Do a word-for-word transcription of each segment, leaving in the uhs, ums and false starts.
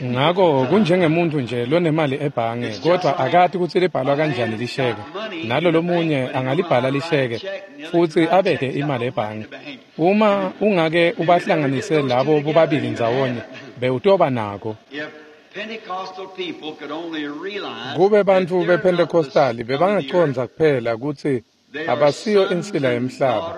Ngako kunjengemuntu nje lonemali ebhange kodwa akati kutsi libhalwa kanjani lisheke. Nalo lomunye angalibhala lisheke futsi abeke imali ebhange. Uma ungake ubahlanganise labo bobabili ndzawonye bewutoba nako. Kube bantfu bePentecostali bebangacondza kuphela kutsi abasiyo insila yemhlaba,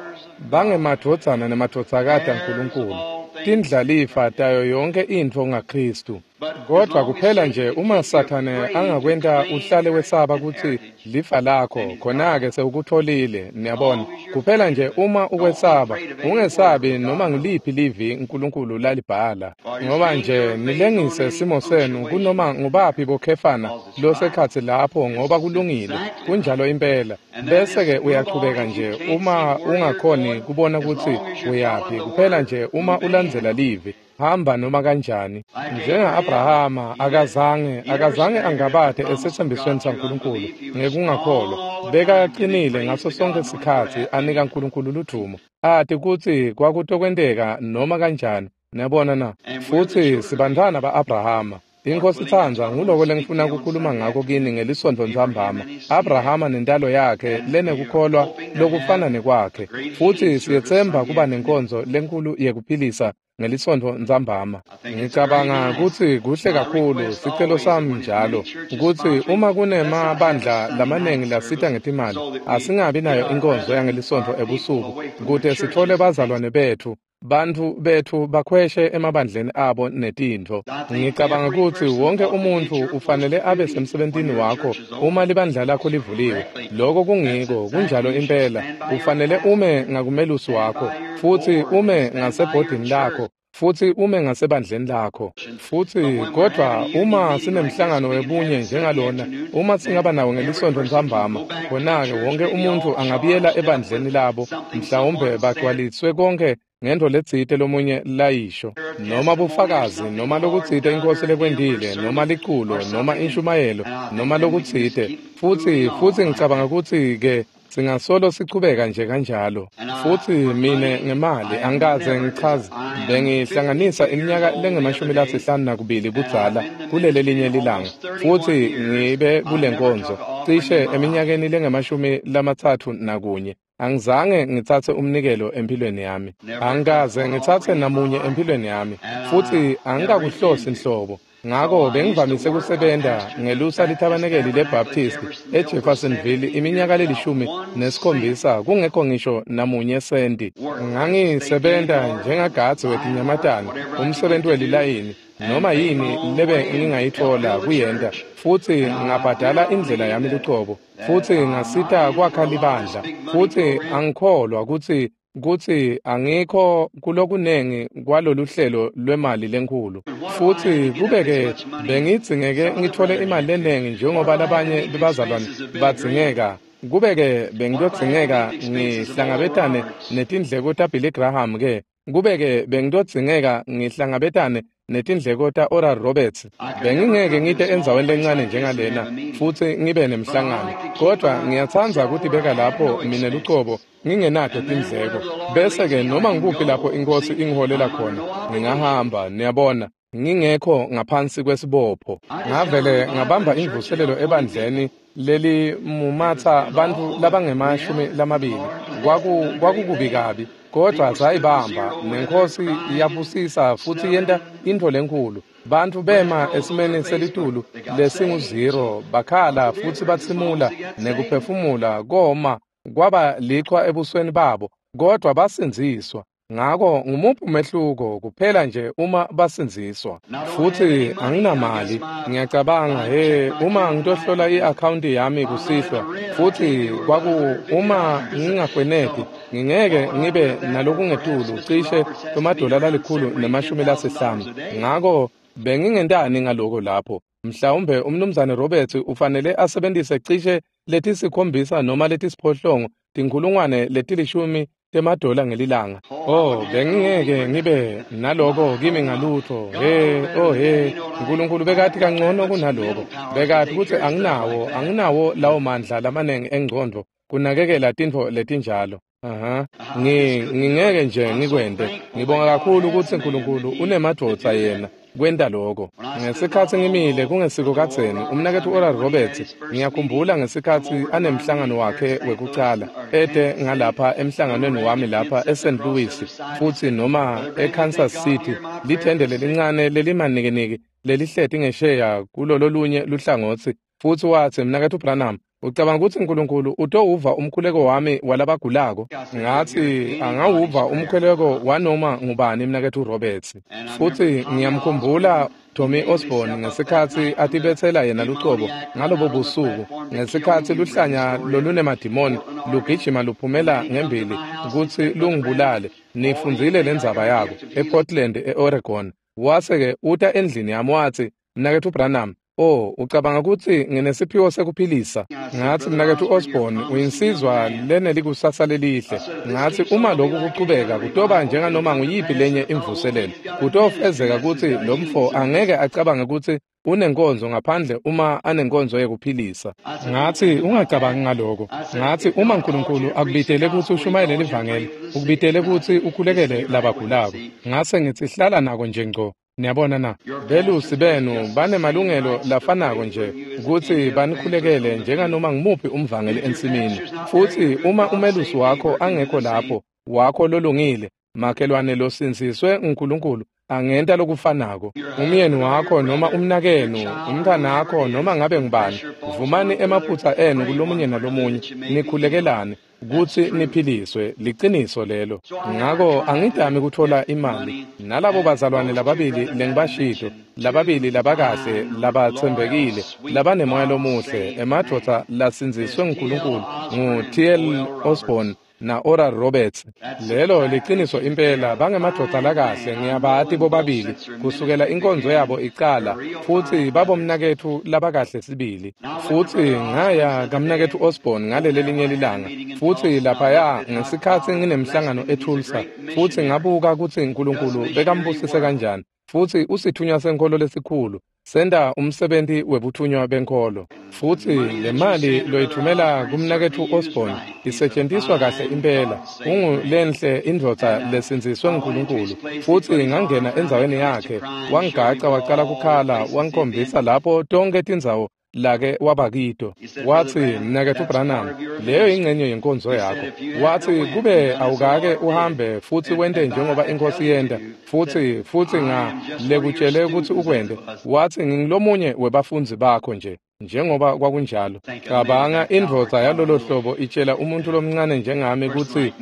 bangemadvodzana nemadvodzakati aNkulunkulu, tindlalifa tayo yonke intfo ngaKhristu. Kodwa kuphela nje uma Sathane angakwenta uhlale wesaba kutsi lifa lakho, khona-ke sewukutfolile, niyabona. Kuphela nje uma ukwesaba, ungesabi noma nguliphi livi uNkulunkulu lalibhala. Ngoba nje nilengise simo senu kunoma ngubaphi bokhefana losekhatsi lapho ngoba kulungile, kunjalo impela. Bese-ke uyachubeka nje uma ungakhoni kubona kutsi uyaphi, kuphela nje uma ulandzela livi. Hamba noma kanjani. Njenga-Abrahama akazange akazange angabate esetsembisweni saNkulunkulu ngekungakholwa. Bekacinile ngaso sonke sikhatsi anika uNkulunkulu ludvumo, ati kutsi kwakutokwenteka noma kanjani. Niyabona na? Futsi sibantfwana ba-Abrahama. Inkosi itsandza nguloko lengifuna kukhuluma ngako kini ngelisontfo ntsambama. Abrahama nentalo yakhe lenekukholwa lokufana nekwakhe. Futsi siyetsemba kuba nenkonzo lenkulu yekuphilisa ngelisontfo ntsambama. Ngicabanga kutsi kuhle kakhulu, sicelo sami njalo kutsi uma kunemabandla lamanengi lasita ngetimali, asingabi nayo inkonzo yangelisontfo ebusuku kute sitfole bazalwane betfu, bantfu betfu bakhweshe emabandleni abo netintfo. Ngicabanga kutsi wonke umuntfu ufanele abe semsebentini wakho uma libandla lakho livuliwe. Loko kungiko, kunjalo impela. Ufanele ume ngakumelusi wakho, futsi ume ngasebhodini lakho, futsi ume ngasebandleni lakho. Futsi kodwa uma sinemhlangano webunye njengalona, uma singaba nawo ngelisontfo ntsambama, khona-ke wonke umuntfu angabuyela ebandleni labo, mhlawumbe bagcwaliswe konke ngento letsite lomunye layisho, noma bufakazi, noma lokutsite inkosi lekwentile, noma liculo, noma inshumayelo, noma lokutsite. Futsi futsi ngicabanga kutsi-ke singasolo sichubeka nje kanjalo. Futsi mine ngemali angikaze ngichaze, bengihlanganisa iminyaka lengemashumi lasihlanu nakubili budzala kuleli linye lilanga, futsi ngibe kule nkonzo cishe eminyakeni lengemashumi lamatsatfu nakunye. Angizange ngitsatse umnikelo empilweni yami. Angikaze ngitsatse namunye empilweni yami, futsi angikakuhlosi nhlobo. Ngako bengivamise kusebenta ngelusa lithabanekeli leBaptist eJeffersonville iminyaka lelishumi nesikhombisa kungekho ngisho namunye senti. Ngangisebenta njengagadzi wetinyamatane, umsebenti welilayini, noma yini lebe ngingayitfola kuyenta, futsi ngabhadala indlela yami lucobo, futsi ngasita kwakha libandla, futsi angikholwa kutsi kutsi angikho kulokunengi kwalolu hlelo lwemali lenkhulu. Futsi kube-ke bengidzingeke ngitfole imali lenengi njengoba labanye bebazalwane badzingeka, kube-ke bengitodzingeka ngihlangabetane netindleko taBilly Graham ke, kube-ke bengitodzingeka ngihlangabetane netindleko ta-Oral Roberts, bengingeke ngite endzaweni lencane njengalena futsi ngibe nemhlangano. Kodwa ngiyatsandza kutibeka lapho mine lucobo ngingenato tindleko, bese-ke noma ngikuphi lapho inkosi ingiholela khona ngingahamba, niyabona, ngingekho ngaphansi kwesibopho. Ngavele ngabamba imvuselelo ebandleni lelimumatsa bantfu labangemashumi lamabili. Kwaku kwakukubi kabi, kodwa sayibamba nenkosi iyabusisa futsi yenta intfo lenkhulu. Bantfu bema esimeni selitulu lesingu-zero, bakhala futsi batsimula nekuphefumula koma kwaba lichwa ebusweni babo, kodwa basindziswa. Ngako ngumuphi umehluko kuphela nje uma basindziswa. Futsi anginamali, ngiyacabanga, he, uma ngitohlola i-akhawunti yami kusihlwa, futsi kwaku uma ngingakweneti, ngingeke ngibe nalokungetulu cishe emadola lalikhulu nemashumi lasihlanu. Ngako bengingentani ngaloko lapho? Mhlawumbe umnumzane Roberts ufanele asebentise cishe letisikhombisa noma letisiphohlongo tinkhulungwane letilishumi temadola ngelilanga. Oh, bengingeke ngibe naloko kimi ngalutho. He, oh he, uNkulunkulu bekati kangcono kunaloko. Bekati kutsi anginawo, anginawo lawo mandla lamanengi engcondvo kunakekela tintfo letinjalo. Aha, ngi ngingeke nje ngikwente. Ngibonga kakhulu kutsi uNkulunkulu unemadvodza yena kwenta lokho. Ngesikhatsi ngimile kungesiko kadzeni, umnaketfu Oral Roberts, ngiyakhumbula ngesikhatsi anemhlangano wakhe wekucala, ete ngalapha emhlanganweni wami lapha eSaint Louis, futsi noma eKansas City, lithende lelincane lelimanikiniki lelihleti ngesheya kulololunye luhlangotsi, futsi watsi, mnaketfu Branham, ucabanga kutsi Nkulunkulu utowuva umkhuleko wami walabagulako? Ngatsi, angawuva umkhuleko wanoma ngubani, mnaketfu Roberts. Futsi ngiyamkhumbula Tommy Osborne ngesikhatsi atibetsela yena lucobo ngalobo busuku, ngesikhatsi luhlanya lolunemadimoni lugijima luphumela ngembili kutsi lungibulale. Nifundzile lendzaba yako ePortland, eOregon. Wase-ke uta endlini yami watsi, mnaketfu Branham, oh, ucabanga kutsi nginesiphiwo sekuphilisa? Ngatsi, mnaketfu Osborne, uyinsizwa lenelikusasa lelihle. Ngatsi, uma lokhu kuchubeka kutoba njenganoma nguyiphi lenye imvuselelo. Kutofezeka kutsi lo mfo angeke acabange kutsi unenkonzo ngaphandle uma anenkonzo yekuphilisa. Ngatsi, ungacabangi ngaloko. Ngatsi, uma Nkulunkulu akubitele kutsi ushumayele livangeli, ukubitele kutsi ukhulekele labagulako. Ngase ngitsi, hlala nako nje ngco. Niyabona na? Belusi benu banemalungelo lafanako nje kutsi banikhulekele njenganoma ngumuphi umvangeli ensimini. Futsi uma umelusi wakho angekho lapho, wakho lolungile, makhelwane losindziswe nguNkulunkulu angenta lokufanako. Umyeni wakho noma umnakenu, umntwanakho noma ngabe ngubani, vumani emaphutsa enu kulomunye nalomunye, nikhulekelane kutsi niphiliswe. Liciniso lelo. Ngako angidami kutfola imali nalabo bazalwane lababili lengibashito, lababili labakahle, labatsembekile, labanemoya lomuhle, emadvodza lasindziswe nguNkulunkulu, ngu-T L Osborne na Oral Roberts. Lelo liciniso impela, bangemadvodza lakahle, ngiyabati bobabili kusukela inkonzo yabo icala, futsi babomnaketfu labakahle sibili. Futsi ngaya kamnaketfu Osborne ngaleli linye lilanga, futsi laphaya ngesikhatsi nginemhlangano eTulsa, futsi ngabuka kutsi Nkulunkulu bekambusise kanjani, futsi usithunywa senkholo lesikhulu, senta umsebenti webuthunywa benkholo. Futsi le mali loyithumela kumnaketfu Osborne isetjentiswa kahle impela. Ungulenhle indvodza lesindziswe nguNkulunkulu. Futsi ngangena endzaweni yakhe, wangigaca wacala kukhala, wangikhombisa lapho tonkhe tindzawo lake wabakito. Watsi, mnaketfu Branham, leyo ingcenye yenkonzo yakho. Watsi, kube awukake uhambe futsi wente njengoba inkosi yenta, futsi futsi nga lekutshele kutsi ukwente. Watsi, ngingulomunye webafundzi bakho nje, njengoba kwakunjalo. Cabanga indvodza yalolo hlobo itshela umuntu lomncane njengami kutsi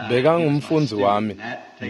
bekangumfundzi wami.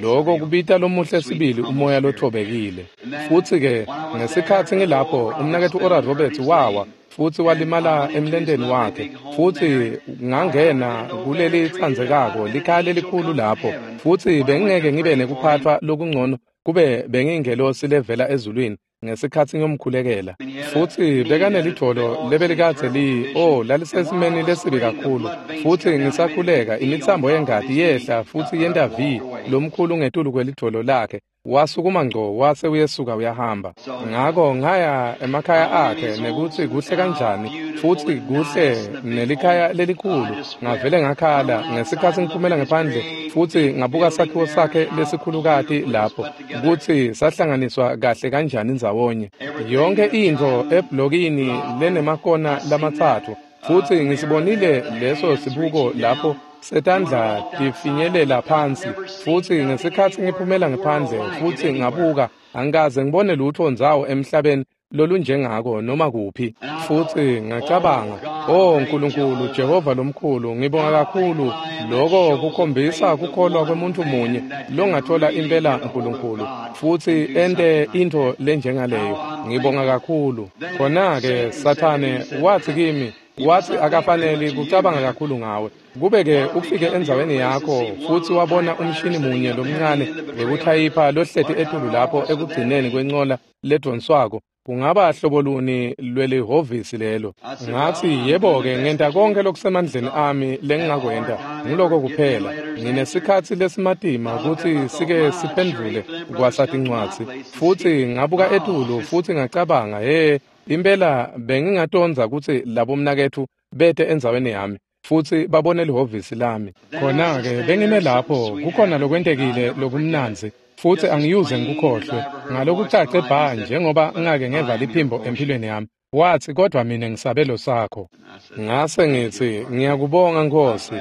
Lokho kubita lomuhle sibili umoya lothobekile. Futsi-ke ngesikhatsi ngilapho, umnaketfu Oral Roberts wawa futsi walimala emlenteni wakhe, futsi ngangena kuleli tsandzekako likhaya lelikhulu lapho, futsi bengingeke ngibe nekuphatfwa lokungcono kube bengingelosi levela ezulwini ngesikhatsi ngiyomkhulekela. Futsi bekanelidvolo lebelikadze li oh lalisesimeni lesibi kakhulu, futsi ngisakhuleka imitsambo yengati yehla futsi yenta V lomkhulu ngetulu kwelidvolo lakhe. Wasukuma ngco wase uyesuka uyahamba. Ngako ngaya emakhaya akhe nekutsi kuhle kanjani, futsi kuhle nelikhaya lelikhulu. Ngavele ngakhala ngesikhatsi ngiphumela ngephandle futsi ngabuka sakhiwo sakhe lesikhulukati lapho, kutsi sahlanganiswa kahle kanjani ndzawonye. Yonke intfo eblokini lenemakona lamatsatfu, futsi ngisibonile leso sibuko lapho setandla tifinyelela phansi. Futsi ngesikhatsi ngiphumela ngephandle futsi ngabuka, angikaze ngibone lutho ndzawo emhlabeni lolunjengako noma kuphi. Futsi ngacabanga, oh Nkulunkulu Jehova lomkhulu, ngibonga kakhulu. Lokho kukhombisa kukholwa kwemuntu munye longathola impela Nkulunkulu futsi ente intfo lenjengaleyo. Ngibonga kakhulu. Khona-ke Sathane watsi kimi, watsi akafaneli kucabanga kakhulu ngawe. Kube-ke ufike endzaweni yakho futsi wabona umshini munye lomncane wekuthayipha lohleti etulu lapho ekugcineni kwencola ledvonswako, kungaba hlobo luni lwelihhovisi lelo? Ngatsi, yebo-ke, ngenta konkhe lokusemandleni ami lengingakwenta, nguloko kuphela. Nginesikhatsi lesimatima kutsi sike siphendvule kwasatincwadzi. Futsi ngabuka etulu futsi ngacabanga, he, impela bengingatondza kutsi labomnaketfu bete endzaweni yami futsi babone lihhovisi lami. Khona-ke bengime lapho, kukhona lokwentekile lokumnandzi. Futsi angiyuze ngikukhohlwe ngalokucace bha njengoba ngake ngeva liphimbo empilweni yami. Watsi, kodwa mina ngisabelo sakho. Ngase ngitsi, ngiyakubonga Nkosi.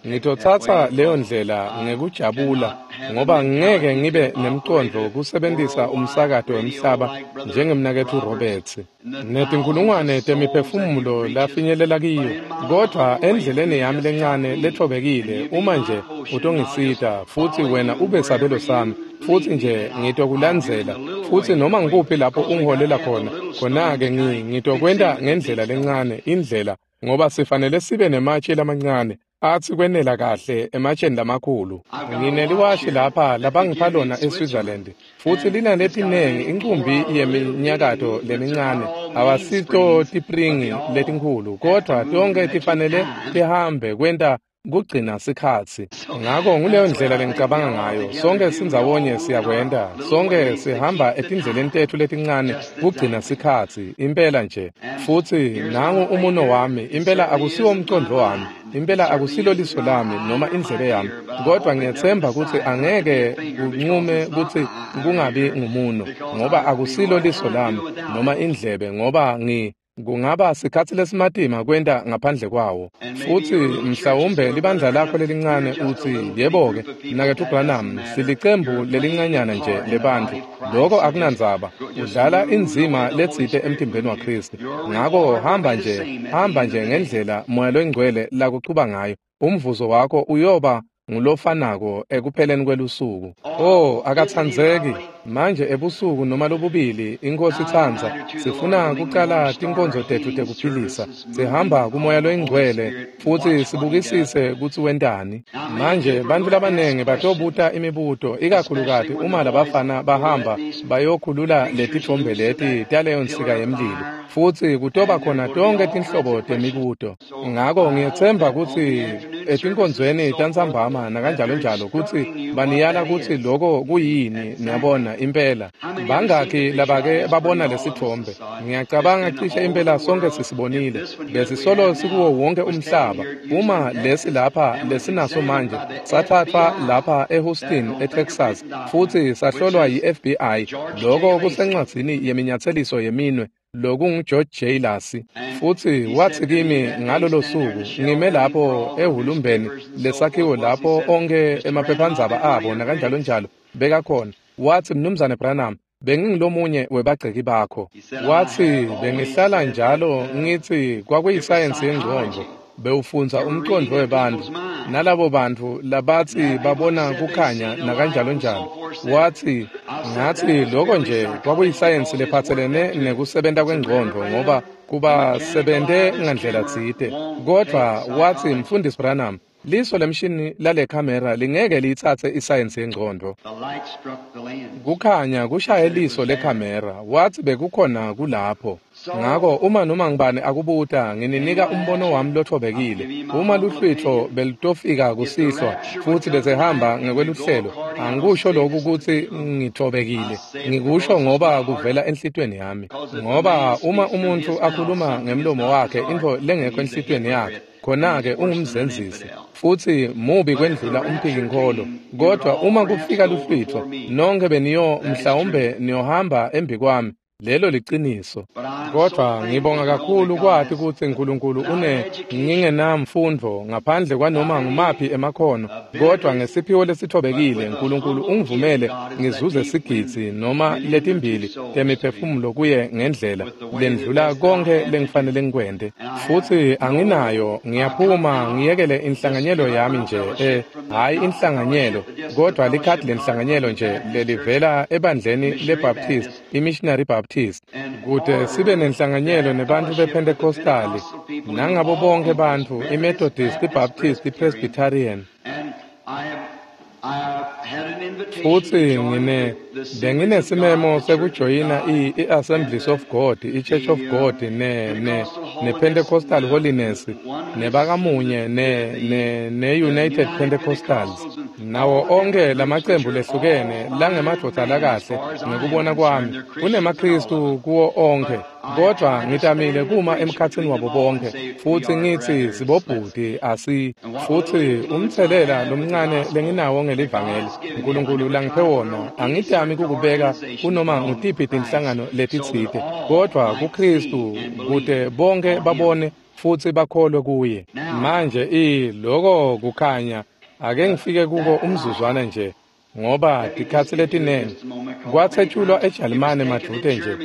Ngitotsatsa leyo ndlela ngekujabula ngoba ngeke ngibe nemcondvo kusebentisa umsakato wemhlaba njengemnaketfu Roberts. Netinkulungwane temiphefumulo lafinyelela kiyo, kodvwa endleleni yami lencane lethobekile uma nje utongisita futsi wena ube sabelo sami futsi nje ngitokulandzela futsi noma ngikuphi lapho ungiholela khona khona-ke ngitokwenta ngendlela lencane indlela ngoba sifanele sibe nematshe lamancane atsi kwenela kahle ematsheni lamakhulu. Ngineliwashi lapha labangipha lona eSwitzerland futsi linaletinengi inqumbi yeminyakato lemincane awasito tipringi letinkhulu kodvwa tonke tifanele tihambe kwenta kugcina sikhatsi. Ngako nguleyo ndlela lengicabanga ngayo. Sonke sindzawonye siyakwenta. Sonke sihamba etindleleni tetfu letincane kugcina sikhatsi impela nje. Futsi nangu umuno wami impela akusiwo umcondvo wami. Impela akusilo liso lami noma indlebe yami kodwa ngiyetsemba kutsi angeke kunqume kutsi kungabi ngumuno ngoba akusilo liso lami noma indlebe ngoba ngi kungaba sikhatsi lesimatima kwenta ngaphandle kwawo. Futsi mhlawumbe libandla lakho lelincane utsi, yebo-ke, mnaketfu Branham, silicembu lelincanyana nje lebantfu. Loko akunandzaba. Udlala indzima letsite emtimbeni waKhristu. Ngako hamba nje, hamba nje ngendlela Moya loyiNgcwele lakuchuba ngayo. Umvuzo wakho uyoba ngulofanako ekupheleni kwelusuku. Oh, akatsandzeki. Manje ebusuku noma lobubili iNkosi itsandza sifuna kucala tinkonzo tetfu tekuphilisa. Sihamba kuMoya loyiNgcwele futsi sibukisise kutsi wentani. Manje bantfu labanengi batobuta imibuto ikakhulukati uma labafana bahamba bayokhulula letitfombe leti taleyo nsika yemlilo. Futsi kutoba khona tonke tinhlobo temibuto. Ngako ngiyetsemba kutsi etinkonzweni tantsambama nakanjalo njalo kutsi baniyala kutsi loko kuyini niyabona impela. Bangakhi labake babona lesitfombe? Ngiyacabanga cishe impela sonke sisibonile. Besisolo sikuwo wonke umhlaba. Uma lesi lapha lesinaso manje sathathwa lapha eHouston eTexas futsi sahlolwa yi-F B I. Loko kusencwadzini yeminyatseliso yeminwe lokungu George J. Lacy. Futsi watsi kimi ngalolo suku ngime lapho ehhulumbeni lesakhiwo lapho onke emaphephandzaba abo nakanjalo njalo bekakhona. Watsi, Mnumzane Branham, bengingulomunye webagceki bakho. Watsi, bengihlala njalo ngitsi kwakuyisayensi yengcondvo bewufundza umcondvo webantfu nalabo bantfu labatsi babona kukhanya nakanjalo njalo. Watsi, ngatsi loko nje kwakuyisayensi lephatselene nekusebenta kwengcondvo ngoba kuba sebente ngandlela tsite. Kodvwa watsi, Mfundisi Branham, liso lemshini lale kamera lingeke liyitsatse isayensi yengcondvo. Kukhanya kushaye liso lekamera. Watsi bekukhona kulapho. Ngako uma noma ngibani akubuta ngininika umbono wami lothobekile. Uma luhlwitfo belutofika kusihlwa futsi besehamba ngekweluhlelo, angikusho lokhu kutsi ngithobekile. Ngikusho ngoba kuvela enhlitiyweni yami. Ngoba uma umuntfu akhuluma ngemlomo wakhe intfo lengekho enhlitiyweni yakhe, khona-ke ungumzenzisi futsi mubi kwendlula umphikinkholo. Kodwa uma kufika luhlwitfo, nonke beniyo mhlawumbe niyohamba embi kwami. Lelo liciniso. Kodwa ngibonga kakhulu kwati kutsi Nkulunkulu une ngingenamfundvo ngaphandle kwanoma ngumaphi emakhono, kodwa ngesiphiwo lesithobekile Nkulunkulu ungivumele ngizuze sigidzi noma letimbili temiphefumulo kuye ngendlela lendlula konke lengifanele ngikwente. Futsi anginayo, ngiyaphuma ngiyekele inhlanganyelo yami nje, eh hayi inhlanganyelo, kodwa likhadi lenhlanganyelo nje lelivela ebandleni leBaptist, iMissionary Baptist, kute sibe nenhlanganyelo nebantfu bePentecostali nangabo bonke bantfu iMethodist, iBaptist, iPresbyterian. Futsi ngine benginesimemo sekujoyina i-Assemblies of God, i-Church of God, ne ne ne-Pentecostal Holiness, nebakamunye ne ne ne-United Pentecostals. Nawo onke lamacembu lehlukene langemadvodza lakahle ngekubona kwami kunemaKhristu kuwo onke, kodvwa ngitamile kuma emkhatsini wabo bonke futsi ngitsi sibobhuti asi. Futsi umtselela lomncane lenginawo ngelivangeli Nkulunkulu langiphe wona angitami kukubeka kunoma ngutiphi tinhlangano letitsite, kodvwa kuKhristu kute bonke babone futsi bakholwe kuye. Manje i loko kukhanya ake ngifike kuko umzuzwana nje, ngoba tikhatsi letinengi kwatsetjulwa eJalimane madvute nje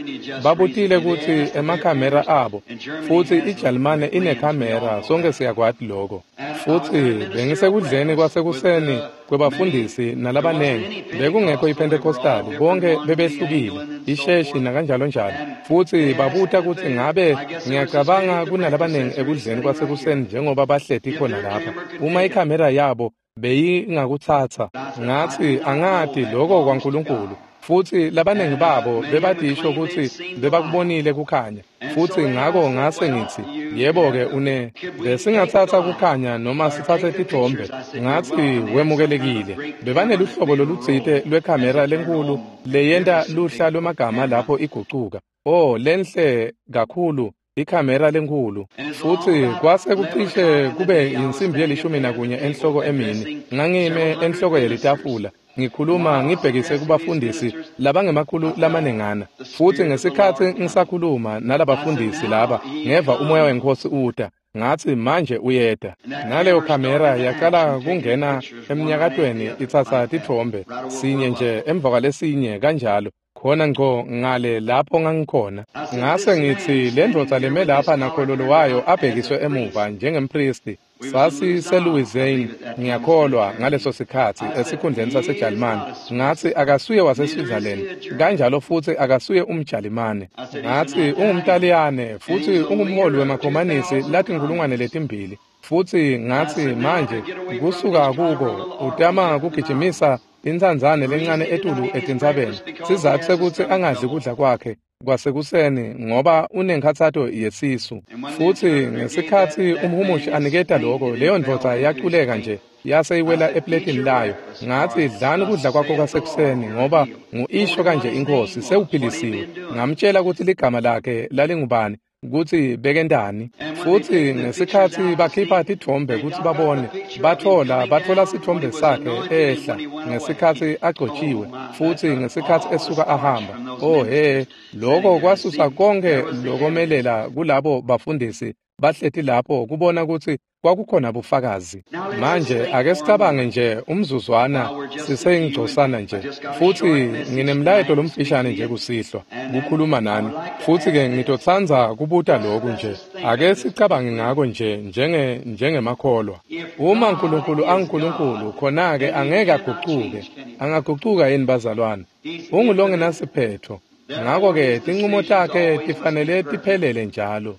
babutile kutsi emakhamera abo, futsi iJalimane inekhamera, sonke siyakwati lokho. Futsi bengisekudleni kwasekuseni kwebafundisi nalabanengi, bekungekho iPentecostal, bonke bebehlukile, isheshi nakanjalo njalo. Futsi babuta kutsi ngabe ngiyacabanga kunalabanengi ekudleni kwasekuseni njengoba bahleti khona lapha, uma ikhamera yabo beyingakutsatsa. Ngatsi angati lokho kwaNkulunkulu. Futsi labanengi babo bebadisho kutsi bebakubonile kukhanya, futsi ngako ngase ngitsi yebo-ke une besingatsatsa kukhanya noma sitsatse titfombe. Ngatsi wemukelekile. Bebaneluhlobo lolutsite lwekhamera lenkhulu leyenta luhla lwemagama lapho igucuka. Oh, lenhle kakhulu ikhamera lenkhulu. Futsi kwase kucishe kube insimbi yelishumi nakunye enhloko emini, ngangime enhloko yelitafula ngikhuluma ngibhekise kubafundisi labangemakhulu lamanengana. Futsi ngesikhatsi ngisakhuluma nalabafundisi laba ngeva umoya weNkhosi uta. Ngatsi manje uyeta. Naleyo khamera yaqala kungena emnyakatweni itsatsa titfombe sinye nje emva kwalesinye kanjalo, khona ngco ngale lapho ngangikhona. Ngase ngitsi le ndvodza leme lapha nakhololo wayo abhekiswe emuva njengempristi. SasiseLouisiana ngiyakholwa ngaleso sikhatsi esikhundleni saseJalimane. Ngatsi akasuye waseSwitzerland kanjalo futsi akasuye umJalimane. Ngatsi ungumTaliyane futsi ungumholi wemakhomanisi latinkhulungwane letimbili. Futsi ngatsi manje kusuka kuko utama kugijimisa intsandzane lencane etulu etintsabeni, sizatfu sekutsi angadli kudla kwakhe kwasekuseni ngoba unenkhatsato yesisu. Futsi ngesikhatsi umhumushi aniketa lokho, leyo ndvodza yaculeka nje yase iwela epletini layo. Ngatsi dlani kudla kwakho kwasekuseni ngoba ngu-isho kanje iNkhosi, sewuphilisiwe. Ngamtshela kutsi ligama lakhe lalingubani, kutsi bekentani. Futsi ngesikhatsi bakhipha titfombe kutsi babone, batfola batfola sitfombe sakhe ehla ngesikhatsi agcotjiwe futsi ngesikhatsi esuka ahamba. Oh he, lokho kwasusa konke lokomelela kulabo bafundisi bahleti lapho kubona kutsi kwakukhona bufakazi. Manje ake sicabange nje umzuzwana siseyingcosana nje, futsi nginemlayeto lomfishane nje kusihlwa kukhuluma nani. Futsi-ke ngitotsandza kubuta loku nje, ake sicabange ngako nje njenge njengemakholwa. Uma Nkulunkulu anguNkulunkulu, khona-ke angeke agucuke. Angagucuka yini bazalwane? Ungulongenasiphetho. Ngako-ke tincumo takhe tifanele tiphelele njalo.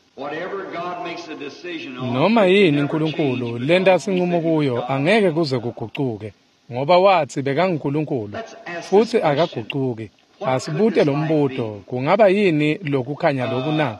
Noma yini Nkulunkulu lenta sincumo kuyo angeke kuze kugucuke, ngoba watsi bekanguNkulunkulu futsi akagucuki. Asibute lo mbuto, kungaba yini lokukhanya loku na?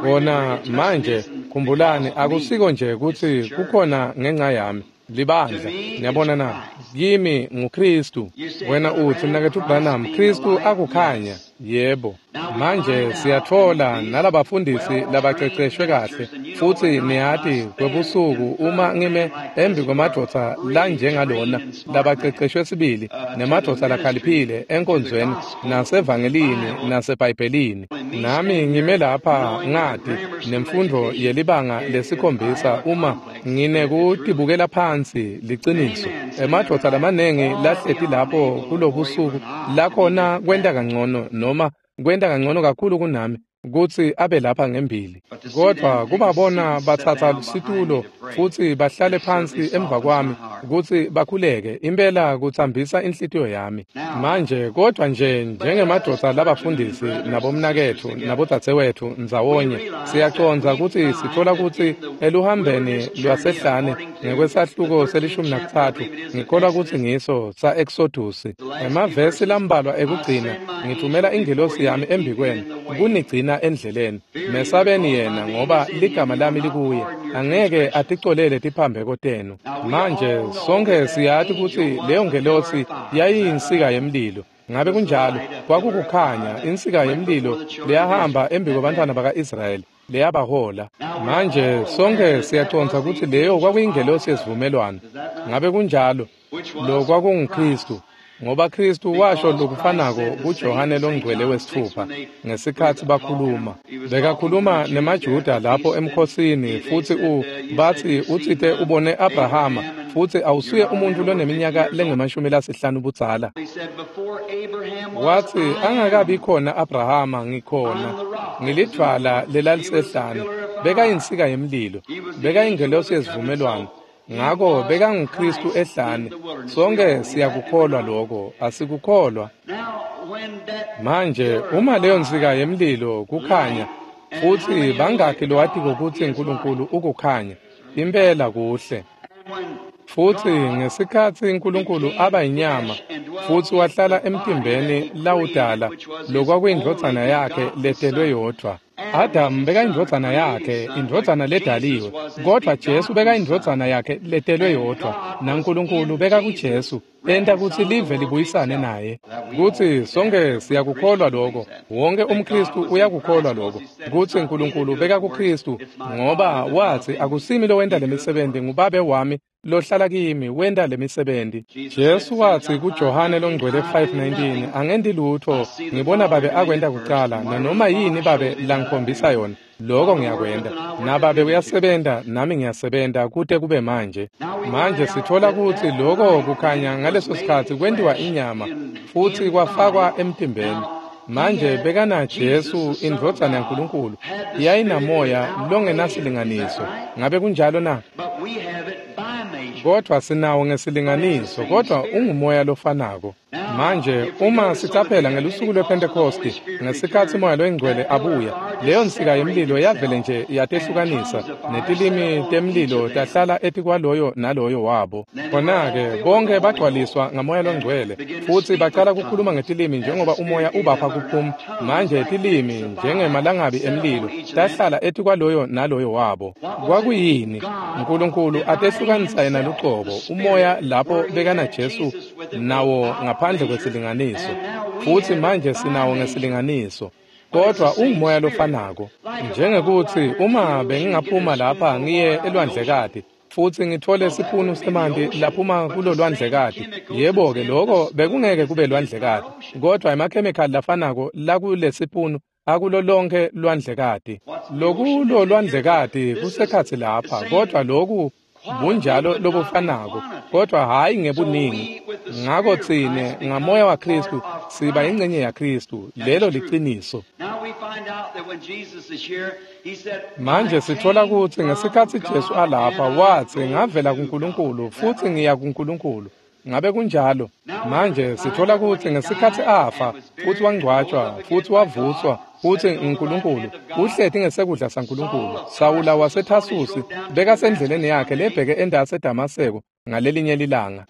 Kona manje khumbulani, akusiko nje kutsi kukhona ngenxa yami libandla. Niyabona na? Kimi nguKhristu. Wena utsi mnaketfu Branham, Khristu akukhanya. Yebo. Manje siyatfola nalabafundisi labaceceshwe kahle, futsi niyati kwebusuku uma ngime embi kwemadvodza lanjengalona labaceceshwe sibili nemadvodza lakhaliphile enkonzweni nasevangelini naseBhayibhelini, nami ngime lapha ngati nemfundo yelibanga lesikhombisa uma nginekutibukela phansi liciniso. Emadvodza lamanengi lahleti lapho kulobusuku lakhona kwenta kangcono noma kwenta kangcono kakhulu kunami kutsi abe lapha ngembili, kodvwa kubabona batsatsa situlo futsi bahlale phansi emva kwami kutsi bakhuleke, impela kutsambisa inhlitiyo yami. Manje kodvwa nje njengemadvodza labafundisi nabomnaketfu nabodzadzewetfu ndzawonye, siyacondza kutsi sitfola kutsi eluhambeni lwasehlane ngekwesahluko selishumi nakutsatfu, ngikholwa kutsi ngiso sa-Exodusi, emavesi lambalwa ekugcina, ngithumela ingelosi yami embikwenu kunigcina endleleni. Mesabeni yena, ngoba ligama lami likuye, angeke aticolele tiphambeko tenu. Manje sonke siyati kutsi leyo ngelosi yayiyinsika yemlilo. Ngabe kunjalo? Kwakukukhanya, insika yemlilo leyahamba embi kwabantwana baka-Israyeli, leyabahola. Manje sonke siyacondza kutsi leyo kwakuyingelosi yesivumelwano. Ngabe kunjalo? Lo kwakunguKristu, ngoba Kristu washo lokufanako kuJohane longcwele wesitfupha ngesikhatsi bakhuluma. Bekakhuluma nemaJuda lapho emkhosini, futsi u batsi utsite ubone Abrahama, futsi awusuye umuntfu loneminyaka lengemashumi lasihlanu budzala. Watsi angakabi khona Abrahama ngikhona, ngilidvwala lelalisehlane. Bekayinsika yemlilo, bekayingelosi yesivumelwano. Ngako bekanguKristu ehlane. Sonke siyakukholwa lokho, asikukholwa? Manje uma leyo nsika yemlilo kukhanya, futsi bangakhi lowatiko kutsi uNkulunkulu ukukhanya? Impela kuhle. Futsi ngesikhatsi uNkulunkulu aba inyama futsi wahlala emtimbeni lawudala, lokwakuyindvodzana yakhe letelwe yodvwa. Adam bekayindvodzana yakhe, indvodzana ledaliwe, kodvwa Jesu bekayindvodzana yakhe letelwe yodvwa, naNkulunkulu bekakuJesu, enta kutsi live libuyisane naye. Kutsi sonke siyakukholwa lokho, wonke umKristu uyakukholwa lokho, kutsi uNkulunkulu bekakuKristu, ngoba watsi akusimi lowenta lemisebenti, nguBabe wami lohlala kimi wenta lemisebenti. Jesu watsi kuJohane longcwele five nineteen, angenti lutfo, ngibona Babe akwenta kucala, nanoma yini Babe langikhombisa yona, lokho ngiyakwenta. NaBabe uyasebenta, nami ngiyasebenta kute kube manje. Manje sithola kutsi lokho kukhanya ngaleso sikhatsi kwentiwa inyama futsi kwafakwa emtimbeni. Manje bekana Jesu indvodzana yaNkulunkulu, yayinamoya longenasilinganiso. Ngabe kunjalo na? Kodwa sinawo ngesilinganiso, kodwa ungumoya lofanako. Manje uma sicaphela ngelusuku lwePhentekosti, ngesikhatsi Moya loyiNgcwele abuya, leyo nsika yemlilo yavele nje yatehlukanisa, netilimi temlilo tahlala etikwaloyo naloyo wabo. Khona-ke bonke bagcwaliswa ngaMoya loNgcwele, futsi bacala kukhuluma ngetilimi njengoba umoya ubapha kuphuma. Manje tilimi njengemalangabi emlilo tahlala etikwaloyo naloyo wabo. Kwakuyini? uNkulunkulu atehlukanisa yena lucobo, umoya lapho bekana Jesu nawo ngaphandle kwesilinganiso, futsi manje sinawo ngesilinganiso, kodwa ungumoya lofanako. Njengekuthi uma bengingaphuma lapha ngiye elwandlekati futsi ngithole sipunu semanti laphuma kulo lwandlekati, yebo-ke lokho bekungeke kube lwandlekati, kodwa emakhemikhali lafanako lakulesipunu akulo lonke lwandlekati. Lokulo lwandlekati kusekhatsi lapha, kodwa loku bunjalo lobufanako, kodwa hhayi ngebuningi. Ngako tsine ngamoya waKristu siba ingcenye yaKristu, lelo liciniso. Manje sithola kutsi ngesikhatsi Jesu alapha watsi ngavela kuNkulunkulu futsi ngiya kuNkulunkulu. Ngabe kunjalo? Manje sithola kutsi ngesikhatsi afa futsi wangcwatjwa futsi wavuswa futsi uNkulunkulu uhleti ngesekudla saNkulunkulu. Sawula waseThasusi bekasendleleni yakhe lebheke endase eDamaseko ngalelinye lilanga,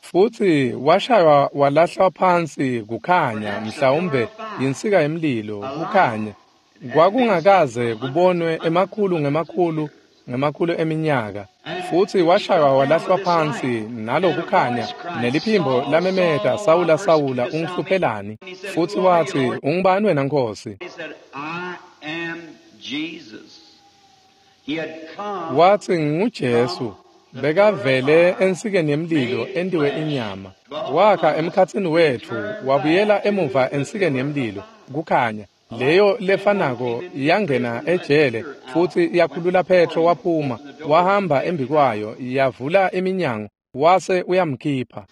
futsi washaywa walahlwa phansi kukhanya, mhlawumbe yinsika yemlilo kukhanya kwakungakaze kubonwe emakhulu ngemakhulu ngemakhulu eminyaka. Futsi washaywa walahlwa phansi nalokukhanya, neliphimbo lamemeta, Sawula, Sawula, ungihluphelani? Futsi watsi, ungubani wena Nkosi? Watsi, nginguJesu. Bekavele ensikeni yemlilo entiwe inyama, wakha emkhatsini wetfu, wabuyela emuva ensikeni yemlilo kukhanya. Leyo lefanako yangena ejele futsi yakhulula Petro waphuma, wahamba embikwayo, yavula iminyango, wase uyamkhipha.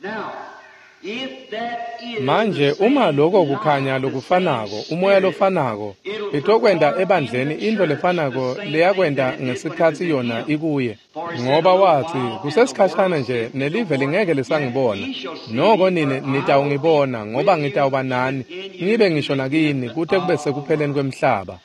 Manje uma lokho kukhanya lokufanako, umoya lofanako, itokwenta ebandleni into lefanako leyakwenta ngesikhatsi yona ikuye. Ngoba watsi, kusesikhashana nje nelive lingeke lisangibona, noko nine nitawungibona, ngoba ngitawuba nani, ngibe ngisho nakini kute kube sekupheleni kwemhlaba.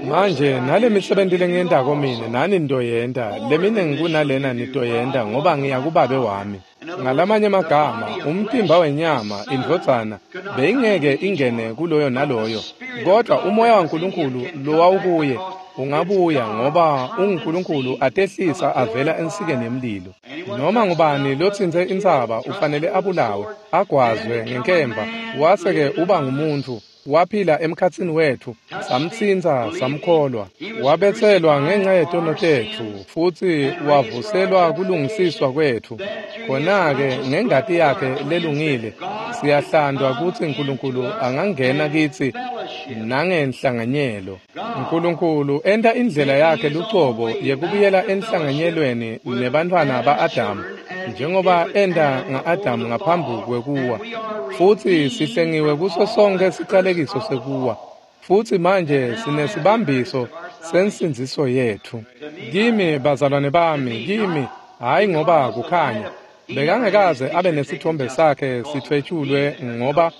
Manje nale misebenti lengiyentako mine nani nitoyenta, leminingi kunalena nitoyenta, ngoba ngiya kuBabe wami. Ngalamanye amagama, umtimba wenyama, indvodzana, beyingeke ingene kuloyo naloyo, kodwa umoya waNkulunkulu lowawukuye ungabuya ngoba unguNkulunkulu atehlisa avela ensikeni yemlilo. Noma ngubani lotsintse intsaba ufanele abulawe, agwazwe ngenkemba, wase-ke uba ngumuntfu. Waphila emkhatsini wetfu, samtsintsa, samkholwa. Wabetselwa ngenxa yetono tetfu, futsi wavuselwa kulungisiswa kwetfu. Khona-ke ngengati yakhe lelungile siyahlandwa kutsi Nkulunkulu angangena kitsi nangenhlanganyelo. Nkulunkulu enta indlela yakhe lucobo yekubuyela enhlanganyelweni nebantfwana ba-Adamu, njengoba enta nga-Adamu ngaphambi kwekuwa. Futsi sihlengiwe kuso sonke sicalekiso sekuwa. Futsi manje sinesibambiso sensindziso yetfu. Kimi bazalwane bami, kimi, hhayi ngoba kukhanya. Bekangekaze abe nesithombe sakhe sithwetshulwe ngoba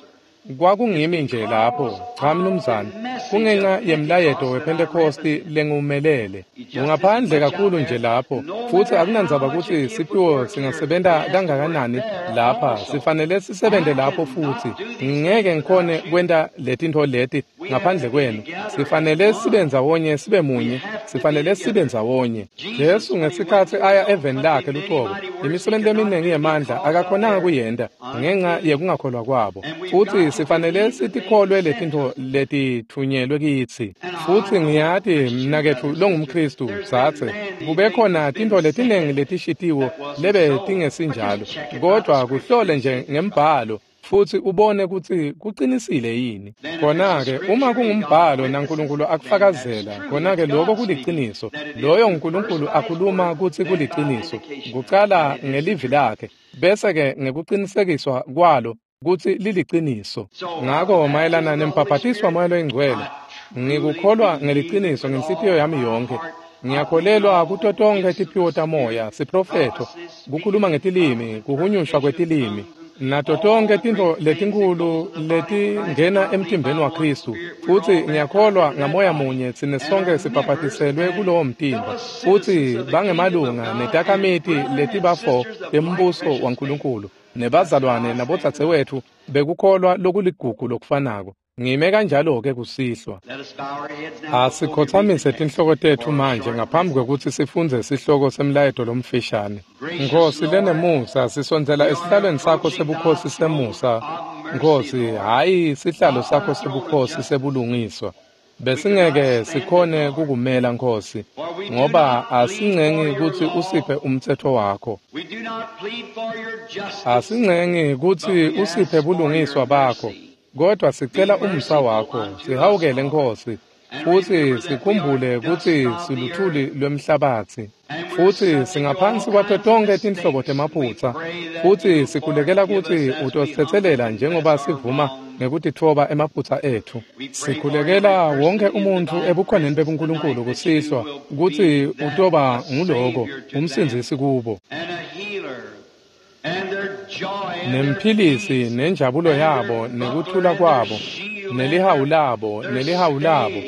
kwakungimi nje lapho. Cha mnumzane, kungenxa yemlayeto wePhentekhosti lengumelele. Ungaphandle kakhulu nje lapho, futsi akunandzaba kutsi siphiwo singasebenta kangakanani lapha, sifanele sisebente lapho futsi. Ngeke ngikhone kwenta letintfo leti ngaphandle kwenu. Sifanele sibe ndzawonye, sibe munye, sifanele sibe ndzawonye. Jesu ngesikhatsi aya eveni lakhe lucobo, imisebenti leminingi yemandla akakhonanga kuyenta ngenxa yekungakholwa kwabo. Futsi sifanele sitikholwe letintfo letitfunyelwe kitsi. Futsi ngiyati mnaketfu longumKhristu, dzadze, kube khona tintfo letiningi letishitiwo lebe tingesinjalo, kodvwa kuhlole nje ngembhalo futsi ubone kutsi kucinisile yini. Khona-ke uma kungumbhalo naNkulunkulu akufakazela, khona-ke lokho kuliciniso. Loyo nguNkulunkulu akhuluma kutsi kuliciniso, kucala ngelivi lakhe, bese-ke ngekucinisekiswa kwalo kutsi liliciniso. Ngako mayelana nembhabhatiswa waMoya loyiNgcwele, ngikukholwa ngeliciniso ngenhlitiyo yami yonkhe. Ngiyakholelwa kuto tonkhe tiphiwo tamoya, siprofetho, kukhuluma ngetilimi, kuhunyushwa kwetilimi, nato tonkhe tintfo letinkhulu letingena emtimbeni waKhristu. Futsi ngiyakholwa ngamoya munye tsine sonke sibhabhatiselwe kulowo mtimba, futsi bangemalunga netakhamiti letibafo tembuso waNkulunkulu, nebazalwane nabodzadzewetfu bekukholwa lokuligugu lokufanako. Ngime kanjalo-ke kusihlwa. Asikhotsamise tinhloko tetfu manje ngaphambi kwekutsi sifundze sihloko semlayeto lomfishane. Nkhosi lenemusa, sisondzela esihlalweni sakho sebukhosi semusa. Nkhosi, hhayi sihlalo sakho sebukhosi sebulungiswa. Besingeke sikhone kukumela Nkhosi, ngoba asincengi kutsi usiphe umtsetfo wakho. Asincengi kutsi usiphe bulungiswa bakho, kodwa sicela umusa wakho. Sihawukele Nkhosi, futsi sikhumbule kutsi siluthuli lwemhlabatsi, futsi singaphansi kwato tonkhe tinhlobo temaphutsa, futsi sikhulekela kutsi utositsetselela njengoba sivuma ngekutitfoba emaphutsa etfu. Sikhulekela wonke umuntfu ebukhoneni bebuNkulunkulu kusihlwa kutsi utoba nguloko umsindzisi kubo, nemphilisi, nenjabulo yabo, nekuthula kwabo, nelihawu labo, nelihawu labo,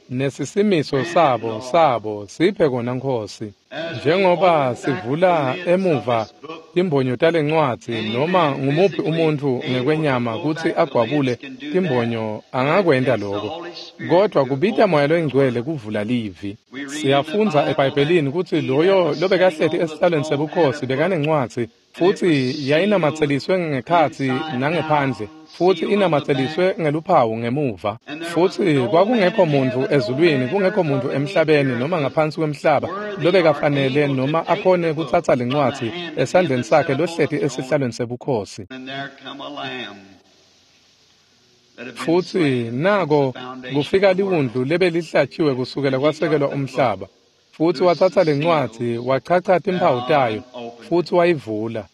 nesisimiso sabo sabo. Siphe kona Nkhosi, njengoba sivula emuva timbonyo talencwadzi, noma ngumuphi umuntfu ngekwenyama kutsi agwabule timbonyo angakwenta lokho, kodwa kubita Moya loyiNgcwele kuvula livi. Siyafundza eBhayibhelini kutsi loyo lobekahleti esihlalweni sebukhosi bekanencwadzi, futsi yayinamatseliswe ngekhatsi nangephandle, futsi inamatseliswe ngeluphawu ngemuva. Futsi kwakungekho muntfu ezulwini, kungekho muntfu emhlabeni noma ngaphansi kwemhlaba lobekafanele noma akhone kutsatsa lencwadzi esandleni sakhe lohleti esihlalweni sebukhosi. Futsi nako kufika liwundlu lebelihlatshiwe kusukela kwasekelwa umhlaba, futsi watsatsa lencwadzi, wachacha timphawu tayo, futsi wayivula.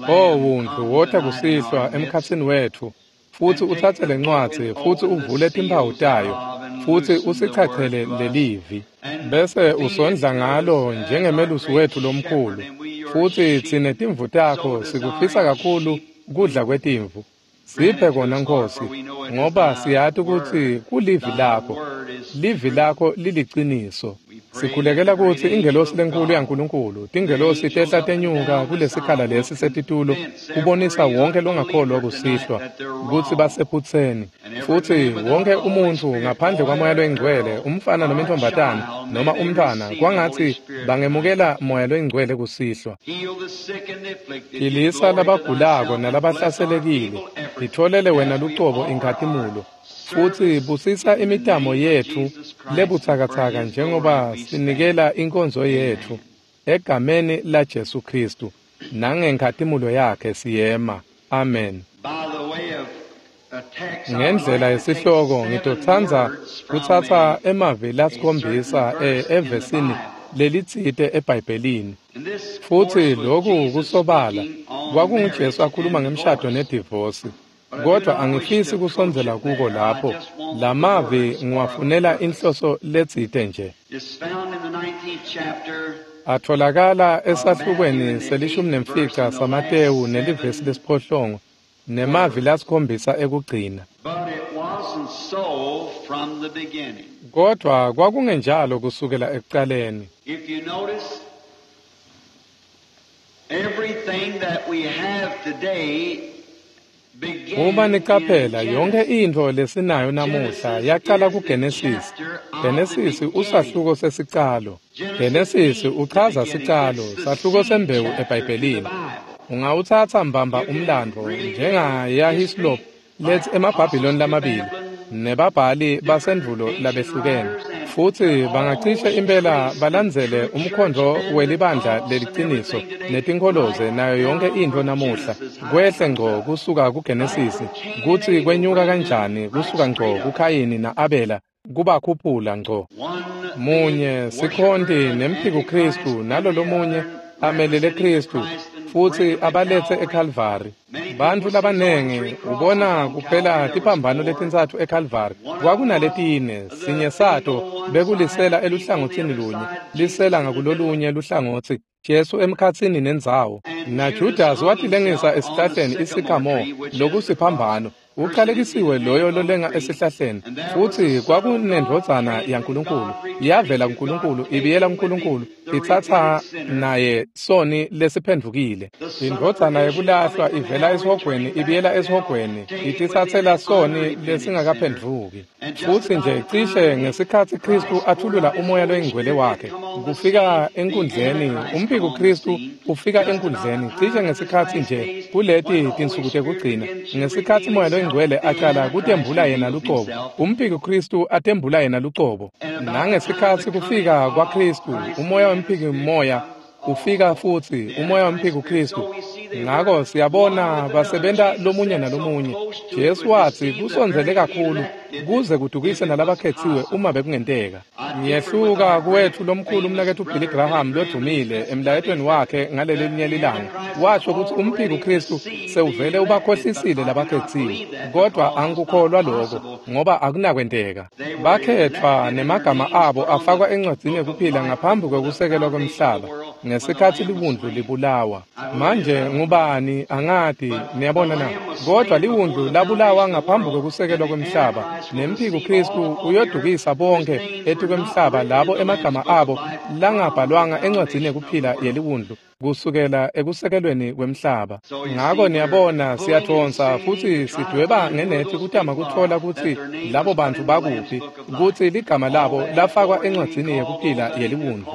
O wundlu, wota kusihlwa emkhatsini wetfu, futsi utsatse lencwadzi, futsi uvule timphawu tayo, futsi usichachele lelivi, bese usondla ngalo njengemelusi wetfu lomkhulu. Futsi tsine timvu takho sikufisa kakhulu kudla kwetimvu. Siphe kona Nkhosi, ngoba siyati kutsi kulivi lakho. Livi lakho liliciniso. Sikhulekela kutsi ingelosi lenkulu yaNkulunkulu, tingelosi tehla tenyuka kulesikhala lesi setitulo kubonisa wonke longakholwa kusihlwa kutsi basephutseni. Futsi wonke umuntfu ngaphandle kwaMoya loyiNgcwele, umfana noma intombatana noma umntfwana, kwangatsi bangemukela Moya loyiNgcwele kusihlwa. Philisa labagulako nalabahlaselekile, titfolele wena lucobo inkhatimulo. Futsi busisa imitamo yetfu lebutsakatsaka njengoba sinikela inkonzo yetfu egameni laJesu Khristu nangenkhatimulo yakhe siyema. Amen. Ngendlela yesihloko ngitotsandza kutsatsa emavi lasikhombisa evesini lelitsite eBhayibhelini. Futsi loku kusobala kwakunguJesu akhuluma ngemshado nedivosi. Kodwa angifisi kusondzela kuko lapho. Lamavi ngiwafunela inhloso letsite nje. Atholakala esahlukweni selishumi nemfica saMatewu nelivesi lesiphohlongo nemavi lasikhombisa ekugcina. Kodwa kwakungenjalo kusukela ekucaleni. Everything that we have today Uma nicaphela yonke intfo lesinayo namuhla yaqala kuGenesis. Genesis usahluko sesicalo. Genesis uchaza sicalo, sahluko sembewu eBhayibhelini. Ungawutsatsa mbamba umlandvo njengaYahislop letsi emaBhabhiloni lamabili nebabhali basendvulo labehlukene. Futsi bangacishe impela balandzele umkhondvo welibandla leliciniso netinkholoze nayo yonke intfo namuhla kwehle ngco kusuka kuGenesis kutsi kwenyuka kanjani kusuka ngco kuKhayini na-Abela kubakhuphula ngco. Munye sikhonti nemphiko Khristu nalolomunye amelele Khristu futsi abaletse eKalvari. Bantfu labanengi ubona kuphela tiphambano letintsatfu eKalvari. Kwakunaletine, sinye sato bekulisela eluhlangotsini lunye, lisela ngakulolunye luhlangotsi, Jesu emkhatsini nendzawo. NaJudas watilengisa esihlahleni isikhamore, lokusiphambano. Uqalekisiwe loyo lolenga esihlahleni. Futsi kwakunendvodzana yaNkulunkulu, yavela kuNkulunkulu, ibiyela kuNkulunkulu, itsatsa naye soni lesiphendvukile. Indvodzana yekulahlwa ivela esihogweni ibiyela esihogweni, ititsatsela soni lesingakaphendvuki. Futsi nje cishe ngesikhatsi Khristu athulula umoya loyingcwele wakhe kufika enkundleni, umphiko Khristu ufika enkundleni cishe ngesikhatsi nje kuleti tinsuku tekugcina, ngesikhatsi moya loyingcwele aqala kutembula yena lucobo, umphiko Khristu atembula yena lucobo. Nangesikhatsi kufika kwaKhristu, umoya wemphiki moya ufika futsi, umoya wemphiko Khristu. Ngako siyabona basebenta lomunye nalomunye. Jesu watsi kusondzele kakhulu kuze kudukise nalabakhetsiwe uma bekungenteka. Ngiyehluka kuwetfu lomkhulu umnaketfu Billy Graham lodvumile emlayetweni wakhe ngalelinye lilanga. Washo kutsi umphiko Khristu sewuvele ubakhohlisile labakhetsiwe. Kodwa angikukholwa lokho ngoba akunakwenteka. Bakhetfwa nemagama abo afakwa encwadzini yekuphila ngaphambi kwekusekelwa kwemhlaba ngesikhatsi liwundlu libulawa. Manje ngubani angati, niyabona na? Kodwa liwundlu labulawa ngaphambi kwekusekelwa kwemhlaba, nemphiko Khristu uyodukisa bonke etikwemhlaba labo emagama abo langabhalwanga encwadzini yekuphila yeliwundlu kusukela ekusekelweni kwemhlaba. Ngako niyabona siyadvonsa futsi sidweba ngenethi kutama kutfola kutsi labo bantfu bakuphi, kutsi ligama labo lafakwa encwadzini yekuphila yeliwundlu.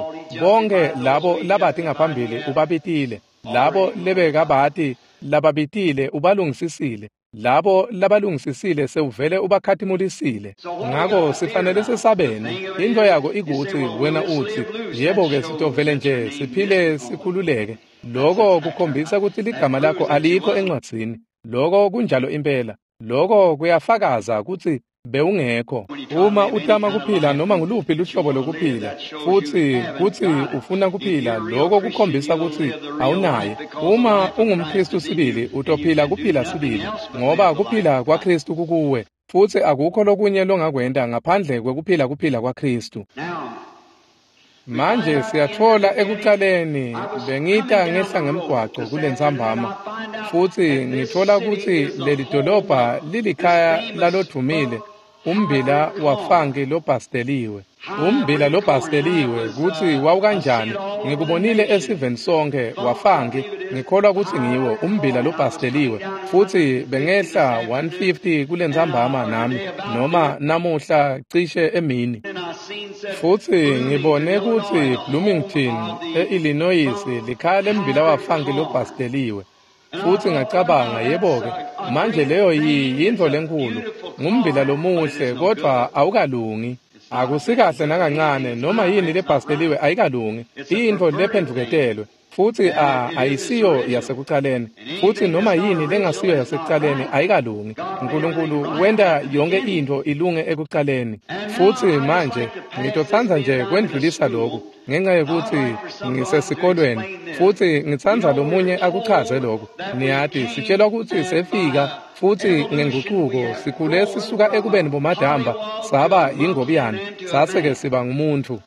Bonke labo labati ngaphambili ubabitile, labo lebekabati lababitile ubalungisisile, labo labalungisisile sewuvele ubakhatimulisile. Ngako sifanele sesabene. Into yako ikutsi wena utsi, yebo-ke sitovele nje siphile sikhululeke. Loko kukhombisa kutsi ligama lakho alikho encwadzini. Loko kunjalo impela. Loko kuyafakaza kutsi bewungekho. Uma utama kuphila noma nguluphi luhlobo lokuphila futsi kutsi ufuna kuphila, loko kukhombisa kutsi awunaye. Uma ungumKhristu sibili, utophila kuphila sibili, ngoba kuphila kwaKhristu kukuwe, futsi akukho lokunye longakwenta ngaphandle kwekuphila kuphila kwaKhristu. Manje siyatfola ekucaleni, bengita ngehla ngemgwaco kulentsambama, futsi ngitfola kutsi leli dolobha lilikhaya lalodvumile, umbila wafanki lobhasteliwe. Umbila lobhasteliwe kutsi wawukanjani, ngikubonile esiveni sonkhe wafangi, ngikholwa kutsi ngiwo umbila lobhasteliwe, futsi bengehla one fifty kulentsambama nami noma namuhla cishe emini. Futsi ngibone kutsi Bloomington e-Illinois likhaya lembila wafangi lobhasteliwe. Futsi ngacabanga, yebo-ke, manje leyo yintfo lenkhulu, ngumbila lomuhle kodvwa awukalungi. Akusikahle nakancane, noma yini lebhasteliwe ayikalungi, iyintfo lephendvuketelwe, futsi ayisiyo yasekucaleni, futsi noma yini lengasiyo yasekucaleni ayikalungi. Nkulunkulu wenta yonke intfo ilunge ekucaleni. Futsi manje ngitotsandza nje kwendlulisa loku ngenxa yekutsi ngisesikolweni, futsi ngitsandza lomunye akuchaze loku. Niyati, sitshelwa kutsi sefika futsi ngenguquko sikhule sisuka ekubeni bomadamba saba yingobiyane, sase-ke siba ngumuntfu.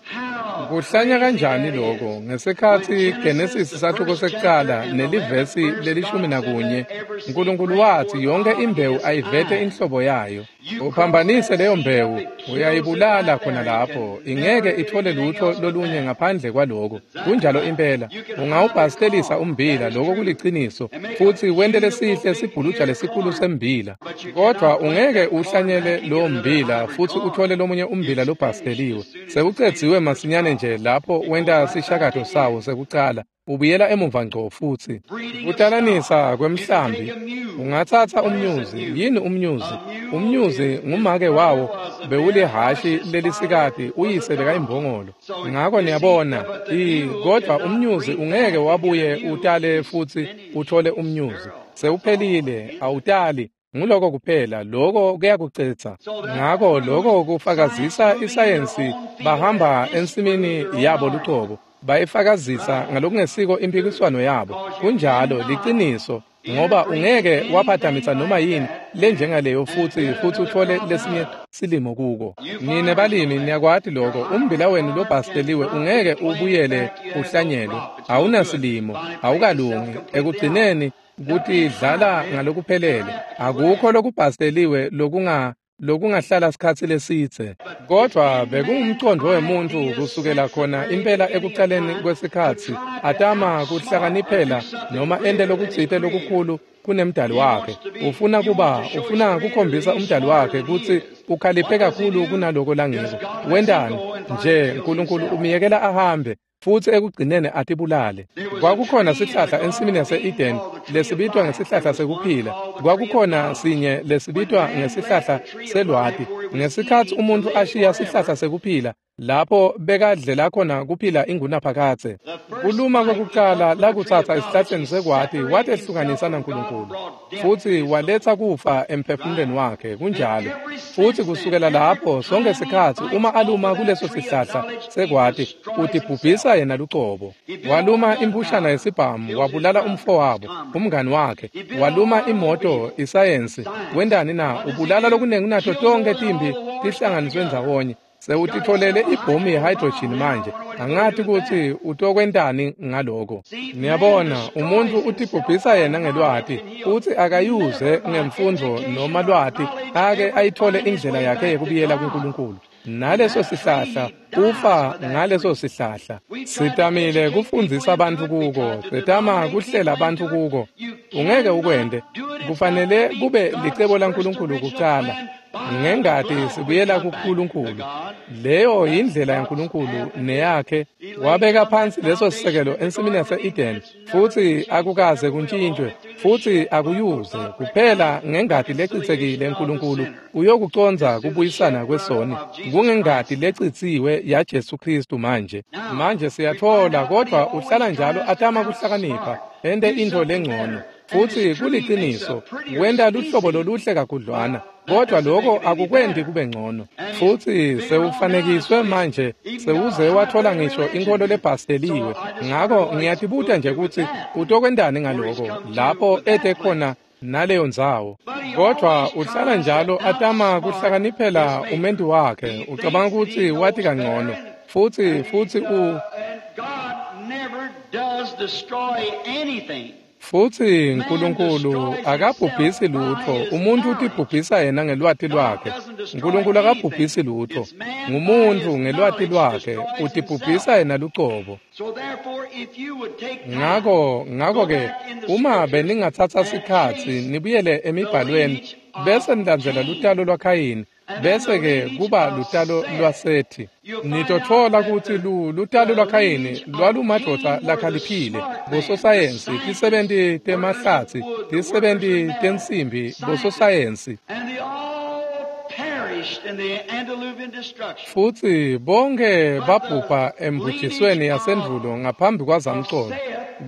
Kuhlanya kanjani lokho? Ngesikhatsi Genesis sahluko sekucala nelivesi lelishumi nakunye, Nkulunkulu watsi yonke imbewu ayivete inhlobo yayo. Uphambanise leyo mbewu, uyayibulala khona lapho, ingeke ithole lutho lolunye ngaphandle kwaloko. Kunjalo impela. Ungawubhastelisa umbila, lokho kuliciniso, futsi wente lesihle sibhuluja lesikhulu sembila, kodvwa ungeke uhlanyele lowo mbila futsi uthole lomunye umbila lobhasteliwe. Sewucedziwe masinyane nje lapho wenta sishakato sawo sekucala, ubuyela emuva ngco futsi. Kutalanisa kwemhlambi, ungatsatsa umnyuzi. Yini umnyuzi? Umnyuzi ngumake wawo bewulihhashi lelisikati, uyise bekayimbongolo. Ngako niyabona, kodvwa umnyuzi ungeke wabuye utale futsi uthole umnyuzi. Sewuphelile, awutali. Nguloko kuphela, loko kuyakucetsa. Ngako loko kufakazisa isayensi, bahamba ensimini yabo lucobo, bayifakazisa ngalokungesiko impikiswano yabo. Kunjalo, liciniso, ngoba ungeke waphathamisa noma yini lenjengaleyo futsi futsi uthole lesinye silimo kuko. Nine balimi niyakwati loko, umbila wenu lobhasteliwe ungeke ubuyele uhlanyelwe, awunasilimo, awukalungi. Ekugcineni kutidlala ngalokuphelele, akukho lokubhasteliwe lokunga lokungahlala sikhatsi lesidze. Kodvwa bekungumcondvo wemuntfu kusukela khona impela ekucaleni kwesikhatsi, atama kuhlakaniphela noma ente lokutsite lokukhulu kunemdali wakhe. Ufuna kuba, ufuna kukhombisa umdali wakhe kutsi ukhaliphe kakhulu kunaloko langiko. Wentani? Nje Nkulunkulu umyekela ahambe, futsi ekugcineni atibulale. Kwakukhona sihlahla ensimini yase-Eden lesibitwa ngesihlahla sekuphila. Kwakukhona sinye lesibitwa ngesihlahla selwati. Ngesikhatsi umuntfu ashiya sihlahla sekuphila, lapho bekadlela khona kuphila ingunaphakadze. Kuluma kwekucala lakutsatsa esihlahleni sekwati watehlukanisa naNkulunkulu, futsi waletsa kufa emphefumulweni wakhe. Kunjalo. Futsi kusukela lapho sonke sikhatsi uma aluma kuleso sihlahla sekwati, utibhubhisa yena lucobo. Waluma impushana yesibhamu, wabulala umfowabo, umngani wakhe. Waluma imoto, isayensi. Wentani na? Ubulala lokunengi kunato tonke timbi tihlanganiswe ndzawonye. Sewutitfolele ibhomu ye-hydrogen manje, angati kutsi utokwentani ngaloko. Niyabona, umuntfu utibhubhisa yena ngelwati, futsi akayuze ngemfundvo noma lwati ake ayithole indlela yakhe yekubuyela kuNkulunkulu. Naleso sihlahla, ufa ngaleso sihlahla. Sitamile kufundzisa bantfu kuko, setama kuhlela bantfu kuko. Ungeke ukwente. Kufanele kube licebo laNkulunkulu kucala. Ngengati sibuyela kuNkulunkulu. Leyo yindlela yaNkulunkulu neyakhe. Wabeka phansi leso sisekelo ensimini yase-Eden, futsi akukaze kuntshintshwe, futsi akuyuze. Kuphela ngengati lecitsekile Nkulunkulu uyokucondza kubuyisana kwesoni. Kungengati lecitsiwe yaJesu Kristu manje. Manje siyatfola, kodvwa uhlala njalo atama kuhlakanipha, ente intfo lengcono. Futsi kuliciniso, wenta luhlobo loluhle kakhudlwana, kodvwa loko akukwenti kube ngcono. Futsi sewufanekiswe manje, sewuze wathola ngisho inkholo lebhasteliwe. Ngako ngiyatibuta nje kutsi utokwentani ngaloko lapho ete khona naleyo ndzawo. Kodvwa uhlala njalo atama kuhlakaniphela umentu wakhe, ucabanga kutsi wati kangcono. Futsi futsi u does destroy anything. Futsi Nkulunkulu akabhubhisi lutfo, umuntfu utibhubhisa yena ngelwati lwakhe. Nkulunkulu akabhubhisi lutfo, ngumuntfu ngelwati lwakhe utibhubhisa yena lucobo. Ngako ngako-ke uma beningatsatsa sikhatsi nibuyele emibhalweni bese nilandzela lutalo lwaKhayini, bese-ke kuba lutalo lwaSethi, nitotfola kutsi lutalo lwaKhayini lwalumadvodza lakhaliphile, bososayensi, tisebenti temahlatsi, tisebenti tensimbi, bososayensi. Futsi bonke babhubha embujisweni yasendvulo ngaphambi kwazamcolo,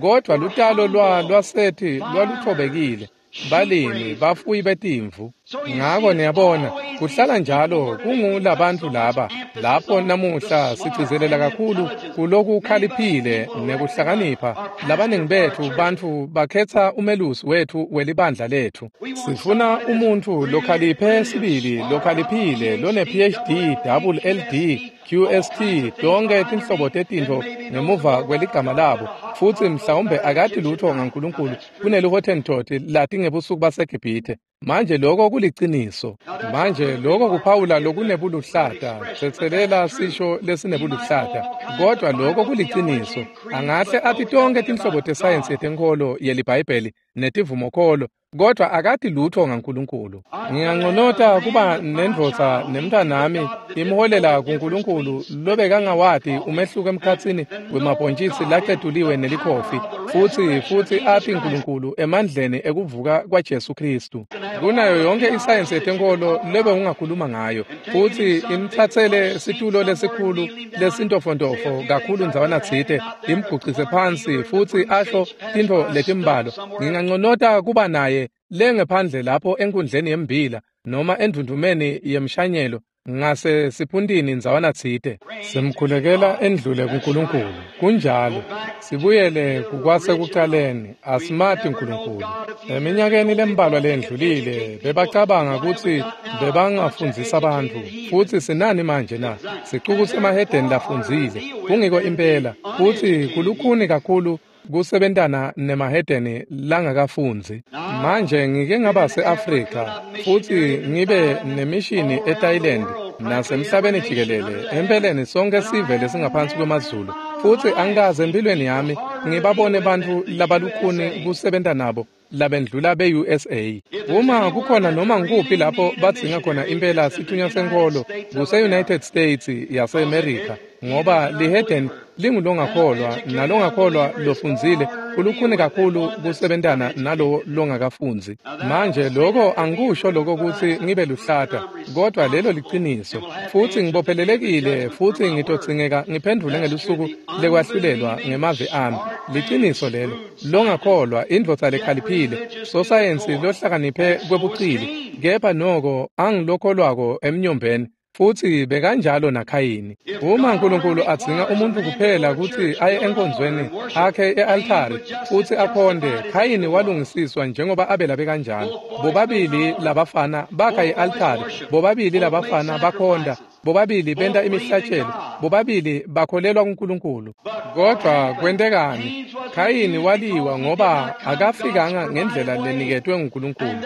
kodvwa lutalo lwa lwaSethi lwalutfobekile, balimi, bafuyi betimvu. Ngako niyabona, kuhlala njalo kungulabantfu laba lapho namuhla sigcizelela kakhulu kulokukhaliphile nekuhlakanipha. Labaningi betfu bantfu bakhetsa umelusi wetfu welibandla letfu. Sifuna umuntfu lokhaliphe sibili, lokhaliphile, lone P H D, double L D, Q S T, tonke tinhlobo tetintfo ngemuva kweligama labo, futsi mhlawumbe akati lutfo ngaNkulunkulu kuneliHottentot lati ngebusuku baseGibhithe. Manje lokho kuliciniso. Manje lokho kuphawula lokunebuluhlata, tsetselela sisho lesinebuluhlata, kodwa lokho kuliciniso. Angahle ati tonke tinhlobo tesayensi yetenkholo yeliBhayibheli netivumokholo, kodwa akati lutfo ngaNkulunkulu. Nginganconota kuba nendvodza nemntanami imholela kuNkulunkulu lobekangawati umehluko emkhatsini wemabhontjisi lacetuliwe nelikhofi, futsi futsi ati Nkulunkulu emandleni ekuvuka kwaJesu Khristu. Kunayo yonke isayensi yetenkholo lebe ungakhuluma ngayo, futsi imtsatsele situlo lesikhulu lesintofontofo kakhulu ndzawana tsite, imgucise phansi futsi asho tintfo letimbalwa. Nginganconota kuba naye lengephandle lapho enkundleni yembila noma endvundvumeni yemshanyelo ngase siphuntini ndzawana tsite. Simkhulekela endlule kuNkulunkulu. Kunjalo, sibuyele kukwasekucaleni, asimati Nkulunkulu. Eminyakeni lembalwa lendlulile bebacabanga kutsi bebangafundzisa bantfu, futsi sinani manje na? Sicuku semahedeni lafundzile, kungiko impela, futsi kulukhuni kakhulu kusebentana nemahedeni langakafundzi. Manje ngike ngaba se-Afrika futsi ngibe nemishini eThailand nasemhlabeni jikelele, empeleni sonke sive lesingaphansi kwemazulu, futsi angikaze empilweni yami ngibabone bantfu labalukhuni kusebenta nabo labendlula be-U S A. Uma kukhona noma ngikuphi lapho badzinga khona impela sithunywa senkholo, kuse-United States yase-America, ngoba lihedeni lingulongakholwa nalongakholwa lofundzile kulukhuni kakhulu kusebentana nalowo longakafundzi. Manje lokho angikusho lokho kutsi ngibe luhlata, kodwa lelo liciniso, futsi ngibophelelekile futsi ngitodzingeka ngiphendvule ngelusuku lekwahlulelwa ngemavi ami. Liciniso lelo. Longakholwa, indvodza lekhaliphile, sosayensi lohlakaniphe kwebucili, kepha noko angilokholwako emnyombeni. Futsi bekanjalo naKhayini. Uma Nkulunkulu adzinga umuntfu kuphela kutsi aye enkonzweni akhe e-altari futsi akhonde, Khayini walungisiswa njengoba Abela bekanjalo. Bobabili labafana bakha i-altari, bobabili labafana bakhonda, bobabili benta imihlatshelo, bobabili bakholelwa kuNkulunkulu. Kodwa kwentekani? Khayini waliwa ngoba akafikanga ngendlela leniketwe nguNkulunkulu.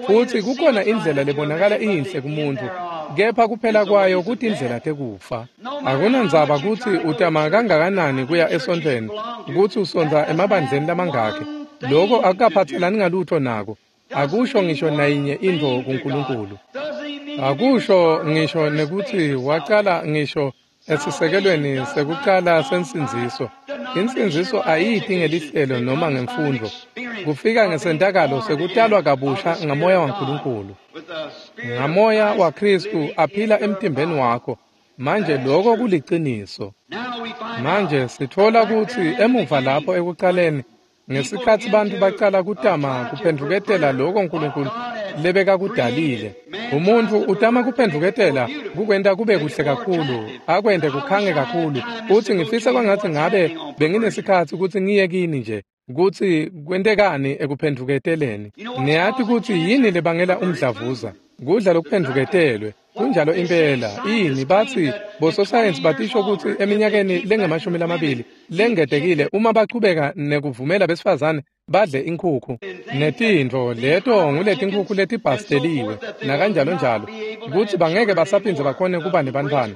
Futsi kukhona indlela lebonakala iyinhle kumuntfu, kepha kuphela kwayo kutindlela tekufa. Akunandzaba kutsi utama kangakanani kuya esontfweni, kutsi usondza emabandleni lamangakhi, lokho akukaphatselani ngalutho nako. Akusho ngisho nayinye intfo kuNkulunkulu. Akusho ngisho nekutsi wacala ngisho esisekelweni sekucala sensindziso. Insindziso ayiti ngelihlelo noma ngemfundvo. Kufika ngesentakalo sekutalwa kabusha ngamoya waNkulunkulu. Ngamoya waKhristu aphila emtimbeni wakho. Manje lokho kuliciniso. Manje sitfola kutsi emuva lapho ekucaleni, ngesikhatsi bantfu bacala kutama kuphendvuketela lokho Nkulunkulu lebekakudalile, umuntfu utama kuphendvuketela kukwenta kube kuhle kakhulu, akwente kukhange kakhulu. Futsi ngifisa kwangatsi ngabe benginesikhatsi kutsi ngiye kini nje kutsi kwentekani ekuphendvuketeleni. Niyati kutsi yini lebangela umdlavuza? Kudla lokuphendvuketelwe. Kunjalo impela. Yini batsi bososayensi batisho kutsi eminyakeni lengemashumi lamabili lengetekile uma bachubeka nekuvumela besifazane Badle inkhukhu netintfo leto nguletinkhukhu letibhasteliwe nakanjalo njalo, kutsi bangeke basaphindze bakhone kuba nebantfwana.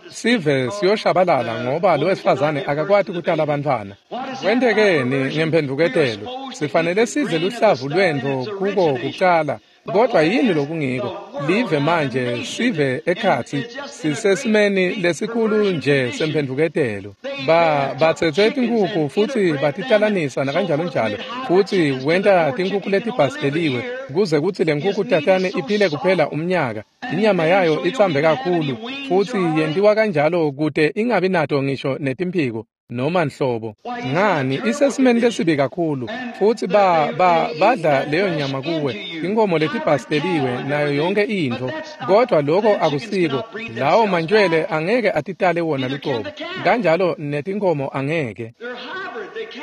Sive siyoshabalala ngoba lo wesifazane akakwati kutala bantfwana. Kwentekeni ngemphendvuketelo? Sifanele sidle luhlavu lwentfo kuko kucala. Kodwa yini lokungiko? Live manje sive ekhatsi sisesimeni lesikhulu nje semphendvuketelo. Ba batsetse tinkhukhu futsi batitalanisa nakanjalo njalo, futsi wenta tinkhukhu letibhasteliwe kuze kutsi le nkhukhu tatane iphile kuphela umnyaka. Inyama yayo itsambe kakhulu futsi yentiwa kanjalo kute ingabi nato ngisho netimphiko noma nhlobo. Ngani, isesimeni lesibi kakhulu, futsi ba ba badla leyo nyama kuwe, inkomo letibhasteliwe nayo yonke intfo. Kodwa lokho akusiko, lawo mantjwele angeke atitale wona lucobo, kanjalo netinkomo angeke.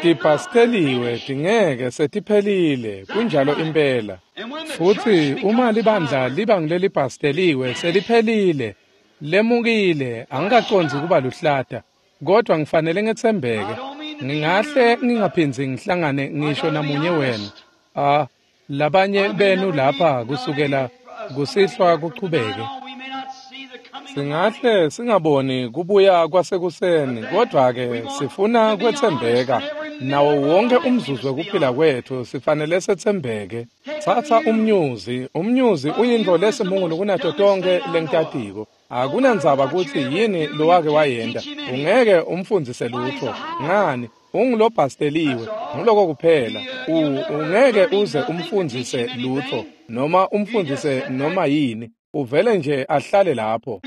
Tibhasteliwe tingeke setiphelile, kunjalo impela. Futsi uma libandla liba ngulelibhasteliwe seliphelile, lemukile, angikacondzi kuba luhlata. Kodwa ngifanele ngetsembeke. Ngingahle ngingaphindzi ngihlangane ngisho namunye wenu. Ah, labanye benu lapha kusukela kusihlwa kuchubeke. Singahle singaboni kubuya kwasekuseni, kodwa ke sifuna kwetsembeka. Nawo wonke umzuzu wekuphila kwethu sifanele setsembeke. Tsatsa umnyuzi, umnyuzi uyintfo lesimungulu kunato tonkhe lengitatiko. Akunandzaba kutsi yini lowake wayenta, ungeke umfundzise lutfo. Ngani, ungulobhasteliwe, nguloko kuphela. Ungeke uze umfundzise lutfo noma umfundzise noma yini, uvele nje ahlale lapho.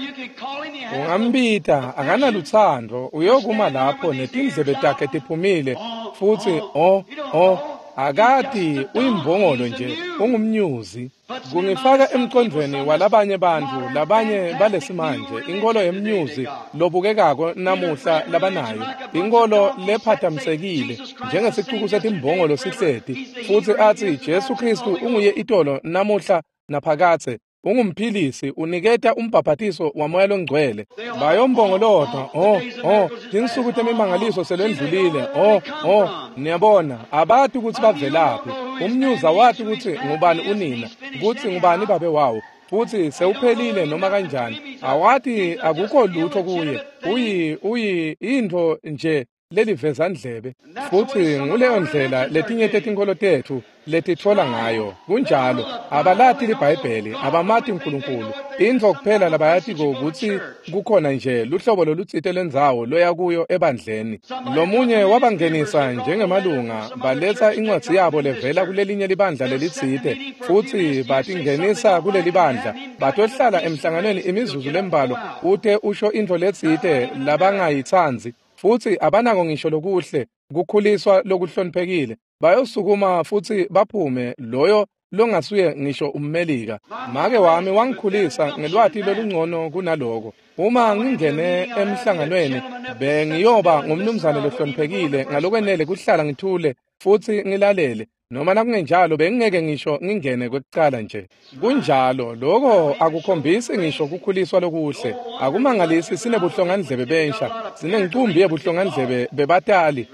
Ungambita, akanalutsandvo, uyokuma lapho netindlebe takhe tiphumile futsi o o akati, uyimbongolo nje, ungumnyuzi. Kungifaka emcondvweni walabanye bantfu, labanye balesimanje, inkolo yemnyuzi lobukekako namuhla labanayo, inkolo lephatamsekile njengesicuku setimbongolo sihleti, futsi atsi Jesu Khristu unguye itolo namuhla naphakadze, ungumphilisi, uniketa umbhaphatiso waMoya loNgcwele. Bayombongolota, oh oh, tinsuku temimangaliso selendlulile, oh oh, niyabona, abati kutsi bavelaphi. Umnyuza wati kutsi ngubani unina, kutsi ngubani babe wawo, futsi sewuphelile noma kanjani. Awati, akukho lutho kuye, uyi uyi intfo nje lelivezandlebe. Futsi nguleyo ndlela letinye tetinkholo tetfu letitfola ngayo. Kunjalo, abalati liBhayibheli, abamati uNkulunkulu. Intfo kuphela labayatiko kutsi kukhona nje luhlobo lolutsite lendzawo loya kuyo ebandleni. Lomunye wabangenisa njengemalunga, baletsa incwadzi yabo levela kulelinye libandla lelitsite, futsi batingenisa kuleli bandla. Batohlala emhlanganweni imizuzu lembalwa ute usho intfo letsite labangayitsandzi, futsi abanako ngisho lokuhle kukhuliswa lokuhloniphekile. Bayosukuma futsi baphume loyo longasuye ngisho ummelika. Make wami wangikhulisa ngelwati lolungcono kunaloko. Uma ngingene emhlanganweni bengiyoba ngumnumzane lohloniphekile ngalokwenele kuhlala ngithule futsi ngilalele, noma nakungenjalo bengingeke ngisho ngingene kwekucala nje. Kunjalo, lokho akukhombisi ngisho kukhuliswa lokuhle. Akumangalisi sinebuhlongandlebe bensha, sinencumbi yebuhlongandlebe bebatali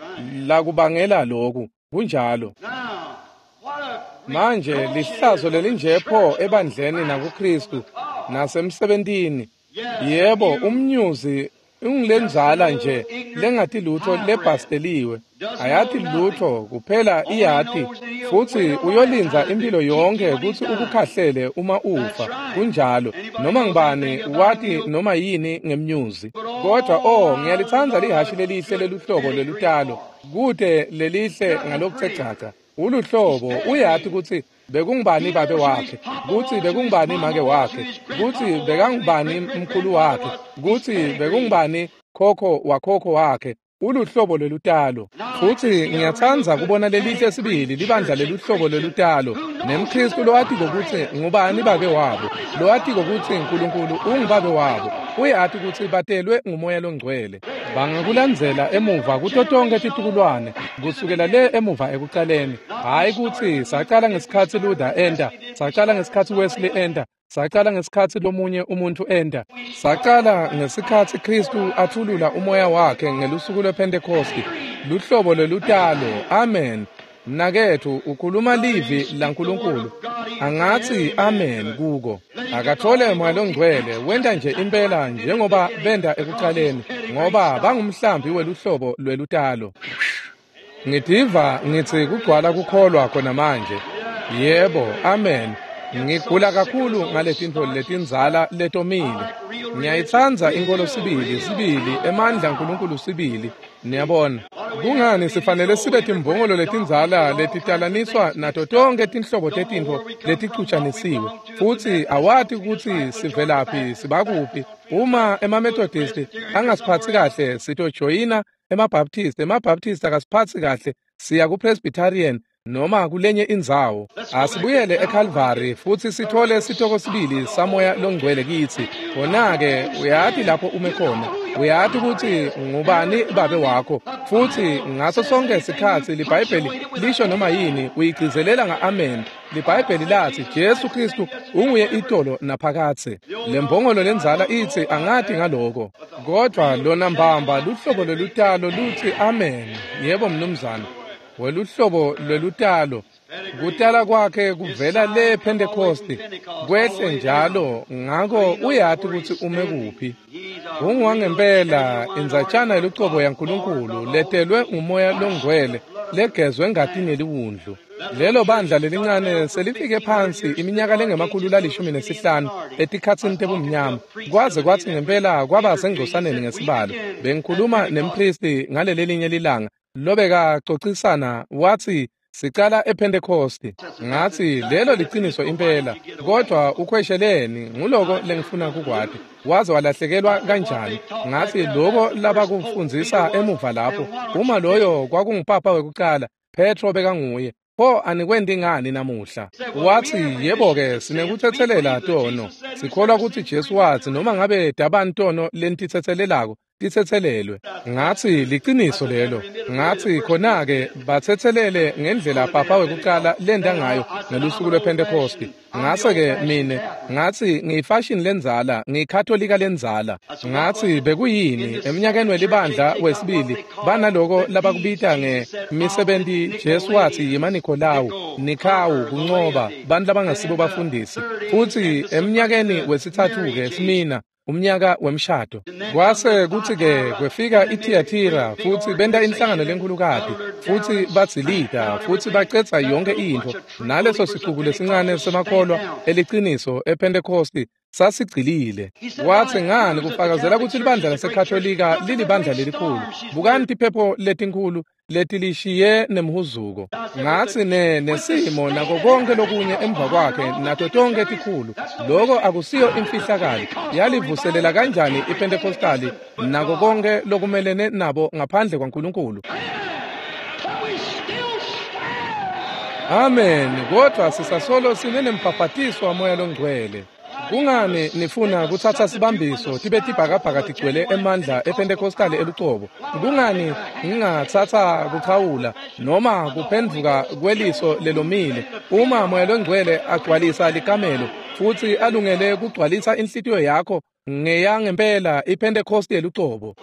lakubangela lokhu. Kunjalo. Manje lihlazo lelinje pho ebandleni nakuKristu nasemsebentini. Yebo, umnyuzi ungilenzala nje lengati lutho lebhasteliwe, ayati lutho kuphela iyati, futsi uyolinza impilo yonke kutsi ukukhahlele uma ufa. Kunjalo, noma ngibani wati noma yini ngemnyuzi. Kodwa oh, ngiyalitsandza lihashi lelihle leluhlobo lelutalo, kute lelihle ngalokuthe gcagca. Uluhlobo uyati kutsi bekungubani babe wakhe, kutsi bekungubani make wakhe, kutsi bekangubani mkhulu wakhe, kutsi bekungubani khokho wakhokho wakhe. Uluhlobo lelutalo. Futsi ngiyatsandza kubona lelihle sibili libandla leluhlobo lelutalo, nemKristu lowatiko kutsi ngubani babe wabo, lowatiko kutsi uNkulunkulu ungubabe wabo, uyati kutsi batelwe nguMoya loNgcwele. Bangakulandzela emuva kuto tonkhe titukulwane, kusukela le emuva ekucaleni. Hhayi kutsi sacala ngesikhatsi Luther enta, sacala ngesikhatsi Wesley enta, sacala ngesikhatsi lomunye umuntu enta, sacala ngesikhatsi Kristu athulula umoya wakhe ngelusuku lwePhentekosti. Luhlobo lelutalo. Amen. Mnaketfu ukhuluma livi laNkulunkulu, angatsi amen kuko. Akathole Moya Longcwele, wenta nje impela njengoba benta ekucaleni, ngoba bangumhlambi weluhlobo lwelutalo. Ngitiva ngitsi kugcwala kukholwa khona manje. Yebo, amen. Ngigula kakhulu ngaletintfo letindzala letomile. Ngiyayitsandza inkolo sibili, sibili, emandla aNkulunkulu sibili. Niyabona, kungani sifanele sibe timbongolo letindzala letitalaniswa nato tonkhe tinhlobo tetintfo leticutshanisiwe, futsi awati kutsi sivelaphi sibakuphi. Uma emaMethodist angasiphatsi kahle, sitojoyina emaBaptist, emaBaptist akasiphatsi kahle, siya kuPresbyterian noma kulenye indzawo. Asibuyele eCalvary futsi sithole sitoko sibili saMoya Longcwele kitsi. Khona-ke uyati lapho ume khona, uyati kutsi ngubani babe wakho, futsi ngaso sonke sikhatsi liBhayibheli lisho noma yini uyigcizelela nga-amen. LiBhayibheli latsi Jesu Khristu unguye itolo naphakadze. Lembongolo lendzala itsi angati ngaloko, kodvwa lona mbamba luhlobo lwelutalo lutsi amen. Yebo mnumzane, weluhlobo lwelutalo kutala kwakhe kuvela le Pentecost kwehle njalo, ngako uyati kutsi ume kuphi. Ungwangempela indzatshana yelucobo yaNkulunkulu letelwe nguMoya Longcwele legezwe ngatini yeliwundlu. Lelo bandla lelincane selifike phansi iminyaka lengemakhulu lalishumi nesihlanu etikhatsini tebumnyama, kwaze kwatsi ngempela kwaba sengcosaneni ngesibalo. Bengikhuluma nempristi ngalelelinye lilanga lobekacocisana, watsi sicala ePentecost. Ngatsi lelo liciniso impela, kodvwa ukhwesheleni, nguloko lengifuna kukwati. Waze walahlekelwa kanjani? Ngatsi loko labakufundzisa emuva lapho, uma loyo kwakungupapa wekucala, Petro bekanguye, pho anikwenti ngani namuhla? Watsi yebo-ke, sinekutsetselela tono, sikholwa kutsi Jesu watsi noma ngabe dabani tono lenititsetselelako titsetselelwe. Ngatsi liciniso lelo. Ngatsi khona-ke batsetselele ngendlela papa wekucala lenta ngayo ngelusuku lwePentecost. Ngase-ke mine ngatsi ngiyifashini lendzala, ngiyikhatolika lendzala. Ngatsi bekuyini eminyakeni welibandla wesibili banaloko labakubita ngemisebenti Jesu watsi yemaNikolawu, Nikhawu, kuncoba bantfu labangasibo bafundisi. Futsi eminyakeni wesitsatfu-ke Smina, umnyaka wemshado. Kwase kutsi-ke kwefika iThiyathira futsi benta inhlangano lenkhulukati, futsi badzilita futsi bacedza yonke intfo, naleso sicuku lesincane semakholwa eliciniso ePentecost sasigcilile. Watsi ngani kufakazela kutsi libandla laseKhatolika lilibandla lelikhulu. Bukani tiphepho letinkhulu letilishiye nemhuzuko. Ngatsi ne nesimo nako konke lokunye emva kwakhe nato tonke tikhulu. Loko akusiyo imfihlakalo. Yalivuselela kanjani iPentecostali nako konke lokumelene nabo ngaphandle kwaNkulunkulu? Amen. Kodvwa sisasolo sinenembhabhatiso waMoya Longcwele. Kungani nifuna kutsatsa sibambiso tibe tibhakabhaka tigcwele emandla ePentecostali elucobo? Kungani ngingatsatsa kuchawula noma kuphendvuka kweliso lelomile uma Moya Longcwele agcwalisa likamelo futsi alungele kugcwalisa inhlitiyo yakho ngeyangempela iPentecost yelucobo?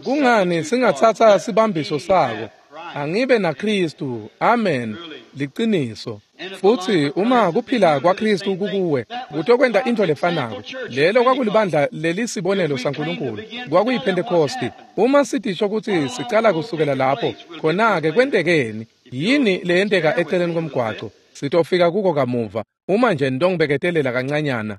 Kungani singatsatsa sibambiso sako? Angibe naKhristu. Amen. Liciniso. Futsi uma kuphila kwaKhristu kukuwe, kutokwenta intfo lefanako. Lelo kwakulibandla lelisibonelo saNkulunkulu, kwakuyiPentecost. Uma sitisho kutsi sicala kusukela lapho, khona-ke kwentekeni? Yini leyenteka eceleni komgwaco? Sitofika kuko kamuva, uma nje ntongibeketelela kancanyana.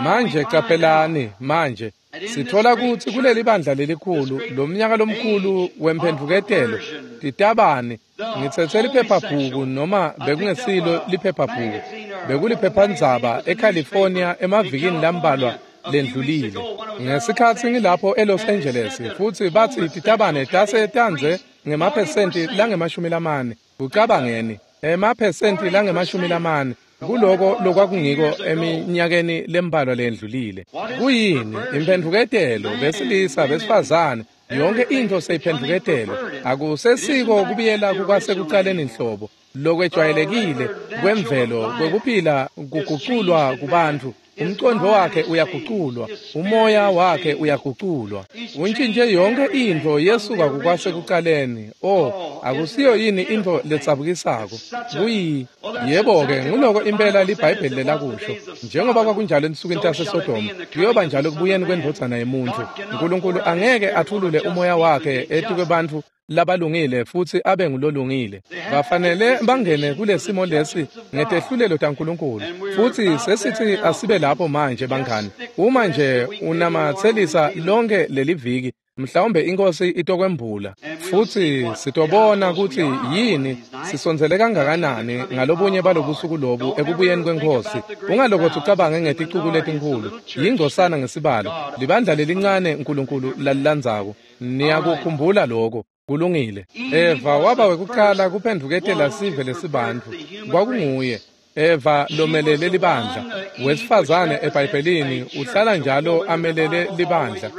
Manje caphelani, manje sithola kutsi kuleli bandla lelikhulu, lomnyaka lomkhulu wemphendvuketelo, titabane, ngitsetse liphephabhuku noma bekungesilo liphephabhuku, bekuliphephandzaba eCalifornia emavikini lambalwa lendlulile. Ngesikhatsi ngilapho eLos Angeles, futsi batsi titabane tase tandze ngemaphesenti langemashumi lamane. Kucabangeni, emaphesenti langemashumi lamane kuloko lokwakungiko eminyakeni lembalwa lendlulile. Kuyini? Imphendvuketelo, besilisa, besifazane, yonke intfo seyiphendvuketelo. Akusesiko kubuyela kukwasekucaleni nhlobo lokwejwayelekile kwemvelo kwekuphila kuguculwa kubantfu. Umqondo wakhe uyaguculwa, umoya wakhe uyaguculwa. Untshintje yonke intfo yesuka kukwasekucaleni. Oh, akusiyo yini intfo letsabukisako? Kuyi yebo-ke nguloko impela liBhayibheli lelakusho. Njengoba kwakunjalo ensukwini taseSodoma, kuyoba njalo ekubuyeni kwendvodzana yemuntfu. Nkulunkulu angeke athulule umoya wakhe etikwebantfu labalungile futsi abe ngulolungile. Bafanele bangene kulesimo lesi ngetehlulelo taNkulunkulu. Futsi sesithi asibe lapho manje bangani. Uma nje unamatselisa lonke leliviki, mhlawumbe inkosi itokwembula futsi sitobona kutsi yini sisondzele kangakanani ngalobunye balobusuku lobu ekubuyeni kwenkosi. Ungalokothi ucabange ngeticuku letinkhulu, yingcosana ngesibalo, libandla lelincane Nkulunkulu lalilandzako. Niyakukhumbula lokho. Kulungile. Eva waba wekuqala kuphendvuketela sive lesibantfu. Kwakunguye Eva lomelele libandla. Wesifazane eBhayibhelini uhlala njalo amelele libandla.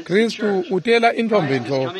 Kristu utela intombi ntfo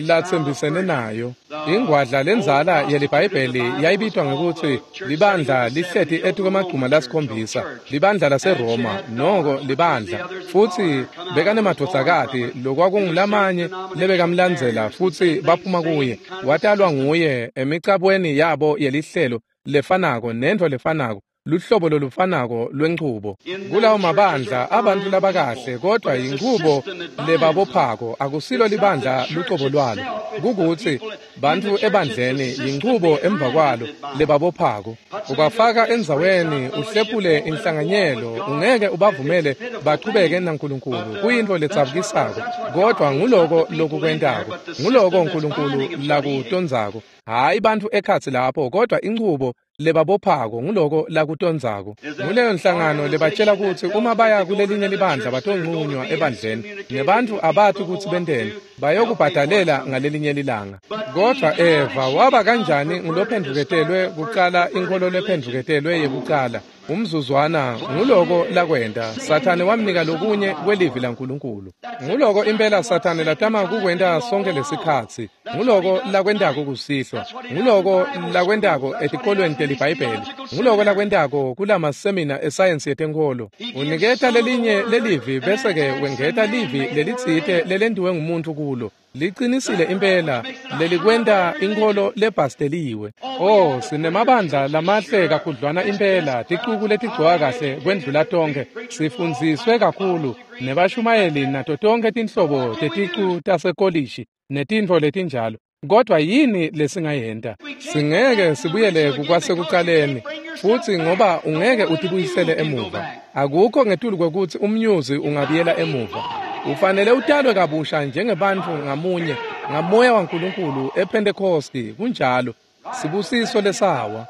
latsembisene nayo. Ingwadla lendzala yeliBhayibheli yayibitwa ngekutsi libandla lihleti etikwemagcuma lasikhombisa, libandla laseRoma, noko libandla. Futsi bekanemadvodzakati lokwakungulamanye lebekamlandzela futsi baphuma kuye. Watalwa nguye emicabweni yabo yelihlelo lefanako nentfo lefanako, luhlobo lolufanako lwenchubo. Kulawo mabandla abantu labakahle, kodwa inchubo lebabophako akusilo libandla lucobo lwalo. Kukutsi bantfu ebandleni yinchubo emva kwalo lebabophako. Ubafaka endzaweni, uhlephule inhlanganyelo, ungeke ubavumele bachubeke naNkulunkulu. Kuyintfo letsabukisako, kodwa nguloko lokukwentako, nguloko Nkulunkulu lakutondzako. Hayi bantfu ekhatsi lapho, kodwa inchubo lebabophako nguloko lakutondzako. Nguleyo nhlangano lebatshela kutsi uma baya kulelinye libandla batonqunywa ebandleni, nebantfu abati kutsi benteni, bayokubhadalela ngalelinye lilanga. Kodwa Eva waba kanjani ngulophendvuketelwe kucala, inkholo lephendvuketelwe yekucala? Umzuzwana nguloko lakwenta. Sathane wamnika lokunye kwelivi laNkulunkulu. Nguloko impela Sathane latama kukwenta sonke lesikhatsi. Nguloko lakwentako kusihlwa. Nguloko lakwentako etikolweni teliBhayibheli. Nguloko lakwentako kulamasemina esayensi yetenkholo. Uniketa lelinye lelivi bese-ke wengeta livi lelitsite lelentiwe ngumuntfu kulo. Liqinisile impela lelikwenta inkholo lebhasteliwe. Oh, sinemabandla lamahle kakhudlwana impela, ticuku letigcoka kahle kwendlula tonkhe, sifundziswe kakhulu, nebashumayeli nato tonkhe tinhlobo teticu tasekolishi netintfo letinjalo. Kodwa yini lesingayenta? Singeke sibuyele kukwasekucaleni futsi, ngoba ungeke utibuyisele emuva. Akukho ngetulu kwekutsi umnyuzi ungabuyela emuva. Ufanele utalwe kabusha njengebantfu ngamunye ngamoya waNkulunkulu ePhentekosti. Kunjalo. Sibusiso lesawa.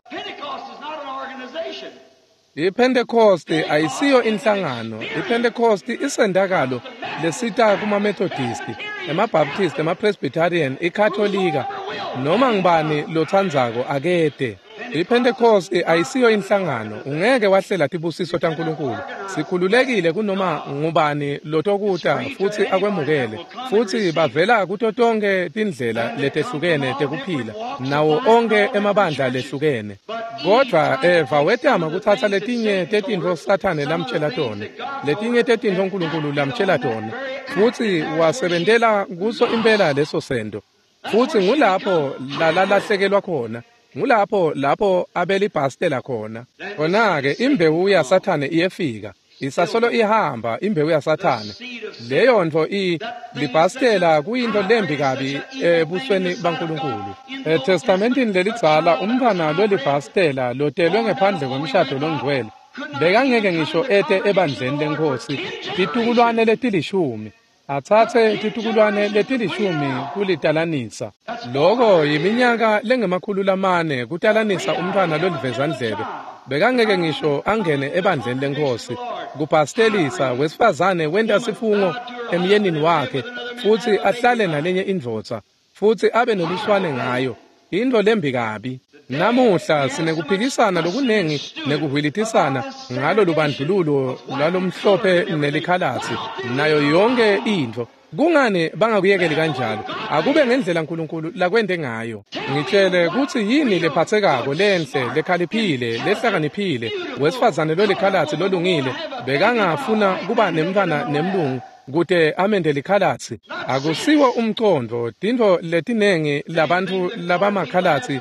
IPhentekosti ayisiyo inhlangano. IPhentekosti isendakalo lesita kumaMethodisti, emaBaptist, emaPresbyterian, iKatolika, noma ngibani lotsandzako akete. IPhentekosti ayisiyo inhlangano. Ungeke wahlela tibusiso taNkulunkulu. Sikhululekile kunoma ngubani lotokuta futsi akwemukele. Futsi bavela kuto tonkhe tindlela letehlukene tekuphila, nawo onkhe emabandla lehlukene. Kodwa Eva wetama kutsatsa letinye tetintfo Sathane lamtshela tona, letinye tetintfo Nkulunkulu lamtshela tona, futsi wasebentela kuso impela leso sento. Futsi ngulapho lalalahlekelwa khona. Ngulapho lapho abelibhastela khona. Khona-ke imbewu yaSathane iyefika. Isasolo ihamba imbewu yaSathane. Leyo ntfo i libhastela kuyintfo lembi kabi ebusweni baNkulunkulu. ETestamentini lelidzala umntfwana lolibhastela lotelwe ngephandle kwemshado longcwele bekangeke ngisho ete ebandleni leNkhosi titukulwane letilishumi. Atsatse titukulwane letilishumi kulitalanisa. Loko yiminyaka lengemakhulu lamane kutalanisa umntfwana lolivezandlebe. Bekangeke ngisho angene ebandleni leNkhosi. Kubhastelisa wesifazane wenta sifungo emyenini wakhe futsi ahlale nalenye indvodza futsi abe neluswane ngayo. Intfo lembi kabi. Namuhla sinekuphikisana lokunengi nekuhwilitisana ngalo lubandlululo lwalomhlophe nelikhalatsi nayo yonke intfo. Kungani bangakuyekeli kanjalo? Akube ngendlela uNkulunkulu lakwente ngayo. Ngitshele kutsi yini lephathekako lenhle lekhaliphile lehlakaniphile wesifazane lolikhalatsi lolungile bekangafuna kuba nemntfwana nemlungu kute amende likhalatsi. Akusiwo umcondvo tintfo letinengi labantfu labamakhalatsi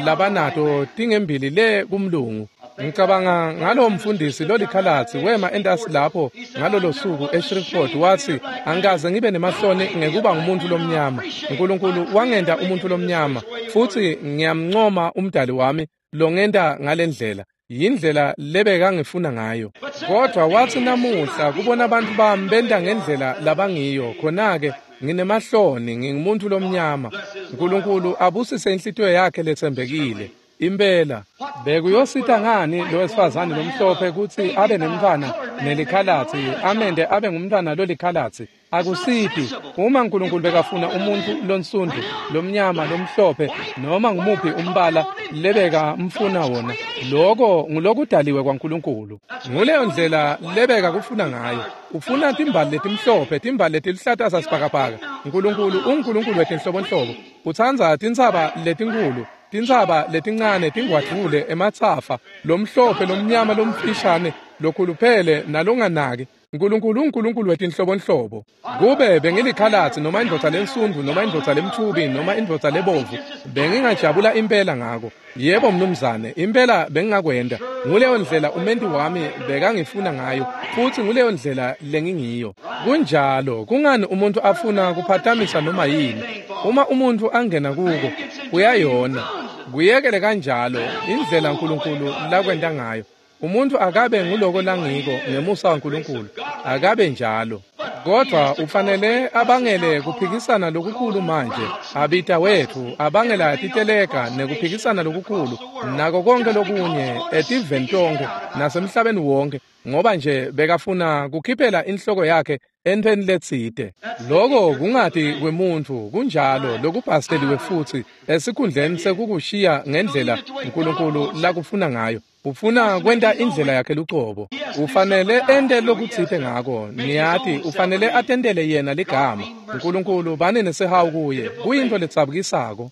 labanato tingembili le kumlungu. Ngicabanga ngalo mfundisi lolikhalatsi wema entasi lapho ngalolo suku eShreveport wathi angikaze ngibe nemahloni ngekuba ngumuntu lomnyama. uNkulunkulu wangenta umuntu lomnyama futhi ngiyamncoma umdali wami longenta ngalendlela. Yindlela lebekangifuna ngayo. Kodwa wathi namuhla kubona abantu bami benta ngendlela labangiyo khona-ke nginemahloni ngingumuntu lomnyama. uNkulunkulu abusise inhlitiyo yakhe letsembekile. Impela bekuyosita ngani lo wesifazane lomhlophe kutsi abe nemntfwana nelikhalatsi amende abe ngumntfwana lolikhalatsi? Akusiphi. Uma uNkulunkulu bekafuna umuntu lonsundu lomnyama lomhlophe noma ngumuphi umbala lebeka mfuna wona, loko ngulokudaliwe kwaNkulunkulu. Nguleyo ndlela lebeka kufuna ngayo. Ufuna timbali letimhlophe, timbali letiluhlata sasibhakabhaka. uNkulunkulu unguNkulunkulu wetinhlobonhlobo. Utsandza tintsaba letinkhulu, tintsaba letincane, tingwadvule, ematsafa, lomhlophe, lomnyama, lomfishane, lokhuluphele nalonganaki. uNkulunkulu unguNkulunkulu wetinhlobonhlobo. Kube bengilikhalatsi noma indvodza lensundu noma indvodza lemtfubi noma indvodza lebovu, bengingajabula impela ngako. Yebo mnumzane, impela bengingakwenta. Nguleyo ndlela umenti wami bekangifuna ngayo futhi nguleyo ndlela lengingiyo. Kunjalo, kungani umuntu afuna kuphatamisa noma yini? Uma umuntu angena kuko, uyayona. Kuyekele kanjalo indlela uNkulunkulu lakwenta ngayo. Umuntu akabe nguloko langiko ngemusa waNkulunkulu, akabe njalo. Kodwa ufanele abangele kuphikisana lokukhulu manje. Abita wethu abangela titeleka nekuphikisana lokukhulu nako konke lokunye etiveni tonke nasemhlabeni wonke, ngoba nje bekafuna kukhiphela inhloko yakhe entweni letsite. Loko kungati kwemuntfu kunjalo lokubhasteliwe futhi esikhundleni sekukushiya ngendlela uNkulunkulu lakufuna ngayo. Ufuna kwenta indlela yakhe lucobo. Ufanele ente lokutsite ngako. Niyati ufanele atentele yena ligama. uNkulunkulu bane nesihawu kuye. Kuyintfo letsabukisako.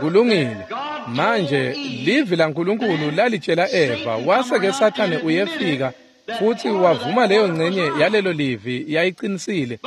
Kulungile. Manje livi laNkulunkulu lalitshela Eva, wase-ke Sathane uyefika futhi wavuma leyo ngcenye yalelo livi yayiqinisile,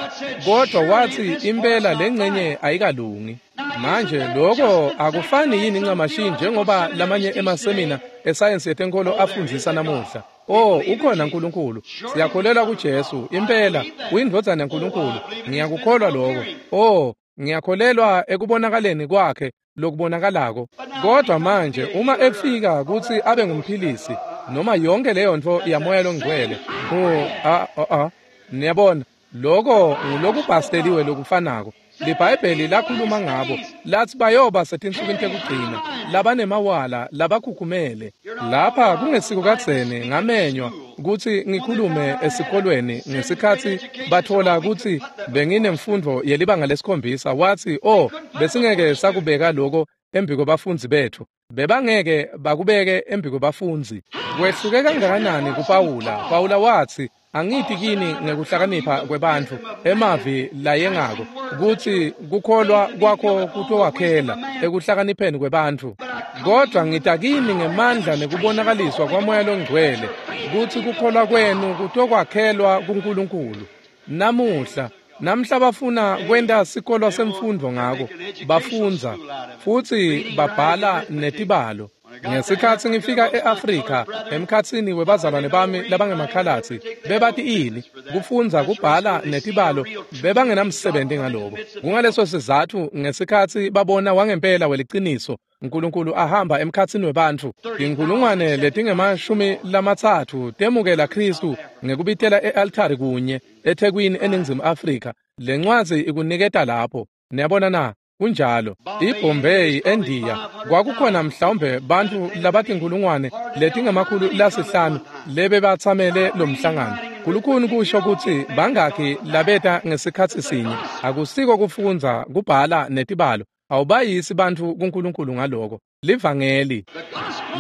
kodwa wathi impela lengcenye ayikalungi. Manje lokho akufani yini ncamashi njengoba lamanye emasemina esayensi yetenkolo afundzisa namuhla? Oh, ukhona uNkulunkulu. Siyakholelwa kuJesu. Impela uyindvodzana yaNkulunkulu. Ngiyakukholwa lokho. Oh, ngiyakholelwa ekubonakaleni kwakhe lokubonakalako. Kodwa manje uma efika kutsi abe ngumphilisi noma yonke leyo nto yamoya longcwele, oh a a niyabona, lokho ngulokubhasteliwe lokufanako. LiBhayibheli lakhuluma ngabo lathi bayoba setinsukwini tekugcina labanemawala labakhukhumele. Lapha kungesiko kadzeni ngamenywa kutsi ngikhulume esikolweni ngesikhatsi bathola kutsi benginemfundo yelibanga lesikhombisa. Wathi, oh, besingeke sakubeka lokho embi kwebafundzi bethu. Bebangeke bakubeke embi kwebafundzi. Kwehluke kangakanani kuPawula? Pawula wathi, angiti kini ngekuhlakanipha kwebantfu emavi layengako kutsi kukholwa kwakho kutowakhela ekuhlakanipheni kwebantfu, kodwa ngita kini ngemandla nekubonakaliswa kwaMoya loNgcwele kutsi kukholwa kwenu kutokwakhelwa kuNkulunkulu. Namuhla namhla bafuna kwenta sikolo semfundvo ngako, bafundza futsi babhala netibalo. Ngesikhatsi ngifika e-Afrika emkhatsini webazalwane bami labangemakhalatsi, bebati ini kufundza kubhala netibalo, bebangenamsebenzi ngaloko. Kungaleso sizatfu ngesikhatsi babona wangempela weliciniso uNkulunkulu ahamba emkhatsini webantfu, tinkhulungwane letingemashumi lamatsatfu temukela Khristu ngekubitela e-altari kunye eThekwini eNingizimu Afrika. Lencwadzi ikuniketa lapho. Niyabona na? Kunjalo. IBombay eNdiya kwakukhona mhlawumbe bantfu labatinkhulungwane letingemakhulu lasihlanu lebebatsamele lo mhlangano. Kulukhuni kusho kutsi bangakhi labeta ngesikhatsi sinye. Akusiko kufundza, kubhala netibalo. Awubayisi bantfu kuNkulunkulu ngaloko. Livangeli.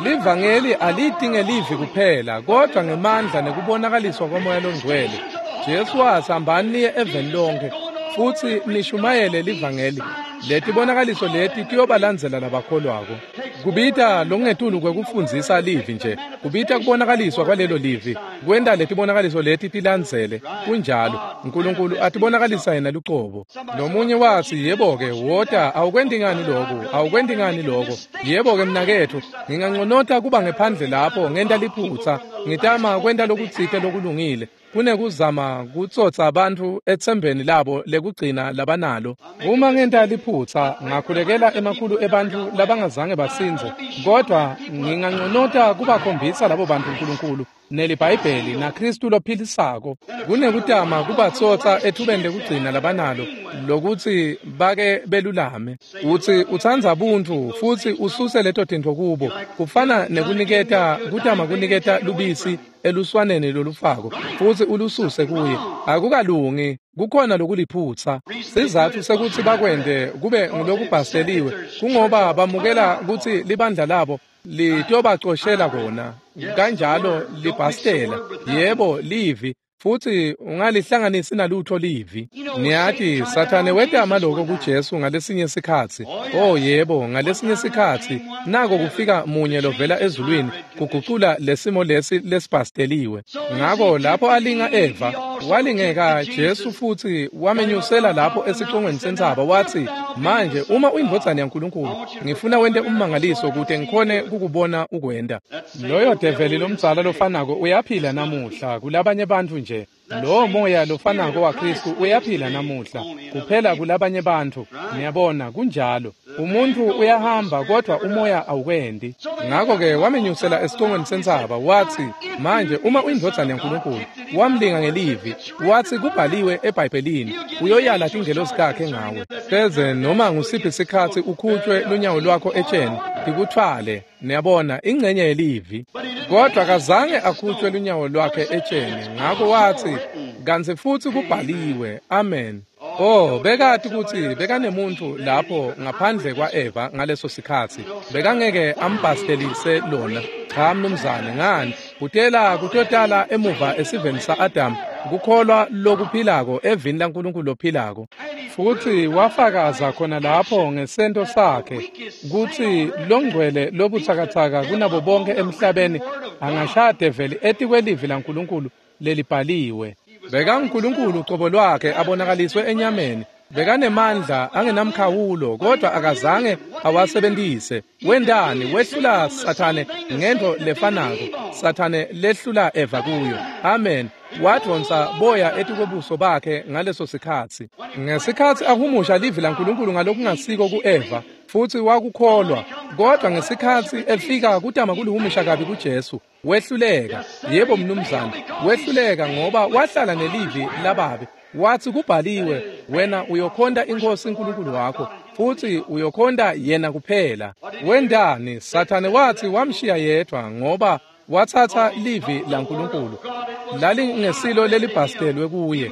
Livangeli aliti ngelivi kuphela, kodvwa ngemandla nekubonakaliswa kwaMoya loNgcwele. Jesu watsi hambani niye eveni lonkhe futsi nishumayele livangeli. Letibonakaliso leti tiyobalandzela labakholwako. Kubita lokungetulu kwekufundzisa livi nje, kubita kubonakaliswa kwalelo livi, kwenta letibonakaliso leti tilandzele. Kunjalo, uNkulunkulu atibonakalisa yena lucobo. Lomunye watsi, yebo-ke, wota, awukwenti ngani loku, awukwenti ngani loko. Yebo-ke mnaketfu, nginganconota kuba ngephandle lapho ngenta liphutsa, ngitama kwenta lokutsite lokulungile, kunekuzama kutsotsa bantfu etsembeni labo lekugcina labanalo. Uma ngenta liphutsa, ngakhulekela emakhulu ebantfu labangazange basindze, kodvwa nginganconota kubakhombisa labo bantfu uNkulunkulu neliBhayibheli naKhristu lophilisako, kunekutama kubatsotsa ethubeni lekugcina labanalo lokutsi bake belulame. Utsi utsandza buntfu futsi ususe leto tintfo kubo, kufana nekuniketa kutama kuniketa lubisi eluswaneni lolufako futsi ulususe kuye. Akukalungi, kukhona lokuliphutsa. Sizatfu sekutsi bakwente kube ngulokubhasteliwe kungoba bamukela kutsi libandla labo litobacoshela kona, kanjalo libhastela. Yebo, livi, futsi ungalihlanganisi nalutho livi. Niyati, Sathane wetama loko kuJesu ngalesinye sikhatsi. Oh yebo, ngalesinye sikhatsi nako kufika munye lovela ezulwini kugucula lesimo lesi lesibhasteliwe. Ngako lapho alinga Eva, walingeka Jesu futsi wamenyusela lapho esicongweni sentsaba, watsi, manje uma uyindvodzana yaNkulunkulu, ngifuna wente ummangaliso kute ngikhone kukubona ukwenta. Loyo develi lomdzala lofanako uyaphila namuhla kulabanye bantfu nje. Lowo moya lofanako waKhristu uyaphila namuhla kuphela kulabanye bantfu. Niyabona, kunjalo. Umuntu uyahamba kodvwa umoya awukwendi. Ngako-ke wamenyusela esicongweni sentsaba, watsi, manje uma uyindvodzana yaNkulunkulu, wamlinga ngelivi, watsi kubhaliwe eBhayibhelini, uyoyala tingelosi takhe ngawe. Pheze noma ngusiphi sikhatsi ukhutshwe lunyawo lwakho etsheni, tikuthwale. Niyabona, ingcenye yelivi. Kodvwa kazange akhutshwe lunyawo lwakhe etsheni, ngako watsi, kantsi futsi kubhaliwe. Amen. Oh, bekati kutsi bekanemuntfu lapho ngaphandle kwa-Eva ngaleso sikhatsi. Bekangeke ambhastelise lona. Cha mnumzane, ngani? Kutela kutotala emuva esiveni sa-Adamu, kukholwa lokuphilako evini laNkulunkulu lophilako. Futsi wafakaza khona lapho ngesento sakhe kutsi longcwele lobutsakatsaka kunabo bonke emhlabeni angashaya develi etikwelivi laNkulunkulu lelibhaliwe. BekanguNkulunkulu ucobo lwakhe abonakaliswe enyameni. Bekanemandla angenamkhawulo, kodvwa akazange awasebentise. Wentani? Wehlula Sathane ngento lefanako Sathane lehlula Eva kuyo. Amen. Wadvonsa boya etikwebuso bakhe ngaleso sikhatsi. Ngesikhatsi ahumusha livi laNkulunkulu ngalokungasiko ku-Eva, futsi wakukholwa, kodvwa ngesikhatsi efika kutama kulihumusha kabi kuJesu, wehluleka. Yebo mnumzane, wehluleka ngoba wahlala nelivi lababe. Watsi kubhaliwe, wena uyokhonta iNkhosi uNkulunkulu wakho, futsi uyokhonta yena kuphela. Wentani? Sathane watsi wamshiya yedvwa ngoba watsatsa livi laNkulunkulu lalingesilo lelibhastelwe kuye.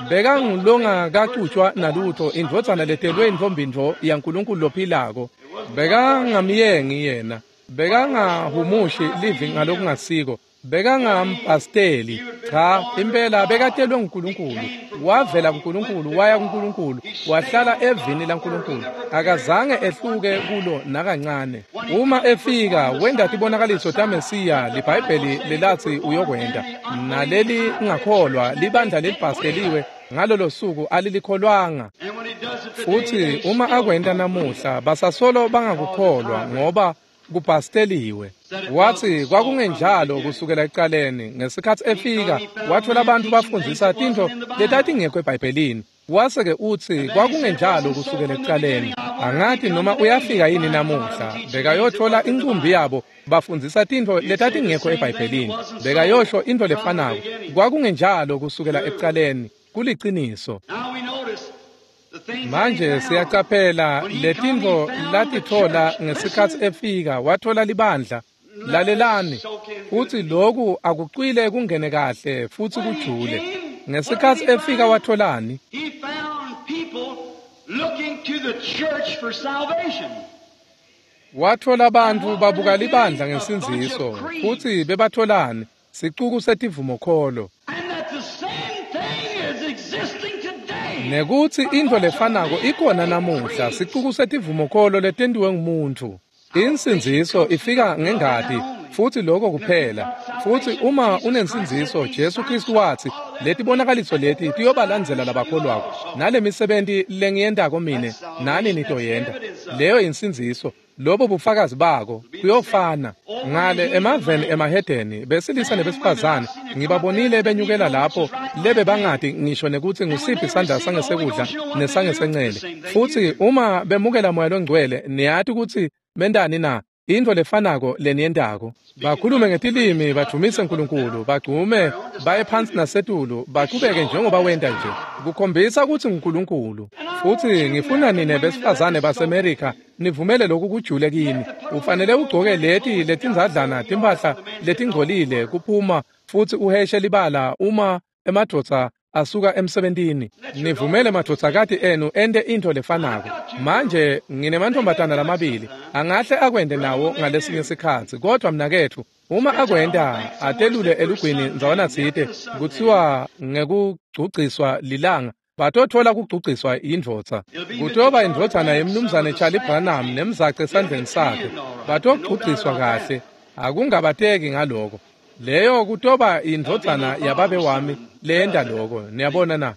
Bekangulongakacutshwa nalutho, indvodzana letelwe intfombintfo yaNkulunkulu lophilako. Bekangamyengi yena, bekangahumushi livi ngalokungasiko, bekangambhasteli. Cha, impela bekatelwe nguNkulunkulu, wavela kuNkulunkulu waya kuNkulunkulu, wahlala evini laNkulunkulu, akazange ehluke kulo nakancane. Uma efika wenta tibonakaliso taMesiya liBhayibheli lelatsi uyokwenta, naleli ngakholwa libandla lelibhasteliwe ngalolo suku alilikholwanga. Futsi uma akwenta namuhla basasolo bangakukholwa ngoba kubhasteliwe. Watsi kwakungenjalo kusukela ekucaleni. Ngesikhatsi efika watfola abantu bafundzisa tintfo letatingekho eBhayibhelini. Wase-ke utsi kwakungenjalo kusukela ekucaleni. Angati noma uyafika yini namuhla. Bekayotfola incumbi yabo bafundzisa tintfo letatingekho eBhayibhelini. Bekayosho intfo lefanako. Kwakungenjalo kusukela ekucaleni. Kuliciniso. Manje siyacaphela letintfo latitfola ngesikhatsi efika, watfola libandla. Lalelani, futsi loku akucwile kungene kahle futsi kujule. Ngesikhatsi efika watholani? He found people looking to the church for salvation. Wathola bantfu babuka libandla ngensindziso, futsi bebatholani? Sicuku setivumokholo. And that the same thing is existing today. Nekutsi intfo lefanako ikhona namuhla, sicuku setivumokholo letentiwe ngumuntfu. Insindziso ifika ngengati, futsi lokho kuphela. Futsi uma unensindziso, Jesu Kristu watsi, letibonakaliso leti tiyobalandzela labakholwako, nalemisebenti lengiyentako mine, nani nitoyenta. Leyo insindziso, lobo bufakazi bako kuyofana. Ngale emaveni emahedeni, besilisa nebesifazane, ngibabonile benyukela lapho lebe bangati ngisho nekutsi ngusiphi sandla sangesekudla nesangesencele. Futsi uma bemukela Moya Longcwele, niyati kutsi bentani na? Intfo lefanako leniyentako. Bakhulume ngetilimi, badvumise Nkulunkulu, bagcume, baye phansi nasetulu, bachubeke njengoba wenta nje. Kukhombisa kutsi nguNkulunkulu. Futsi ngifuna nine besifazane baseMerika nivumele lokhu kujule kini. Ufanele ugcoke leti letindzadlana timphahla letingcolile kuphuma futsi uheshe libala uma emadvodza asuka emsebentini. Nivumele madvodzakati enu ente intfo lefanako. Manje nginemantfombatana lamabili, angahle akwente nawo ngalesinye sikhatsi, kodvwa mnaketfu, uma akwenta atelule elugwini ndzawanatsite, kutsiwa ngekugcugciswa lilanga, batotfola kugcugciswa yindvodza. Kutoba indvodzana yemnumzane Charlie Branham nemzaca esandleni sakhe. Batogcugciswa kahle, akungabateki ngaloko. Leyo kutoba indvodzana yababe wami leyenta loko, niyabona na?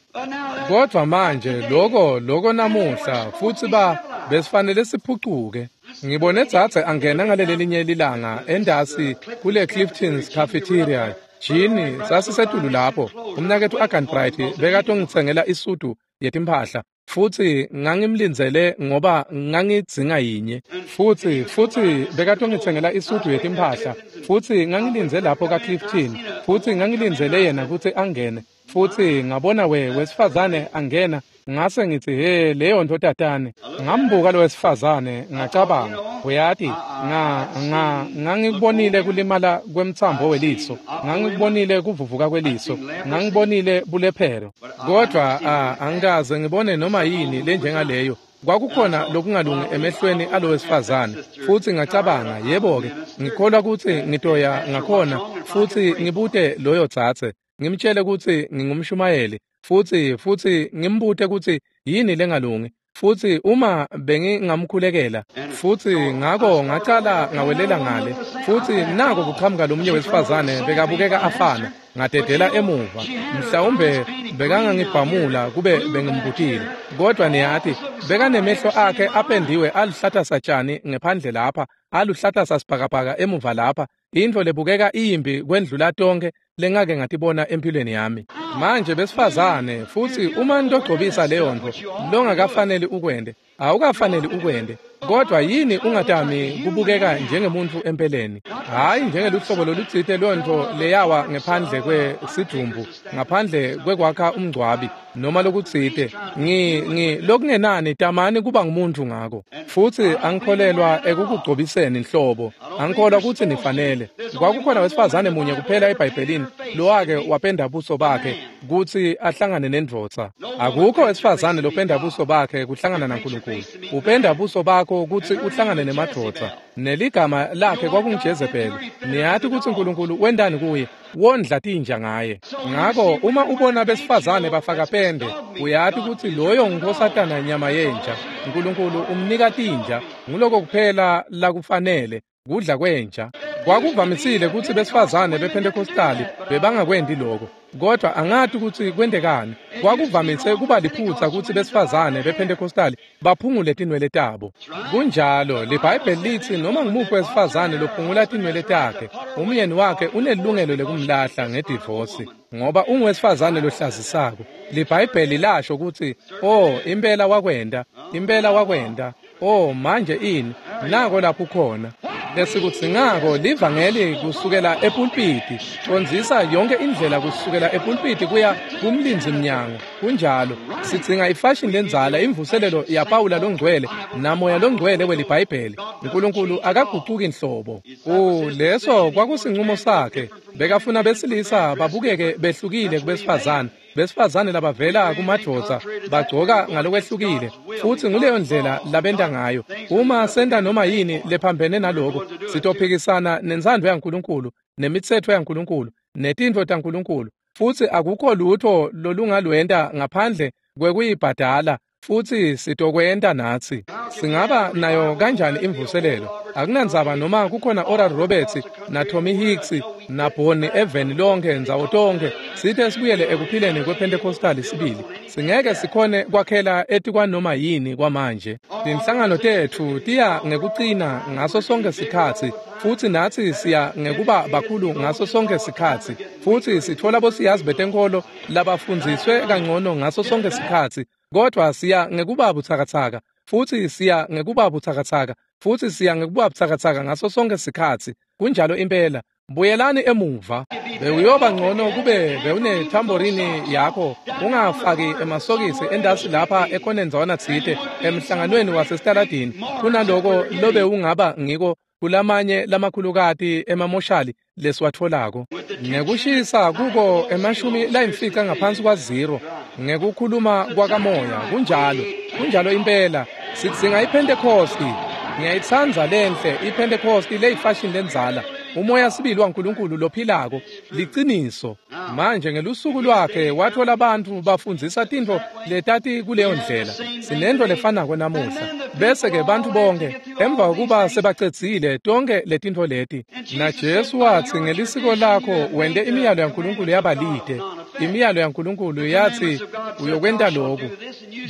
Kodvwa manje loko loko namuhla futsi ba besifanele siphucuke. Ngibone dzadze angena ngalelelinye lilanga endasi kule Clifton's Cafeteria. Jini sasisetulu lapho. Umnaketfu Agan Bright bekatongitsengela isudu yetimphahla, futsi ngangimlindzele ngoba ngangidzinga yinye. Futsi futsi bekatongitsengela isudu yetimphahla, futsi ngangilindze lapho kaClifton, futsi ngangilindzele yena kutsi angene. Futsi ngabona we wesifazane angena, ngase ngitsi he leyo ntfo tatane. Ngambuka lo wesifazane ngacabanga, uyati nga nga ngangikubonile kulimala kwemtsambo weliso, ngangikubonile kuvuvuka kweliso, ngangibonile bulephero, kodvwa angikaze ngibone noma yini lenjengaleyo. Kwakukhona lokungalungi emehlweni alo wesifazane, futsi ngacabanga, yebo-ke, ngikholwa kutsi ngitoya ngakhona futsi ngibute loyo dzadze, ngimtshele kutsi ngingumshumayeli, futsi futsi ngimbute kutsi yini lengalungi, futsi uma bengingamkhulekela. Futsi ngako ngacala ngawelela ngale, futsi nako kuqhamuka lomunye wesifazane bekabukeka afana. Ngadedela emuva, mhlawumbe bekangangibhamula kube bengimbutile, kodvwa niyati bekanemehlo akhe apendiwe aluhlata satjani ngephandle lapha, aluhlata sasibhakabhaka emuva lapha, intfo lebukeka iyimbi kwendlula tonkhe lengake ngatibona empilweni yami. Manje besifazane, futsi uma nitogcobisa leyo ntfo longakafaneli ukwente, awukafaneli ukwente, kodvwa yini ungatami kubukeka njengemuntfu empeleni, hhayi njengeluhlobo lolutsite lwentfo leyawa ngephandle kwesidvumbu, ngaphandle kwekwakha umngcwabi noma lokutsite. Ngi ngi lokungenani tamani kuba ngumuntfu ngako. Futsi angikholelwa ekukugcobiseni nhlobo, angikholwa kutsi nifanele. Kwakukhona wesifazane munye kuphela eBhayibhelini lowake wapenda buso bakhe kutsi ahlangane nendvodza. Akukho wesifazane lopenda buso bakhe kuhlangana naNkulunkulu. Upenda buso bakho kutsi uhlangane nemadvodza. Neligama lakhe kwakunguJezebeli. Niyati kutsi Nkulunkulu wentani kuye? Wondla tinja ngaye. Ngako uma ubona besifazane bafaka pende, uyati kutsi loyo ngunkosatana nyama yenja. Nkulunkulu umnika tinja, nguloko kuphela lakufanele, kudla kwenja. Kwakuvamisile kutsi besifazane bePhentekostali bebangakwenti loko, kodvwa angati kutsi kwentekani. Kwakuvamise kuba liphutsa kutsi besifazane bePhentekostali baphungule tinwele tabo. Kunjalo, liBhayibheli litsi noma ngumuphi wesifazane lophungula tinwele takhe, umyeni wakhe unelungelo lekumlahla ngedivosi, ngoba unguwesifazane lohlazisako. LiBhayibheli lasho kutsi, oh, impela wakwenta, impela wakwenta. Oh, manje ini? Nako lapho khona. Lesikudzingako livangeli kusukela epulpiti, condzisa yonke indlela kusukela epulpiti kuya kumlindzi mnyango. Kunjalo, sidzinga ifashion lendzala, imvuselelo yaPawula longcwele namoya longcwele weliBhayibheli. Nkulunkulu akagucuki nhlobo. O, leso kwakusinqumo sakhe. Bekafuna besilisa babukeke behlukile kubesifazane, besifazane labavela kumadvodza bagcoka ngalokwehlukile, futsi nguleyo ndlela labenta ngayo. Uma senta noma yini lephambene naloko, sitophikisana nentsandvo yaNkulunkulu, nemitsetfo yaNkulunkulu, netintfo taNkulunkulu, futsi akukho lutho lolungalwenta ngaphandle kwekuyibhadala, futsi sitokwenta natsi. Singaba nayo kanjani imvuselelo? Akunandzaba noma kukhona Oral Roberts na Tommy Hicks na Bonnie eveni lonke ndzawo tonkhe, sithe sibuyele ekuphileni kwePentecostal sibili. Singeke sikhone kwakhela etikwanoma yini kwamanje. Tinhlangano tetfu tiya ngekucina ngaso sonke sikhatsi, futsi natsi siya ngekuba bakhulu ngaso sonke sikhatsi, futsi sitfola bosiyazi betenkholo labafundziswe kangcono ngaso sonke sikhatsi, kodvwa siya ngekuba butsakatsaka, futsi siya ngekuba butsakatsaka, futsi siya ngekuba butsakatsaka ngaso sonke sikhatsi. Kunjalo impela. Buyelani emuva. Bewuyoba ngcono kube bewunethamborini yakho, ungafaki emasokisi endasi lapha ekhoneni ndzawana tsite emhlanganweni wasesitaladini, kunaloko lobe ungaba ngiko kulamanye lamakhulukati emamoshali lesiwatfolako. Ngekushisa kuko emashumi layimfica ngaphansi kwa zero ngekukhuluma kwakamoya. Kunjalo, kunjalo impela. Sidzinga iPentecosti. Ngiyayitsandza lenhle iPentecosti leyifashion lendzala, umoya sibili waNkulunkulu lophilako, liciniso. Manje ngelusuku lwakhe wathola bantfu bafundzisa tintfo letati kuleyo ndlela. Sinento lefanako namuhla. Bese-ke bantfu bonke emva kokuba sebacedzile tonke letintfo leti, na Jesu watsi ngelisiko lakho wente imiyalo yaNkulunkulu yabalide. Imiyalo yaNkulunkulu yathi uyokwenta loku,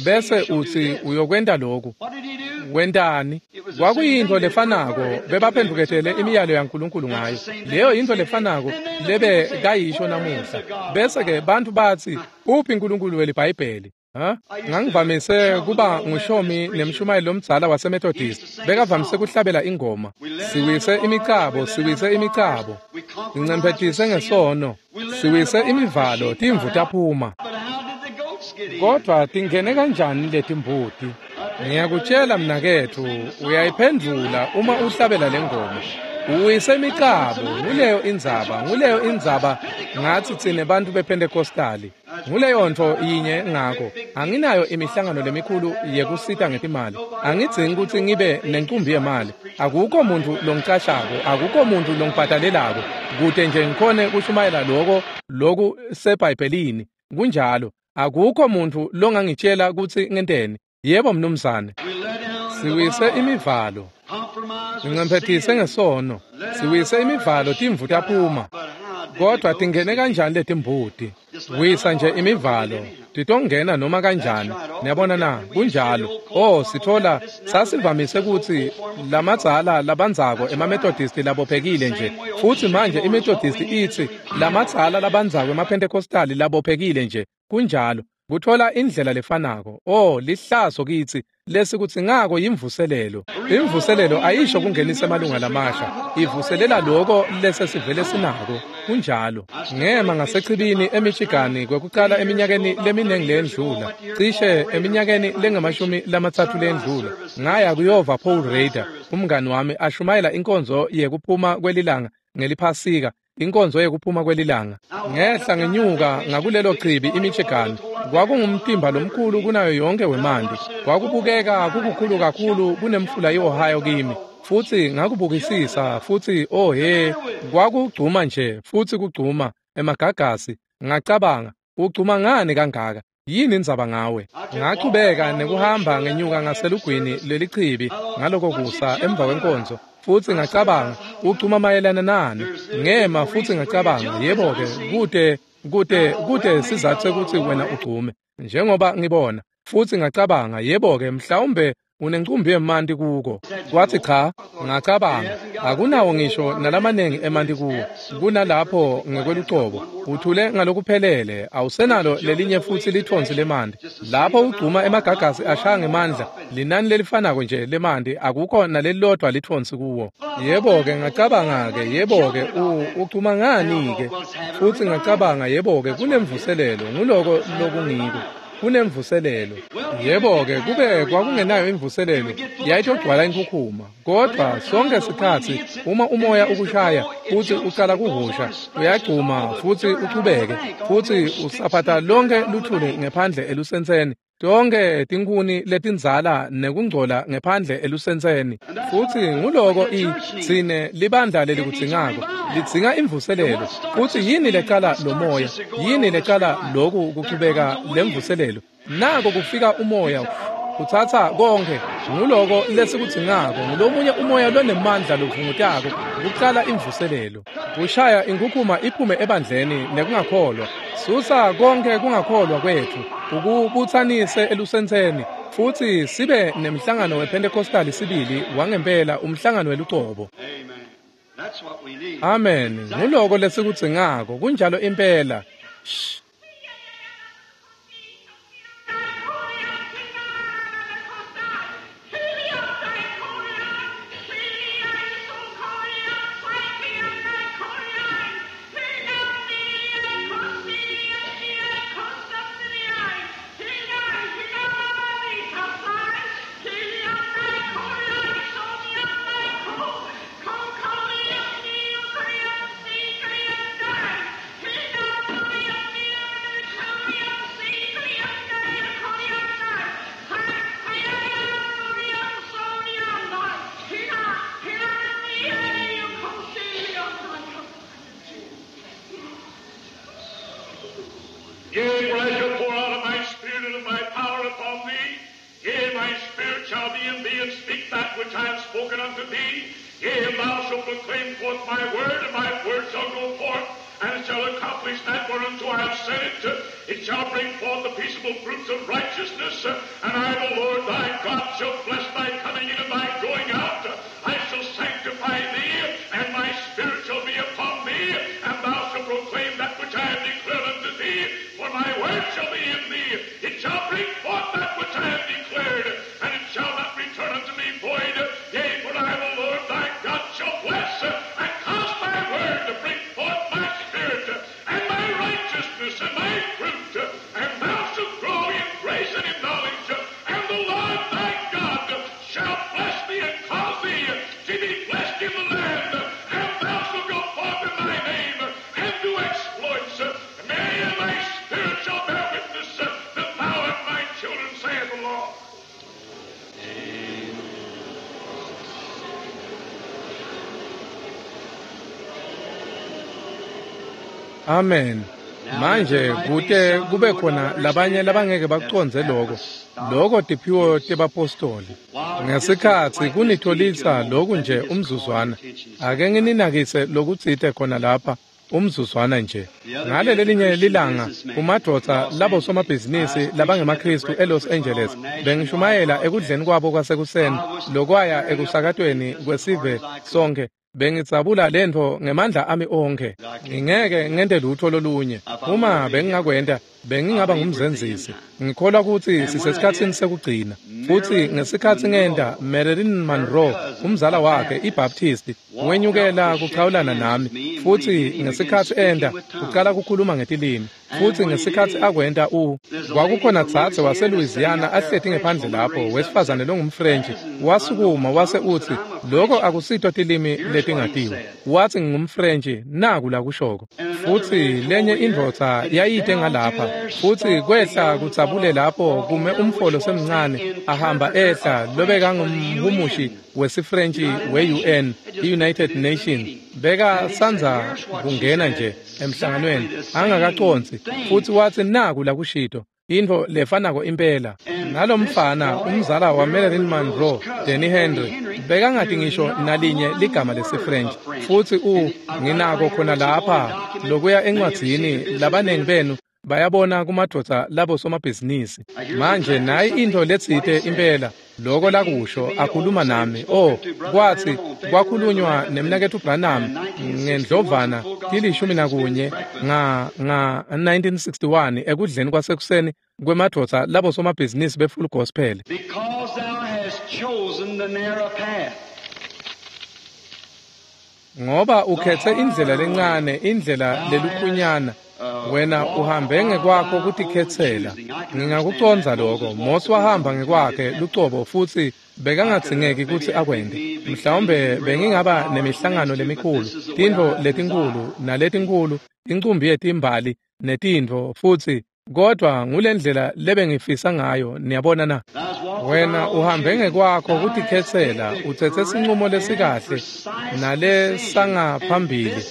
bese utsi uyokwenta loku. Wentani? Kwakuyintfo lefanako bebaphendvuketele imiyalo yaNkulunkulu ngayo. Leyo yintfo lefanako lebe kayisho namuhla. Bese-ke bantfu batsi, uphi Nkulunkulu weliBhayibheli? Ha? Ngangivamise kuba ngushomi nemshumayeli lomdzala waseMethodist. Bekavamise kuhlabela ingoma. Siwise imicabo, siwise imicabo. Sincemphetise ngesono. Siwise imivalo, timvu taphuma. Kodwa tingene kanjani letimbuti? Ngiyakutshela mnaketfu, uyayiphendvula uma uhlabela lengoma. Uwise imicabo, nguleyo indzaba, nguleyo indzaba ngatsi tsine bantfu bePentecostali. Nguleyo ntfo yinye ngako. Anginayo imihlangano lemikhulu yekusita ngetimali. Angidzingi kutsi ngibe nencumbi yemali. Akukho muntfu longicashako, akukho muntfu longibhadalelako, kute nje ngikhone kushumayela loko loku seBhayibhelini. Kunjalo, akukho muntfu longangitshela kutsi ngenteni. Yebo mnumzane. Siwise imivalo, sincemphetise ngesono. Siwise imivalo, timvu taphuma. Kodwa tingene kanjani letimbuti? Wisa nje imivalo, titongena noma kanjani. Niyabona na? Kunjalo. Oh, sithola sasivamise kutsi lamadzala labandzako emaMethodist labophekile nje, futsi manje iMethodist itsi lamadzala labandzako emaPentecostali labophekile nje. Kunjalo. Kuthola indlela lefanako. Oh, lihlazo kitsi lesikudzingako yimvuselelo. Imvuselelo ayisho kungenisa emalunga lamasha, ivuselela loko lesesivele sinako. Kunjalo. Ngema ngasechibini eMichigan kwekucala eminyakeni leminingi lendlula, cishe eminyakeni lengamashumi lamatsatfu lendlula, ngaya kuyova Paul Rader, umngani wami, ashumayela inkonzo yekuphuma kwelilanga ngeliphasika, inkonzo yekuphuma kwelilanga. Ngehla ngenyuka ngakulelo chibi iMichigan. Kwakungumtimba lomkhulu kunayo yonke wemanti. Kwakubukeka kukukhulu kakhulu kunemfula iOhio kimi. Futsi ngakubukisisa, futsi oh he, kwakugcuma nje, futsi kugcuma emagagasi. Ngacabanga, ugcuma ngani kangaka? Yini indzaba ngawe? Ngachubeka nekuhamba ngenyuka ngaselugwini lelichibi ngaloko kusa emva kwenkonzo. Futsi ngacabanga, ugcuma mayelana nani? Ngema futsi ngacabanga, yebo-ke, kute kute kute sizathu sekuthi wena ugcume, njengoba ngibona. Futsi ngacabanga, yebo-ke, mhlawumbe Unencumbi yemanti kuko. Kwathi cha, ngacabanga, akunawo ngisho nalamanengi emanti kuwo. Kunalapho ngekwelucobo, uthule ngalokuphelele, awusenalo lelinye futsi lithonsi lemanti. Lapho ugcuma emagagasi ashaya ngemandla, linani lelifanako nje lemanti, akukho nalelilodwa lithonsi kuwo. Yebo-ke ngacabanga-ke, yebo-ke, ugcuma ngani-ke? Futsi ngacabanga, yebo-ke, kunemvuselelo, nguloko lokungiko. Kunemvuselelo. Yebo-ke, kube kwakungenayo imvuselelo, yayitogcwala inkhukhuma. Kodwa sonke sikhatsi uma umoya ukushaya futsi ucala kuhosha, uyagcuma futsi uchubeke, futsi usaphatha lonke luthuli ngephandle elusentseni. Tonke tinkhuni letindzala nekungcola ngephandle elusentseni. Futsi nguloko i tsine libandla lelikudzingako, lidzinga imvuselelo. Futsi yini lecala lo moya? Yini lecala loku kuchubeka lemvuselelo? Nako kufika umoya utsatsa konke. Nguloko lesikudzingako, ngulomunye umoya lonemandla lovungutako kucala imvuselelo. Kushaya inkhukhuma iphume ebandleni nekungakholwa. Susa konke kungakholwa kwetfu, ukubutsanise elusentseni, futsi sibe nemhlangano wePentecostal sibili wangempela, umhlangano welucobo. Amen. Nguloko lesikudzingako, kunjalo impela. Shh. Yea, for I shall pour out of my spirit and of my power upon thee. Yea, my spirit shall be in thee, and speak that which I have spoken unto thee. Yea, and thou shalt proclaim forth my word, and my word shall go forth, and it shall accomplish that whereunto I have sent it. It shall bring forth the peaceable fruits of righteousness, and I, the Lord thy God, shall bless thy coming in and thy going out. I shall sanctify thee, and my spirit shall be upon thee, and thou shalt proclaim that which I have declared unto thee. For my word shall be in thee. It shall bring forth that which I have declared, and it shall not return unto me void. Yea, for I, the Lord thy God, shall bless and cause my word to bring forth my spirit and my righteousness and my fruit, and thou shalt grow in grace and in knowledge, and the Lord thy God shall bless thee and cause thee to be blessed in the land, and thou shalt go forth in thy name and do exploits. Many and my spirit shall bear witness that thou art my children, saith the Lord. Amen. Manje kute kube khona labanye labangeke bakucondze lokho. Lokho tiphiwo tebapostoli. Ngesikhatsi kunitholisa lokhu nje umzuzwana. Ake ngininakise lokutsite khona lapha umzuzwana nje. Ngale lelinye lilanga kumadvodza labo somabhizinisi labangemaKristu eLos Angeles bengishumayela ekudleni kwabo kwasekuseni lokwaya ekusakatweni kwesive sonke. Bengidzabula lentfo ngemandla ami onkhe. Ngingeke ngente lutho lolunye. Uma bengingakwenta, bengingaba ngumzenzisi. Ngikholwa kutsi sisesikhatsini sekugcina. Futsi ngesikhatsi ngenta, Marilyn Monroe, umzala wakhe iBaptist, wenyukela kuchawulana nami. Futsi ngesikhatsi enta, ucala kukhuluma ngetilimi. Futsi ngesikhatsi akwenta u kwakukhona dzadze waseLouisiana ahleti ngephandle lapho, wesifazane longumFrench, wasukuma wase utsi, lokho akusito tilimi letingatiwa. Watsi ngingumFrench, naku lakushoko. Futsi lenye indvodza yayite ngalapha, futsi kwehla kudzabule lapho kume umfolo semncane ahamba ehla lobekangumhumushi wesiFrench we-U N, i-United Nations, beka sandza kungena nje emhlanganweni angakaconsi, futsi watsi naku lakushito, intfo lefanako impela. Nalomfana umzala wa Marilyn Monroe, Danny Henry, bekangati ngisho nalinye ligama lesiFrench. Futsi u nginako khona lapha lokuya encwadzini labanengi benu Bayabona kumadvodza labo somabhizinisi. Manje nayi intfo letsite impela loko lakusho akhuluma nami. Oh, kwatsi kwakhulunywa nemnaketfu Branham ngendlovana tilishumi nakunye nga nga nineteen sixty-one ekudleni kwasekuseni kwemadvodza labo somabhizinisi be-Full Gospel. Because thou hast chosen the narrow path. Ngoba ukhetse indlela lencane, indlela lelukhunyana, wena uhambe ngekwakho kutikhetsela. Ngingakucondza lokho. Mose wahamba ngekwakhe lucobo futsi bekangadzingeki kutsi akwente. Mhlawumbe bengingaba nemihlangano lemikhulu, tintfo letinkhulu naletinkhulu, incumbi yetimbali netintfo futsi, kodwa ngulendlela lebengifisa ngayo, niyabona na? Wena uhambe ngekwakho kutikhetsela, utsetse sincumo lesikahle nalesangaphambili,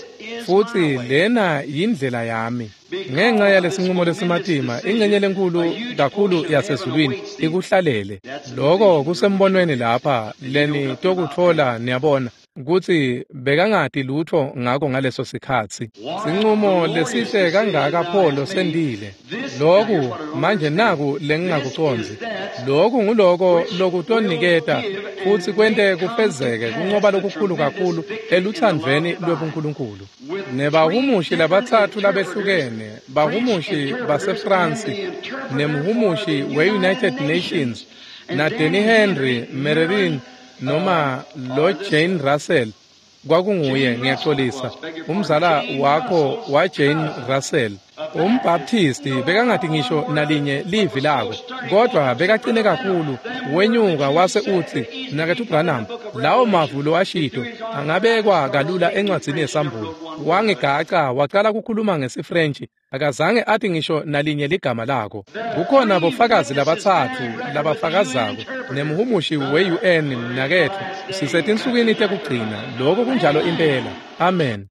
futsi lena yindlela yami. Ngenxa yalesinqumo lesimatima, ingxenye lenkulu kakhulu yasezulwini ikuhlalele. Loko kusembonweni lapha leni tokutfola, niyabona, kutsi bekangati lutfo ngako ngaleso sikhatsi. Sinqumo lesihle kangaka Pholo sendile. Loku manje naku lengingakucondzi. Loku nguloko lokutoniketa futsi kwente kufezeke kunqoba lokukhulu kakhulu elutsandvweni lwebuNkulunkulu. Nebahumushi labatsatfu labehlukene, bahumushi baseFrance nemhumushi we-United Nations na Danny Henry Merrin noma lo Jane Russell kwakunguye, ngiyaxolisa, umzala wakho wa Jane Russell. Umbaptisti bekangati ngisho nalinye livi lako, kodwa bekacine kakhulu. Wenyuka wase utsi, Mnaketfu Branham, lawo mavu lowashito angabekwa kalula encwadzini yeSambulo. Wangigaca wacala kukhuluma ngesiFrench, akazange athi ngisho nalinye ligama lako. Kukhona bofakazi labatsatfu labafakazako nemhumushi we-U N. Mnaketfu, sisetinsukwini tekugcina. Loko kunjalo impela. Amen.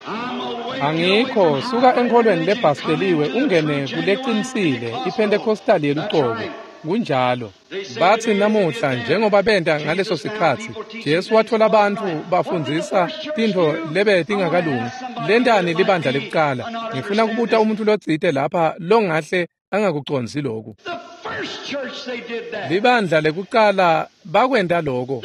Angikho suka enkholweni lebhasteliwe ungene kulecinisile iPentecostal yelucobo. Kunjalo. Batsi namuhla njengoba benta ngaleso sikhatsi, Jesu watfola bantfu bafundzisa tintfo lebe tingakalungi. Lentani libandla lekucala? Ngifuna kubuta umuntu lotsite lapha longahle angakucondzi loku. Libandla lekucala bakwenta loko.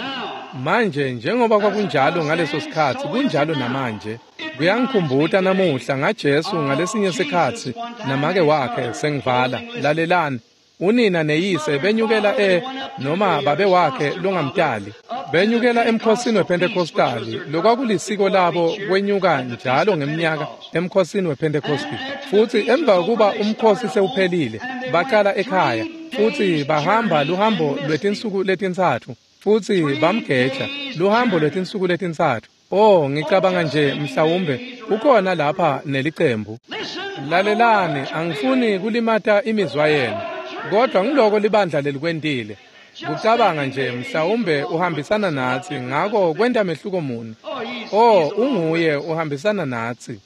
Manje njengoba kwakunjalo ngaleso sikhatsi, kunjalo namanje. Kuyangikhumbuta namuhla ngaJesu ngalesinye sikhatsi namake wakhe. Sengivala, lalelani. Unina neyise benyukela e noma babe wakhe longamtali benyukela emkhosini wePentecostali, lokwakulisiko labo kwenyuka njalo ngemnyaka emkhosini wePentecosti. Futsi emva kokuba umkhosi sewuphelile, baqala ekhaya futsi bahamba luhambo lwetinsuku letintsatfu, futsi bamgeja luhambo lwetinsuku letintsatfu. Oh, ngicabanga nje mhlawumbe kukhona lapha nelicembu. Lalelani, angifuni kulimata imizwa yenu, kodwa ngiloko libandla lelikwentile. Kucabanga nje mhlawumbe uhambisana natsi, ngako kwenta mehluko muni? Oh, unguye uhambisana natsi.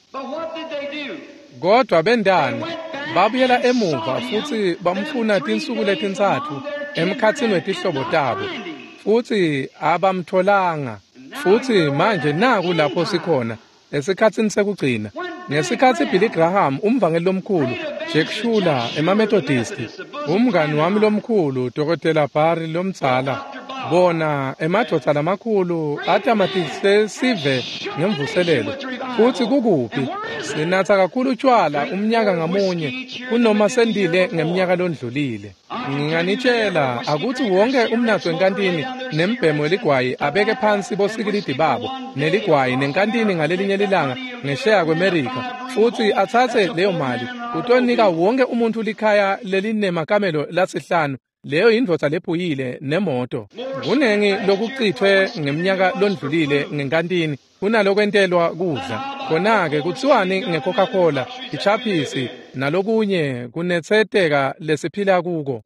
Kodwa bendani babuyela emuva futsi bamfuna tinsuku letintsatfu emkhatsini wetihlobo tabo, futsi abamtholanga. Futsi manje naku lapho sikhona esikhatsini sekugcina. Ngesikhatsi Billy Graham, umvangeli lomkhulu, Jack Schuler, emaMethodist, umngani wami lomkhulu, Dokotela Barry lomdzala, bona emadvodza lamakhulu atamatise sive ngemvuselelo. Futsi kukuphi? Sinatsa kakhulu tshwala umnyaka ngamunye kunoma sendile ngemnyaka londlulile. Nginganitshela akutsi wonke umnatsi wenkantini nembhemo weligwayi abeke phansi bosikilidi babo neligwayi nenkantini ngalelinye lilanga ngesheya kweMerika, futsi atsatse leyo mali utonika wonke umuntu likhaya lelinemakamelo lasihlanu. Leyo yindvodza lephuyile nemoto. Kunengi lokucithwe ngemnyaka londlulile ngenkantini kunalokwentelwa kudla. Khona-ke kutsiwani nge-Coca-Cola, ichaphisi nalokunye kunetseteka lesiphila kuko?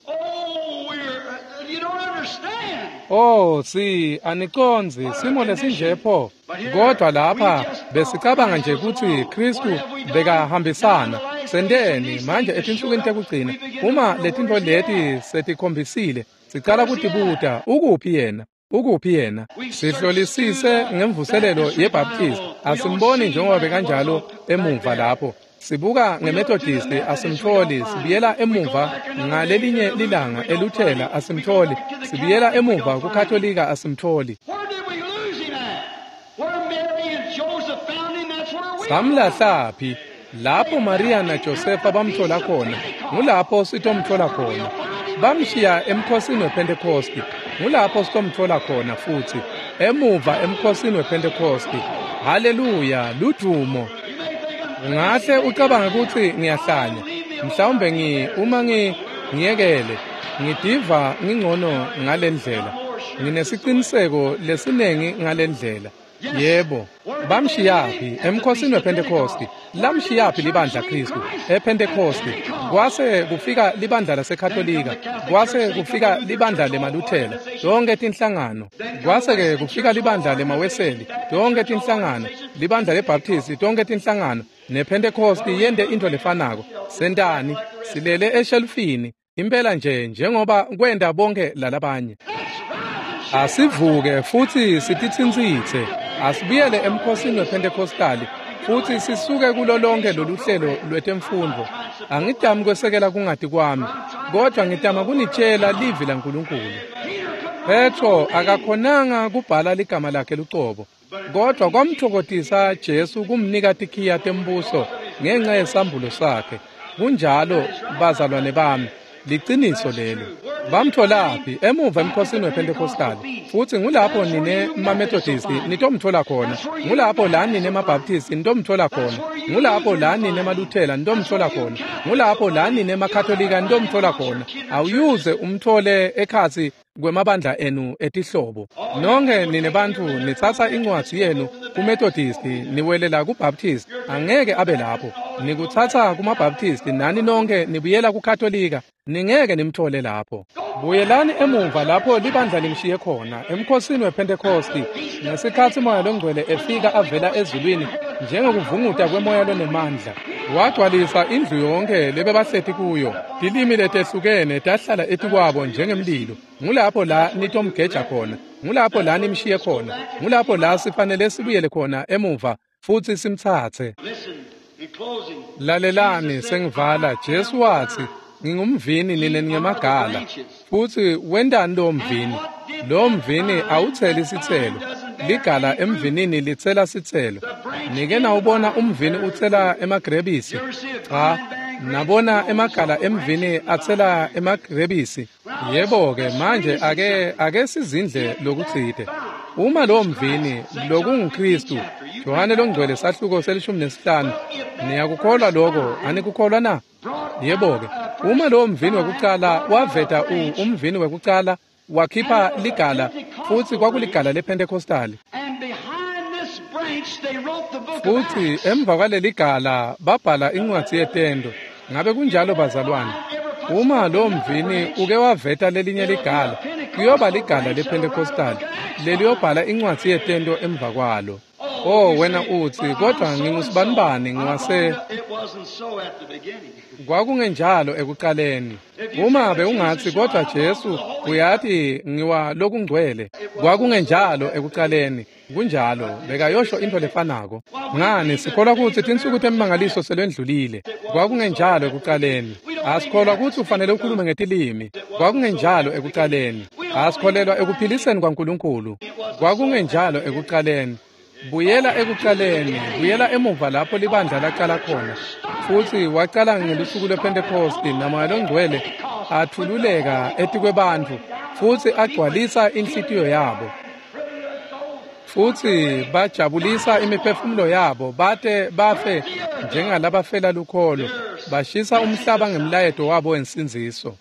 Oh, si anicondzi simo lesinje pho. Kodwa lapha besicabanga nje kutsi Khristu bekahambisana. Senteni manje etinsukwini tekugcina, uma letintfo leti setikhombisile, sicala kutibuta ukuphi yena? Ukuphi yena? Sihlolisise ngemvuselelo yeBaptist, asimboni njengoba bekanjalo emuva lapho. Sibuka ngeMethodisti asimtholi, sibuyela emuva ngalelinye lilanga eLuthela asimtholi, sibuyela emuva kuKatolika asimtholi. Samlahlaphi? Lapho Maria naJosefa bamthola khona, ngulapho sitomthola khona. Bamshiya emkhosini wePhentekosti, ngulapho sitomthola khona futsi, emuva emkhosini wePhentekosti. Haleluya, ludumo. Ungahle ucabange kutsi ngiyahlanya, mhlawumbe ngi uma ngi ngiyekele, ngidiva ngingcono ngalendlela. Nginesiciniseko lesinengi ngalendlela. Yebo, bamshiyaphi emkhosini wePhentekosti? Lamshiyaphi libandla Kristu ePhentekosti? Kwase kufika libandla laseKatolika, kwase kufika libandla lemaLuthela, tonke tinhlangano. Kwase-ke kufika libandla lemaWeseli, tonke tinhlangano, libandla leBaptisti, tonke tinhlangano. NePhentekosti yente into lefanako. Sentani? Silele eshelufini impela nje njengoba kwenta bonke lalabanye. Asivuke futsi sititsintsitse. Asibuyele emkhosini wePhentekostali futsi sisuke kulo lonke lolu hlelo lwetemfundvo. Angitami kwesekela kungati kwami, kodwa ngitama kunitshela livi laNkulunkulu. Petro akakhonanga kubhala ligama lakhe lucobo, kodwa kwamtfokotisa Jesu kumnika tikhiya tembuso ngenxa yesambulo sakhe. Kunjalo bazalwane bami, liciniso lelo. Bamtholaphi? Emuva emkhosini wePhentekostali. Futsi ngulapho nine maMethodisti nitomthola khona, ngulapho la nine maBaptisti nitomthola khona, ngulapho la nine maLuthela nitomthola khona, ngulapho la nine maKatolika nitomthola khona. Awuyuze umthole ekhatsi kwemabandla enu etihlobo. Nonke nine bantfu nitsatsa incwadzi yenu kuMethodisti niwelela kuBaptist, angeke abe lapho. Nikutsatsa kumaBaptisti nani nonke nibuyela kuKatolika, ningeke nimthole lapho. Buyelani emuva lapho libandla limshiye khona, emkhosini wePhentekosti, ngesikhatsi Moya Longcwele efika avela ezulwini njengokuvunguta kwemoya lonemandla. Wagcwalisa indlu yonke lebebahleti kuyo. Tilimi letehlukene tahlala etikwabo njengemlilo. Ngulapho la nitomgeja khona, ngulapho la nimshiye khona, ngulapho la sifanele sibuyele khona emuva futsi simtsatse. Lalelani sengivala. Jesu watsi, ngingumvini nine ningemagala. Futsi wentani lowo mvini? Lowo mvini awutseli sitselo. Ligala emvinini litsela sitselo. Nike nawubona umvini utsela emagrebisi? Cha, nabona emagala emvini atsela emagrebisi. Yebo-ke, manje ake ake sizindle lokutsite. Uma lowo mvini lokunguKristu, Johane Longcwele sahluko selishumi nesihlanu, niyakukholwa lokho, anikukholwa na? Yebo-ke, uma lowo mvini wekucala waveta umvini wekucala wakhipha ligala, futsi kwakuligala lePhentekostali. Futsi emva kwaleligala babhala incwadzi yetento. Ngabe kunjalo bazalwane? Uma lowo mvini uke waveta lelinye ligala, kuyoba ligala lePhentekostali leliyobhala incwadzi yetento emva kwalo. Oh, wena utsi, kodwa ngingusibanibani ngiwase. Kwakungenjalo ekuqaleni. Uma bewungatsi kodwa Jesu uyati ngiwa lokungcwele, kwakungenjalo ekuqaleni. Kunjalo, bekayosho into lefanako. Ngani sikholwa kutsi tinsuku temimangaliso selwendlulile. Kwakungenjalo ekuqaleni. Asikholwa kutsi ufanele ukhulume ngetilimi. Kwakungenjalo ekuqaleni. Asikholelwa ekuphiliseni kwaNkulunkulu. Kwakungenjalo ekuqaleni. Buyela ekuqaleni, buyela emuva lapho libandla laqala khona. Futsi waqala ngelusuku lwePhentekosti naMoya Longcwele athululeka etikwebantfu futsi agcwalisa inhlitiyo yabo. Futsi bajabulisa imiphefumulo yabo bate bafe njengalabafela lukholo, bashisa umhlaba ngemlayeto wabo wensindziso.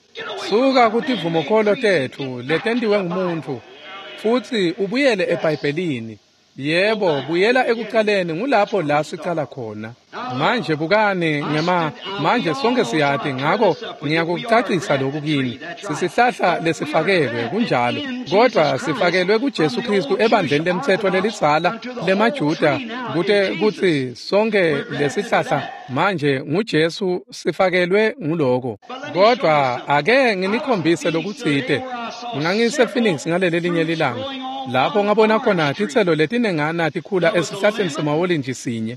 Suka kutivumokholo tetfu letentiwe ngumuntfu futsi ubuyele eBhayibhelini. Yebo, buyela ekuqaleni, ngulapho la sicala khona. Manje bukani ngema manje sonke siyati, ngako ngiyakucacisa lokhu kini. Sisihlahla lesifakelwe kunjalo, kodwa sifakelwe kuJesu Kristu ebandleni lemtsetfo lelidzala lemaJuda, kute kutsi sonke lesihlahla manje nguJesu sifakelwe nguloko. Kodwa ake nginikhombise lokutsite. Ngangise Phoenix ngaleli linye lilanga, lapho ngabona khona titselo letinengana tikhula esihlahleni semawolintji sinye.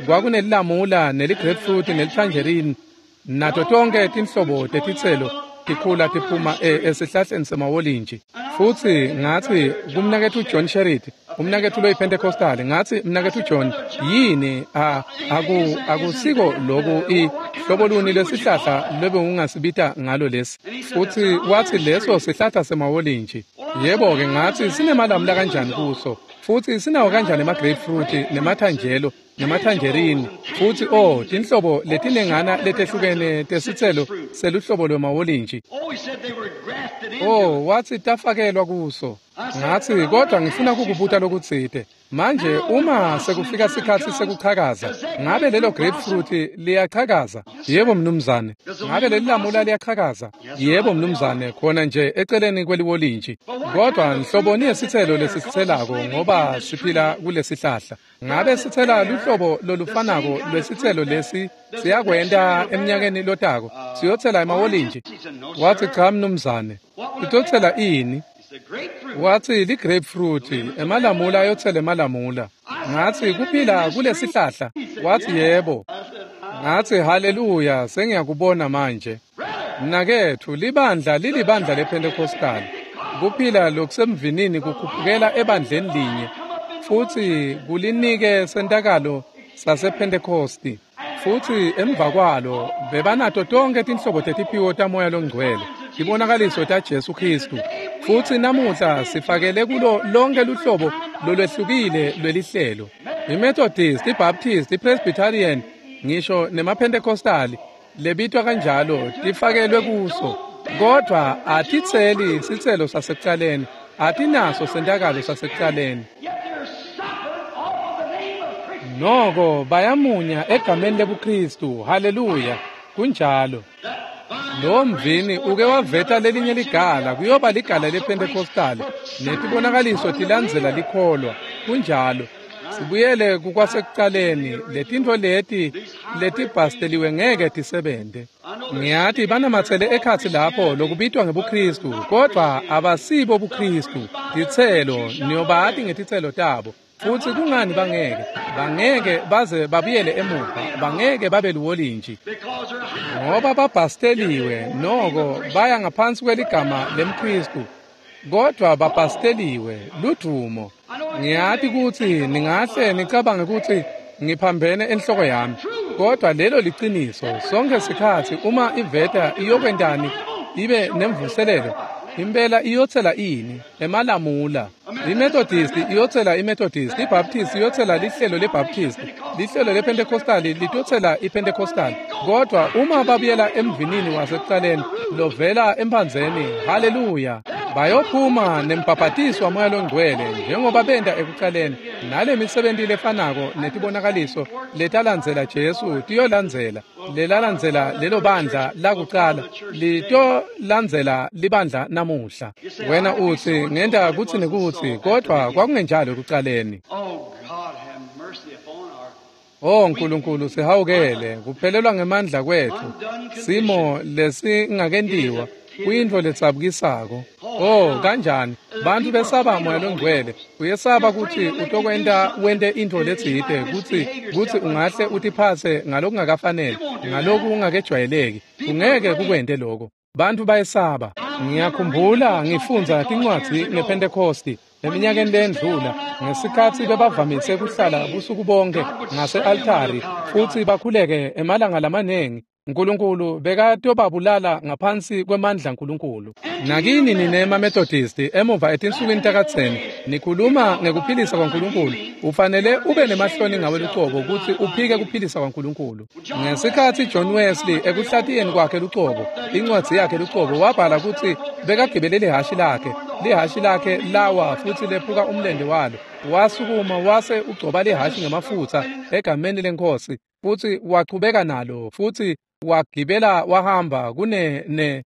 Kwakunelilanga Nelilamula, neligrapefruit, nelitangerine, nato tonke tinhlobo tetitselo tikhula tiphuma esihlahleni semawolintji. Futsi ngatsi kumnaketfu John Sherrit, umnaketfu loyiPentecostal, ngatsi mnaketfu John, yini a aku akusiko loku ihlobo luni lesihlahla lobe ungasibita ngalo lesi? Futsi watsi leso sihlahla semawolintji. Yebo-ke, ngatsi sinemalamula kanjani kuso, futsi sinawo kanjani ema-grapefruit nemathanjelo nemathanjerini, futsi oh tinhlobo letinengana letehlukene tesitselo seluhlobo lwemawolintji. Oh, watsi tafakelwa kuso. Ngatsi kodwa ngifuna kukubuta lokutsite. Manje uma sekufika sikhatsi sekuchakaza, ngabe lelo grapefruit liyachakaza? Yebo mnumzane. Ngabe leli lamula liyachakaza? Yebo mnumzane, khona nje eceleni kweliwolintji. Kodwa nhloboni yesitselo lesisitselako ngoba siphila kulesihlahla. Ngabe sitsela luhlobo lolufanako lwesitselo lesi siyakwenta eminyakeni lotako? Siyotsela emawolintji? Watsi cha mnumzane. Itotsela ini? Watsi li-grapefruit, emalamula ayotsela emalamula. Ngatsi kuphila kulesihlahla? Watsi yebo. Ngatsi haleluya, sengiyakubona manje. Mnaketfu, libandla lilibandla lePentecostal. Kuphila lokusemvinini kukhuphukela ebandleni linye, futsi kulinike sentakalo sasePhentekosti. Futsi emva kwalo bebanato tonke tinhlobo tetiphiwo taMoya loNgcwele, tibonakaliso taJesu Khristu. Futsi namuhla sifakele kulo lonke luhlobo lolwehlukile lwelihlelo. IMethodist, iBaptist, iPresbyterian, ngisho nemaPentecostali lebitwa kanjalo tifakelwe kuso. Kodwa atitseli sitselo sasekucaleni, atinaso sentakalo sasekucaleni. Noko bayamunya egameni lebuKristu. Haleluya, kunjalo. Lo mvini uke waveta lelinye ligala, kuyoba ligala lePentecostal, netibonakaliso tilandzela likholwa. Kunjalo. Sibuyele kukwasekucaleni, letintfo leti letibhasteliwe ngeke tisebente. Ngiyati banamatsele ekhatsi lapho lokubitwa ngebuKristu, kodwa abasibo buKristu. Titselo, niyobati ngetitselo tabo. Futsi kungani bangeke? Bangeke baze babuyele emuva, bangeke babe liwolintji. Ngoba babhasteliwe, noko baya ngaphansi kweligama lemKristu. Kodwa babhasteliwe, ludumo. Ngiyati kutsi ningahle nicabange kutsi ngiphambene enhloko yami, kodwa lelo liciniso. Sonke sikhatsi uma iveta iyokwentani ibe nemvuselelo, impela iyotsela ini? Emalamula. IMethodist iyotsela iMethodist, iBaptist iyotsela lihlelo leBaptist, lihlelo lePentecostal litotsela iPentecostal. Kodwa uma babuyela emvinini wasekucaleni lovela emphandzeni, haleluya, bayophuma nembhabhatiso waMoya loNgcwele njengoba benta ekucaleni. Nale misebenti lefanako netibonakaliso letalandzela Jesu tiyolandzela lelalandzela lelo bandla lakucala, litolandzela libandla namuhla. Wena utsi ngenta kutsi nekutsi, kodwa kwakungenjalo ekucaleni. Oh Nkulunkulu, sihawukele. Kuphelelwa ngemandla kwetfu, simo lesingakentiwa kuyintfo letsabukisako. Oh kanjani bantfu besaba Moya loNgcwele. Uyesaba kutsi utokwenta wente intfo letsite, kutsi kutsi ungahle utiphatse ngalokungakafaneli, ngalokungakejwayeleki. Ungeke kukwente loko. Bantfu bayesaba. Ngiyakhumbula ngifundza tincwadzi ngePhentekosti eminyakeni lendlula, ngesikhatsi bebavamise kuhlala busuku bonke ngase-altari futsi bakhuleke emalanga lamanengi. Nkulunkulu bekatobabulala ngaphansi kwemandla Nkulunkulu. Nakini nine emaMethodist emuva etinsukwini takadzeni nikhuluma ngekuphilisa kwaNkulunkulu, ufanele ube nemahloni ngawe lucobo kutsi uphike kuphilisa kwaNkulunkulu. Ngesikhatsi John Wesley ekuhlatiyeni kwakhe lucobo, incwadzi yakhe lucobo, wabhala kutsi bekagibele lihhashi lakhe, lihhashi lakhe lawa futsi lephuka umlente walo. Wasukuma wase ugcoba lihhashi ngemafutsa egameni leNkhosi, futsi wachubeka nalo futsi wagibela wahamba kune ne.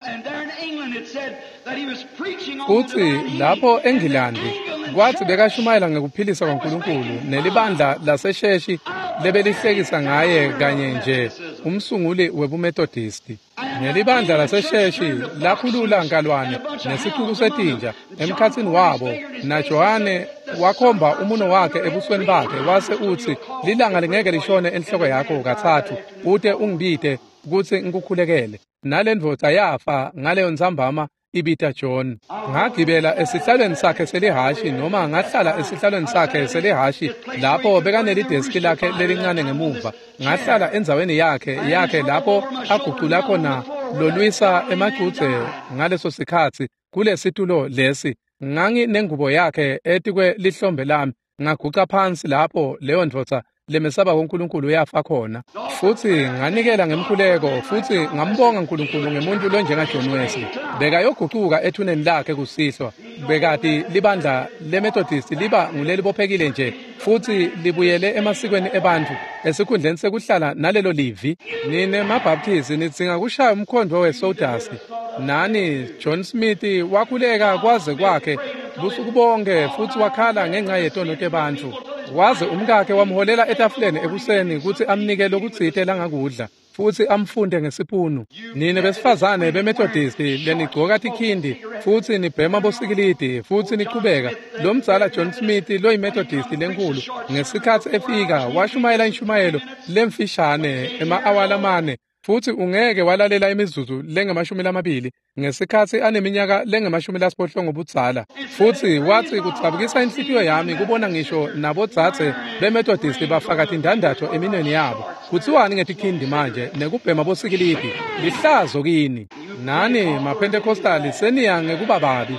Futsi lapho eNgilandi kwathi bekashumayela ngekuphilisa kwaNkulunkulu, nelibandla lasesheshi lebelihlekisa ngaye kanye nje umsunguli webuMethodisti. Nelibandla lasesheshi lakhulula nkalwane nesicuku setinja emkhatsini wabo, naJohane Wakhomba umuno wakhe ebusweni bakhe wase utsi lilanga lingeke lishone enhloko yakho katsatfu ute ungibite kutsi ngikukhulekele. Nalendvodza yafa ngaleyo ntsambama ibita John. Ngagibela esihlalweni sakhe selihashi noma ngahlala esihlalweni sakhe selihashi lapho bekanelideski lakhe lelincane ngemuva. Ngahlala endzaweni yakhe yakhe lapho agucula khona lolwisa emacudze ngaleso sikhatsi kulesitulo lesi. Ngangi nengubo yakhe etikwe lihlombe lami, ngaguca phansi lapho leyo ndvodza lemesaba kuNkulunkulu yafa khona. Futsi nganikela ngemkhuleko futsi ngambonga uNkulunkulu ngemuntu lonjenga John Wesley. Bekayogucuka ethuneni lakhe kusihlwa. Bekati libandla leMethodist liba ngulelibophekile nje futsi libuyele emasikweni ebantfu esikhundleni sekuhlala nalelo livi. Nine maBaptist nidzinga kushaya umkhondvo wesawdust. Nani John Smith wakhuleka kwaze kwakhe busuku bonke futsi wakhala ngenxa yetono tebantfu. Waze umkakhe wamholela etafuleni ekuseni kutsi amnike lokutsite langakudla futsi amfunde ngesipunu. Nine besifazane beMethodist lenigcoka tikhindi futsi nibhema bosikilidi futsi nichubeka. Lomdzala John Smith loyiMethodist lenkulu ngesikhatsi efika washumayela inshumayelo lemfishane ema-awa lamane futsi ungeke walalela imizuzu lengemashumi lamabili ngesikhatsi aneminyaka lengemashumi lasiphohlongo budzala. Futsi watsi kudzabukisa inhlitiyo yami kubona ngisho nabodzadze beMethodist bafaka tindandatho eminweni yabo. Kutsiwani ngetikhindi manje nekubhema bosikilidi? Lihlazo kini. Nani maPentecostali seniya ngekuba babi.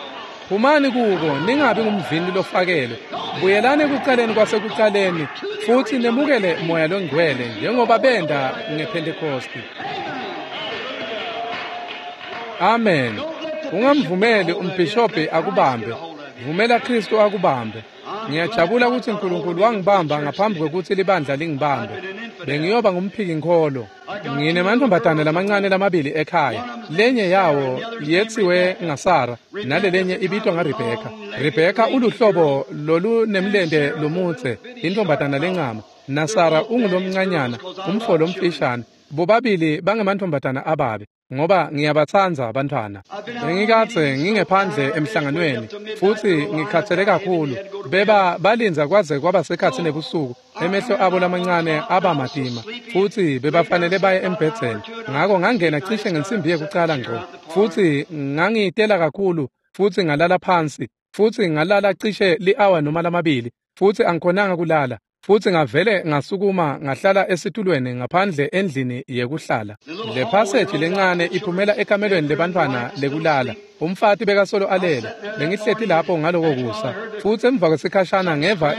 Phumani kuko ningabi ngumvini lofakelwe. Buyelani ekucaleni kwasekucaleni futsi nemukele moya longcwele njengoba benda ngePentecosti. Amen. Ungamvumeli umbhishobhi akubambe. Vumela Kristu akubambe. Ngiyajabula ukuthi uNkulunkulu wangibamba ngaphambi kwekutsi libandla lingibambe. Bengiyoba ngumphiki-nkholo. Nginemantombazane lamancane lamabili ekhaya. Lenye yawo yetsiwe ngaSara nalelenye ibitwa ngaRebecca. Rebecca uluhlobo lolunemlente lomudze, intombazana lencama. NaSara ungulomncanyana, umfo lomfishane. Bobabili bangemantombazana ababi ngoba ngiyabatsandza abantwana. Bengikadze ngingephandle emhlanganweni futsi ngikhathele kakhulu. Beba balindza kwaze kwaba sekhatsi nebusuku. Emehlo abo lamancane aba matima futsi bebafanele baye embhedzeni. Ngako ngangena cishe ngensimbi yekucala ngco futsi ngangitela kakhulu futsi ngalala phansi futsi ngalala cishe li-awa noma lamabili futsi angikhonanga kulala. Futsi ngavele ngasukuma ngahlala esitulweni ngaphandle endlini yekuhlala. Le passage lencane iphumela ekamelweni lebantfwana lekulala. Umfati bekasolo alele. Bengihleti lapho ngaloko kusa. Futsi emva kwesikhashana ngeva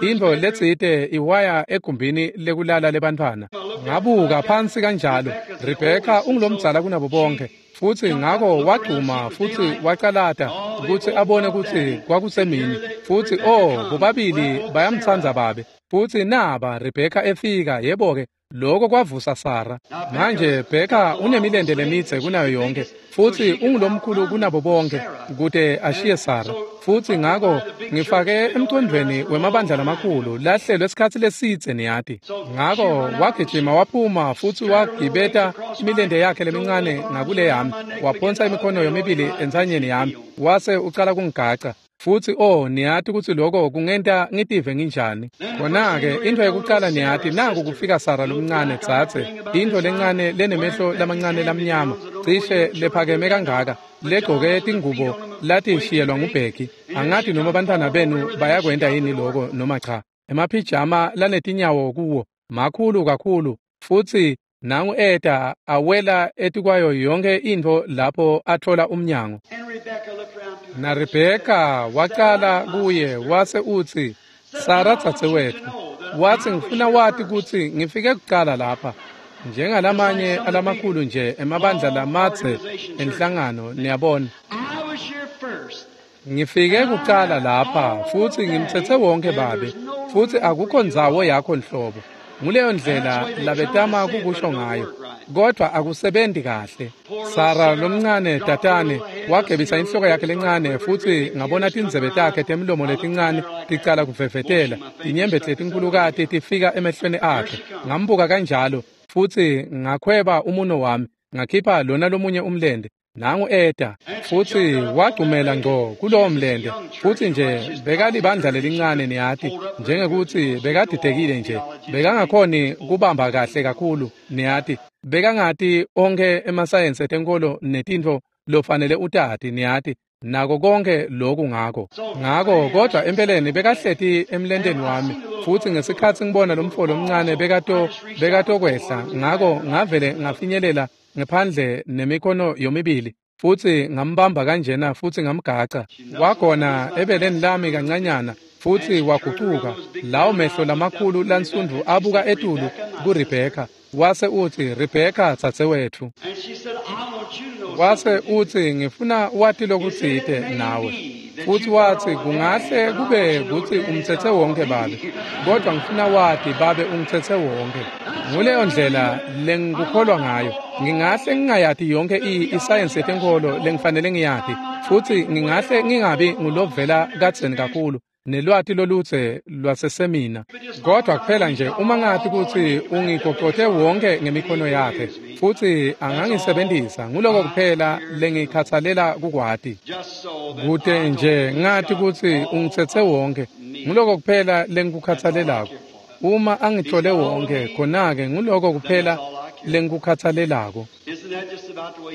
intfo letsite iwaya egumbini lekulala lebantfwana. Ngabuka phansi kanjalo. Rebecca ungulomdzala kunabo bonke. Futsi ngako wagcuma futsi wacalata kutsi abone kutsi kwakusemini. Futsi oh bobabili bayamtsandza babe. Futsi naba Rebecca efika, yebo-ke lokho kwavusa Sara. Manje Becca unemilente lemidze kunayo yonke futsi ungulomkhulu kunabo bonke kute ashiye Sara. Futsi ngako ngifake emcondvweni wemabandla lamakhulu lahlelwe esikhatsi lesidze niyati. Ngako wagijima waphuma futsi wagibeta imilente yakhe lemincane ngakule yami, waphonsa imikhono yomibili entsanyeni yami wase ucala kungigaca. Futsi oh niyati kutsi lokho kungenta ngitive nginjani. Khona-ke intfo yekucala niyati naku kufika Sara lomncane dzadze, intfo lencane lenemehlo lamancane lamnyama cishe lephakeme kangaka, legcoke tingubo latishiyelwa nguBheki. Angati noma bantfwana benu bayakwenta yini lokho noma cha. Emaphijama lanetinyawo kuwo makhulu kakhulu futsi nangu eta awela etikwayo yonke intfo lapho atfola umnyango. Na Rebecca wacala kuye wase utsi, Sara dzadzewetfu, watsi ngifuna wati kutsi ngifike kucala lapha. Njengalamanye alamakhulu nje emabandla lamadze enhlangano niyabona. Ngifike kucala lapha futsi ngimtsetse wonke babe futsi akukho ndzawo yakho nhlobo. Nguleyo ndlela labetama kukusho ngayo, kodwa akusebenti kahle. Sara lomncane tatane wagebisa inhloko yakhe lencane futsi ngabona tindzebe takhe temlomo letincane ticala kuvevetela, tinyembeti letinkhulukati tifika emehlweni akhe. Ngambuka kanjalo futsi ngakhweba umuno wami, ngakhipha lona lomunye umlente. Nangu eta futsi wagcumela ngco kulowo mlente futsi nje bekalibandla lelincane niyati njengekuthi bekadidekile nje bekangakhoni kubamba kahle kakhulu niyati bekangati onkhe emasayensi etenkolo netintfo lofanele utati niyati nako konke lokhu ngako ngako kodwa empeleni bekahleti emlenteni wami futsi ngesikhatsi ngibona lomfo lomncane bekato bekatokwehla ngako ngavele ngafinyelela ngephandle nemikhono yomibili futsi ngambamba kanjena futsi ngamgaca wagona ebeleni lami kancanyana futsi wagucuka lawo mehlo lamakhulu lansundvu abuka etulu kuRebheka wase utsi Rebheka dzadzewetfu wase utsi ngifuna wati lokutsite nawe futsi watsi kungahle kube kutsi umtsetse wonke babe kodwa ngifuna wati babe ungitsetse wonke nguleyo ndlela lengikukholwa ngayo ngingahle ngingayati yonke isayensi yetenkolo lengifanele ngiyati futsi ngingahle ngingabi ngulovela kadzeni kakhulu nelwati lolutse lwasesemina kodwa kuphela nje uma ngathi kutsi ungigocote wonke ngemikhono yakhe futsi angangisebenzisa nguloko kuphela lengikhathalela kukwati kute nje ngathi kutsi ungitsetse wonke nguloko kuphela lengikukhathalelako uma angithole wonke khona-ke nguloko kuphela lengikukhathalelako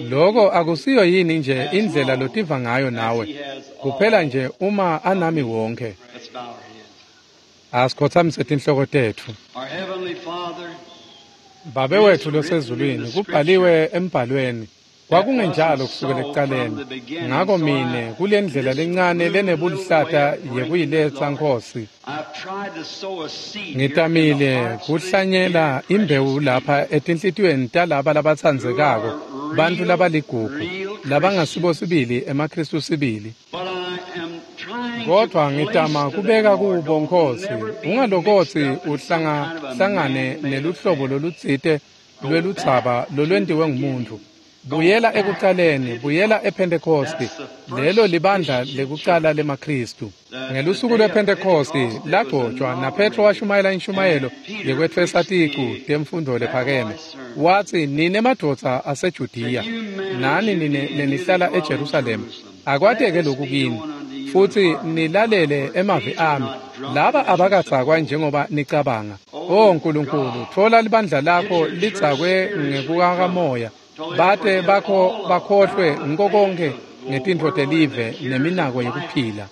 loko akusiyo yini nje indlela lotiva ngayo nawe kuphela nje uma anami wonke asikhothamise tinhloko tetfu Babe wetfu losezulwini kubhaliwe embhalweni kwakungenjalo kusukela ekucaleni ngako mine kule ndlela lencane lenebulihlata yekuyiletsa Nkosi ngitamile kuhlanyela imbewu lapha etinhlitiyweni talaba labatsandzekako bantfu labaligugu labangasibo sibili emaKhristu sibili kodwa ngitama kubeka kubo Nkosi ungalokotsi uhlangahlangane neluhlobo lolutsite lweludzaba lolwentiwe ngumuntfu buyela ekucaleni buyela ePhentekosti lelo libandla lekucala lemaKhristu ngelusuku lwePhentekosti lagcotshwa naPetro washumayela inshumayelo yekwetfwesa ticu temfundo lephakeme watsi nine madvodza aseJudiya nani nine lenihlala eJerusalema akwateke lokhu kini futsi nilalele emavi ami laba abakadzakwa njengoba nicabanga o Nkulunkulu tfola libandla lakho lidzakwe ngekukamoya bate bakho bakhohlwe ngiko konke ngetintfo telive neminako yekuphila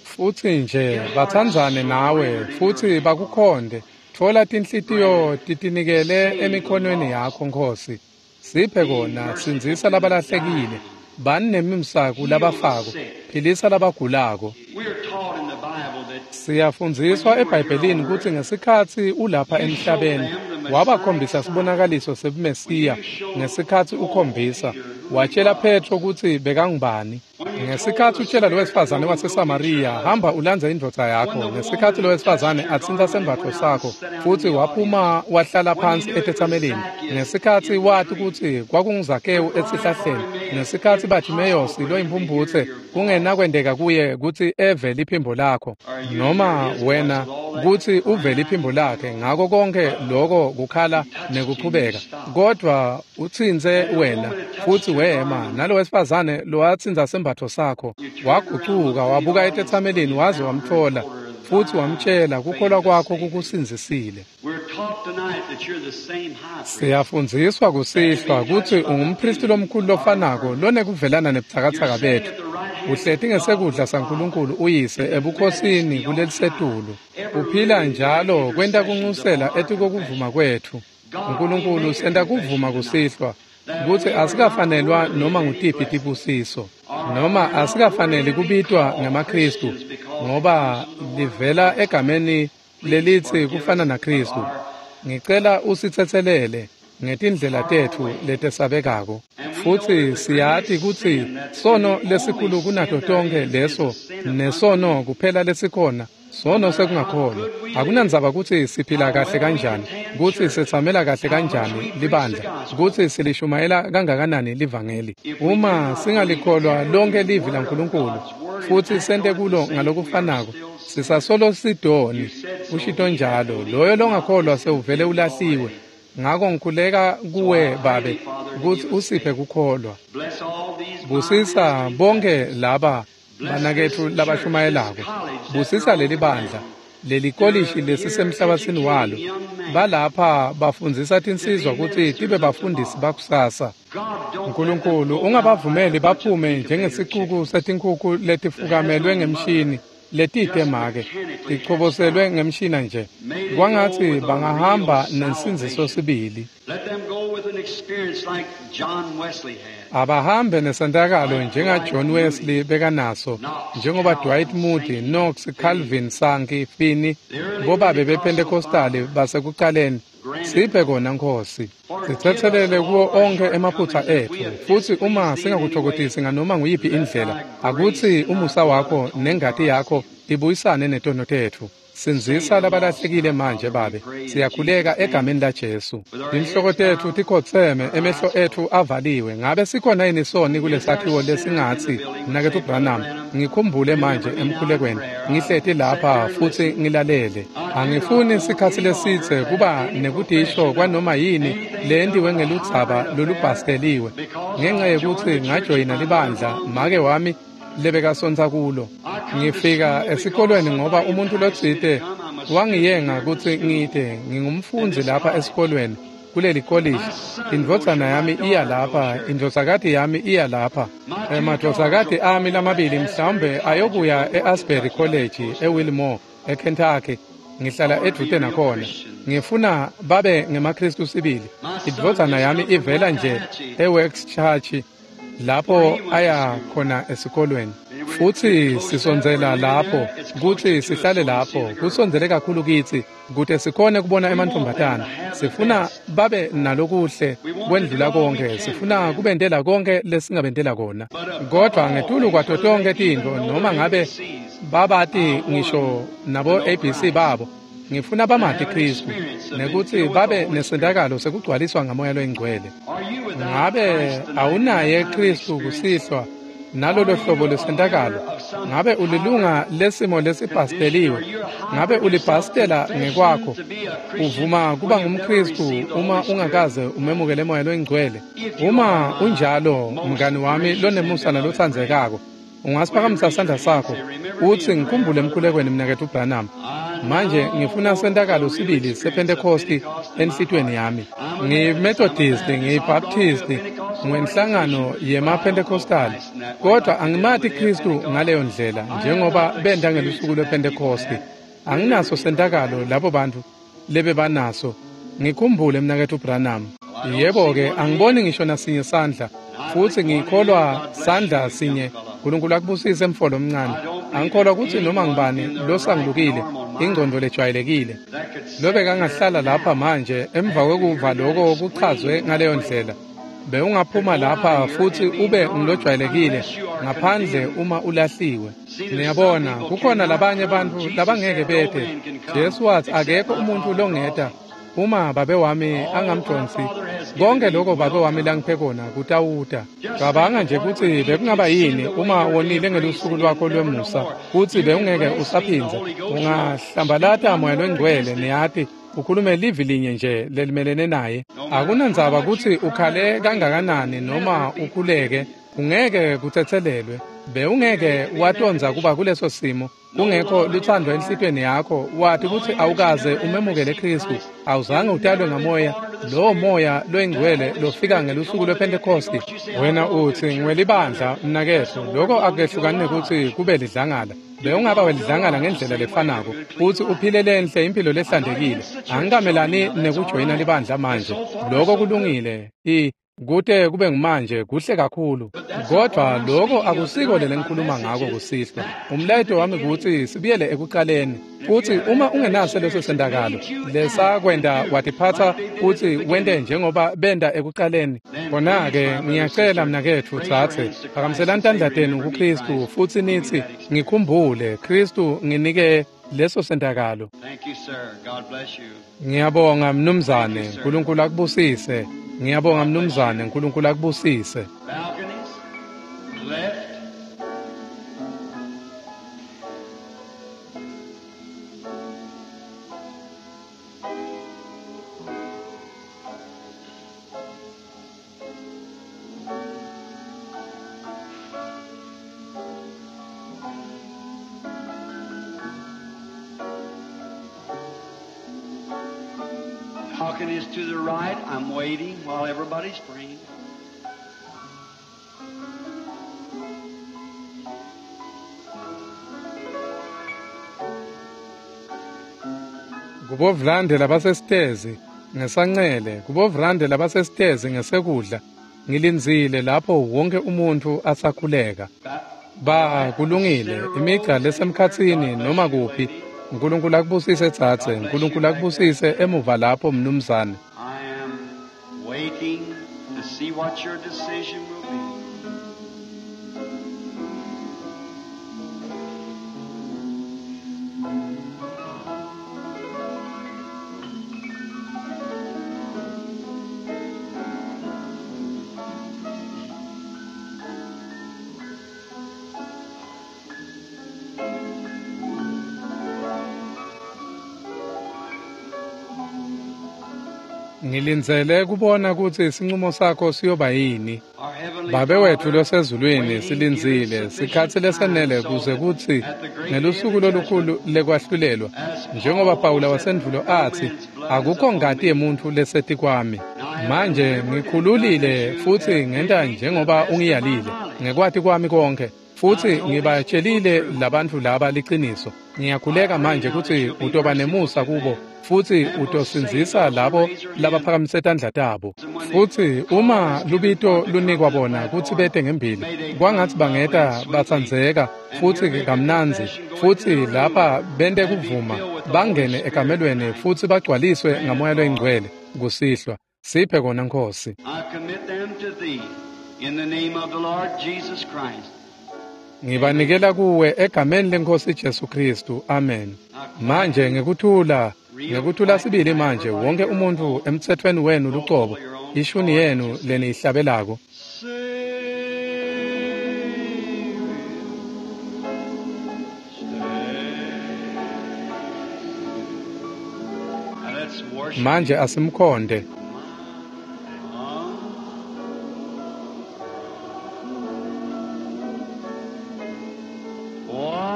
futsi nje batsandzane nawe futsi bakukhonde tfola tinhlitiyo titinikele emikhonweni yakho Nkosi siphe kona sindzisa labalahlekile bani nemimsa kulabafako philisa labagulako siyafundziswa eBhayibhelini kutsi ngesikhatsi ulapha emhlabeni wabakhombisa sibonakaliso sebuMesiya ngesikhatsi ukhombisa watshela Petro kutsi bekangubani ngesikhatsi utshela lo wesifazane waseSamariya hamba ulandze indvodza yakho ngesikhatsi lo wesifazane atsintsa sembatfo sakho futsi waphuma wahlala phansi etetsamelini ngesikhatsi wati kutsi kwakunguZakewu esihlahleni ngesikhatsi Bartimeyosi loyimpumphutse kungenakwenteka kuye kutsi eve liphimbo lakho noma wena kutsi uve liphimbo lakhe ngako konke loko kukhala nekuchubeka kodwa utsintse wena futsi wema nalo wesifazane lowatsintsa sembatfo sakho wagucuka wabuka etetsamelini waze wamtfola futsi wamtshela kukholwa kwakho kukusindzisile siyafundziswa kusihlwa kutsi ungumphristi lomkhulu lofanako lonekuvelana nebutsakatsaka betfu uhleti ngesekudla saNkulunkulu uyise ebukhosini kulelisetulu uphila njalo kwenta kunxusela etikokuvuma kwetfu Nkulunkulu senta kuvuma kusihlwa kutsi asikafanelwa noma ngutiphi tibusiso noma asikafaneli kubitwa ngemaKhristu ngoba livela egameni lelitsi kufana naKhristu ngicela usitsetselele ngetindlela tetfu letesabekako futsi siyati kutsi sono lesikhulu kunato tonkhe leso nesono kuphela lesikhona sono sekungakholwa akunandzaba kutsi siphila kahle kanjani kutsi setsamela kahle kanjani libandla kutsi silishumayela kangakanani livangeli uma singalikholwa lonke livi laNkulunkulu futsi sente kulo ngalokufanako sisasolo sidoni ushito njalo loyo longakholwa sewuvele ulahliwe Ngako ngikhuleka kuwe Babe kutsi usiphe kukholwa. Busisa bonke laba banaketfu labashumayelako. Busisa leli bandla, leli kolishi lesisemhlabatsini walo. Balapha bafundzisa tinsizwa kutsi tibe bafundisi bakusasa. Nkulunkulu, ungabavumeli baphume njengesicuku setinkhukhu letifukamelwe ngemshini letite make, tichoboselwe ngemshina nje. Kwangatsi bangahamba nensindziso sibili. Abahambe nesentakalo njenga John Wesley bekanaso, njengoba Dwight Moody, Knox, Calvin, Sankey, Finney, bobabe bePentecostali basekucaleni. Siphe kona Nkosi. Sitsetselele kuwo onkhe emaphutsa etfu, futsi uma singakutfokotisi nganoma nguyiphi indlela, akutsi umusa wakho nengati yakho ibuyisane netono tetfu. Sindzisa labalahlekile manje Babe. Siyakhuleka egameni la Jesu. Tinhloko tetfu tikhotseme, emehlo etfu avaliwe. Ngabe sikhona yini soni kulesakhiwo lesingatsi, Mnaketfu Branham, ngikhumbule manje emkhulekweni. Ngihleti lapha futsi ngilalele. Angifuni sikhatsi lesidze kuba nekutisho kwanoma yini leyentiwe ngeludzaba lolubhasteliwe. Ngenxa yekutsi ngajoyina libandla make wami lebekasontsa kulo. Ngifika esikolweni ngoba umuntu lotsite wangiyenga kutsi ngite ngingumfundzi lapha esikolweni kuleli kolishi. Indvodzana yami iya lapha, indvodzakati yami iya lapha. Emadvodzakati ami lamabili mhlawumbe ayokuya e-Asbury College eWilmore, eKentucky. Ngihlala edvute nakhona. Ngifuna babe ngemaKhristu sibili. Indvodzana yami ivela nje eWorks Church lapho aya khona esikolweni. Futsi sisondzela lapho kutsi sihlale lapho, kusondzele kakhulu kitsi kute sikhone kubona emantfombatana. Sifuna babe nalokuhle kwendlula konke, sifuna kubentela konke lesingabentela kona. Kodwa ngetulu kwato tonkhe tintfo, noma ngabe babati ngisho nabo A B C babo, ngifuna bamati Khristu nekutsi babe nesentakalo sekugcwaliswa ngamoya loyingcwele. Ngabe awunaye Khristu kusihlwa nalolo hlobo lesentakalo? Ngabe ulilunga lesimo lesibhasteliwe? Ngabe ulibhastela ngekwakho? Uvuma kuba ngumKhristu uma ungakaze umemukele moya loyingcwele? Uma unjalo, mngani wami lonemusa nalotsandzekako, ungasiphakamisa sandla sakho utsi ngikhumbule emkhulekweni mnaketfu Branham. Manje ngifuna sentakalo sibili sePentecosti enhlitiyweni yami. NgiyiMethodist, ngiyiBaptist, ngwenhlangano yemaPentecostal, kodwa angimati Khristu ngaleyo ndlela njengoba benta ngelusuku lwePentecosti. Anginaso sentakalo labo bantu lebebanaso. Ngikhumbule mnaketfu Branham. Yebo-ke, angiboni ngisho nasinye sandla, futsi ngikholwa sandla sinye. Nkulunkulu akubusise mfolo omncane. Angikholwa kutsi noma ngibani losangilukile, ingcondvo lejwayelekile lobekangahlala lapha manje emva kwekuva loko kuchazwe ngaleyo ndlela, bewungaphuma lapha futsi ube ngilojwayelekile ngaphandle uma ulahliwe. Niyabona, kukhona labanye bantfu labangeke bete. Jesu watsi akekho umuntfu longeta uma babe wami angamdonsi. Konke lokho babe wami langiphe kona kutawuta. Cabanga nje kutsi bekungaba yini uma wonile ngelusuku lwakho lwemusa kutsi bewungeke usaphindze. Ungahlambalata moya loyingcwele, niyati, ukhulume livi linye nje lelimelene naye. Akunandzaba kutsi ukhale kangakanani noma ukhuleke, ungeke kutsetselelwe. Bewungeke watondza kuba kuleso simo kungekho lutsandvo enhlitiyweni yakho, wati kutsi awukaze umemukele Khristu, awuzange utalwe ngamoya, lowo moya loyingcwele lofika ngelusuku lwePentecosti. Wena utsi ngiwelibandla mnaketfu, loko akukehlukani nekutsi kube lidlangala. Bewungaba welidlangala ngendlela lefanako futsi uphile lenhle impilo lehlantekile. Angikamelani nekujoyina libandla manje, loko kulungile. I kute kube ngumanje kuhle kakhulu, kodwa loko akusiko lengikhuluma ngako kusihlwa. Umlayeto wami kutsi sibuyele ekucaleni, futsi uma ungenaso leso sentakalo lesakwenta watiphatsa futsi wente njengoba benta ekucaleni, khona-ke ngiyacela mnaketfu tsatse, phakamiselani tandla tenu kuKhristu futsi nitsi ngikhumbule Khristu, nginike leso sentakalo. Ngiyabonga mnumzane, Nkulunkulu akubusise. Ngiyabonga mnumzane, Nkulunkulu akubusise. Balconies to the right. I'm waiting while everybody's praying. Kubovulande labasesitezi ngesancele, kubovulande labasesitezi ngesekudla. Ngilindzile lapho wonke umuntfu asakhuleka. Ba kulungile, imigca lesemkhatsini noma kuphi. Nkulunkulu akubusise tsatse, Nkulunkulu akubusise emuva lapho mnumzane. I am waiting to see what your decision will be. Ngilindzele kubona kutsi sincumo sakho siyoba yini. Babe wetfu losezulwini, silindzile sikhatsi lesenele kuze kutsi ngelusuku lolukhulu lekwahlulelwa, njengoba Pawula wasendvulo atsi, akukho ngati yemuntfu lesetikwami. Manje ngikhululile futsi ngenta njengoba ungiyalile ngekwati kwami konkhe, futsi ngibatshelile labantfu laba liciniso. Ngiyakhuleka manje kutsi utoba nemusa kubo futsi utosindzisa labo labaphakamise tandla tabo. Futsi uma lubito lunikwa bona kutsi bete ngembili, kwangatsi bangeta batsandzeka futsi kamnandzi, futsi lapha bente kuvuma bangene ekamelweni futsi bagcwaliswe ngamoya loyingcwele kusihlwa. Siphe kona Nkhosi. I commit them to thee in the name of the Lord Jesus Christ. Ngibanikela kuwe egameni leNkhosi Jesu Kristu. Amen. Manje ngekuthula, ngekuthula sibili manje wonke umuntfu emtsetfweni wenu lucobo, ishuni yenu leniyihlabelako. Now let's worship. Manje asimkhonde. Wow.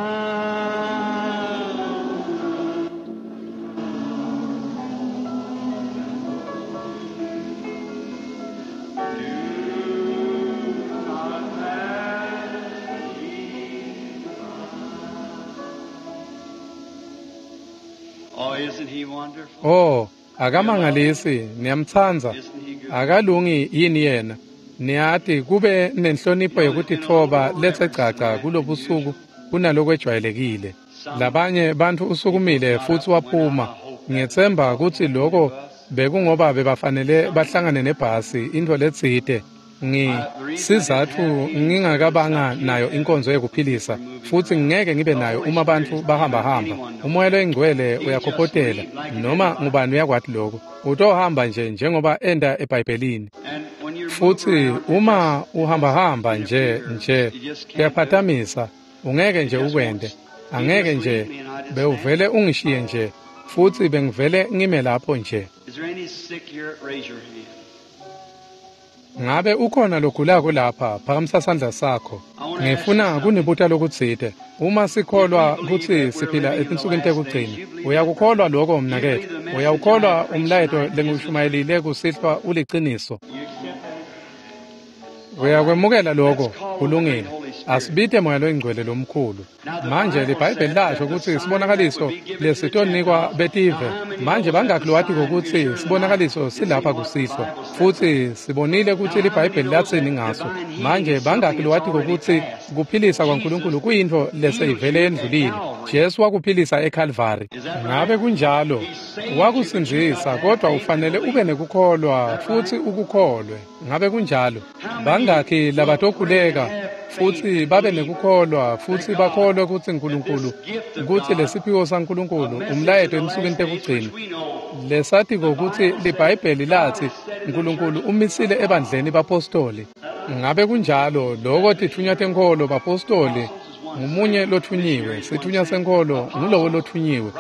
Oh, isn't he wonderful? Oh, akamangalisi, niyamtsandza. Isn't he good? Akalungi yini yena? Niyati kube nenhlonipho yekutitfoba lethe gcagca kulobusuku kunalokwejwayelekile. Labanye bantfu usukumile futsi waphuma. Ngiyetsemba kutsi loko bekungoba bebafanele bahlangane nebhasi intfo letsite. Ngi sizatfu ngingakabanga nayo inkonzo yekuphilisa futsi ngeke ngibe nayo uma bantfu bahambahamba. Umoya loyingcwele uyakhophotela noma ngubani uyakwati lokho. Utohamba nje njengoba enda eBhayibhelini. And when you Futsi uma uhambahamba nje nje kuyaphatamisa, ungeke nje ukwente. Angeke nje bewuvele ungishiye nje futsi bengivele ngime lapho nje. Is there any sick here? Raise your hand. Ngabe ukhona logulako lapha, phakamisa sandla sakho. Ngifuna kunibuta lokutsite. Uma sikholwa kutsi siphila etinsukwini tekugcina, uyakukholwa lokho mnaketfu? Uyawukholwa umlayeto lengiwushumayelile kusihlwa uliciniso? You accept that? Uyakwemukela lokho? Kulungile. Asibite moya loyingcwele lomkhulu. Manje liBhayibheli lasho kutsi sibonakaliso lesitonikwa betive. Manje bangakhi lowatiko kutsi sibonakaliso silapha kusihlwa, futsi sibonile kutsi liBhayibheli latsini ngaso. Manje bangakhi lowatiko kutsi kuphilisa kwaNkulunkulu kuyintfo leseyivele yendlulile? Jesu wakuphilisa eKalvari. Ngabe kunjalo? Wakusindzisa, kodwa ufanele ube nekukholwa futsi ukukholwe. Ngabe kunjalo? Bangakhi labatokhuleka futsi babe nekukholwa futsi bakholwe kutsi Nkulunkulu, kutsi lesiphiwo saNkulunkulu umlayeto emsukwini tekugcina, lesatiko kutsi liBhayibheli latsi Nkulunkulu umisile ebandleni bapostoli. Ngabe kunjalo? Loko titfunywa tenkholo, bapostoli ngumunye lothunyiwe, sitfunywa senkholo ngulowo lothunyiwe,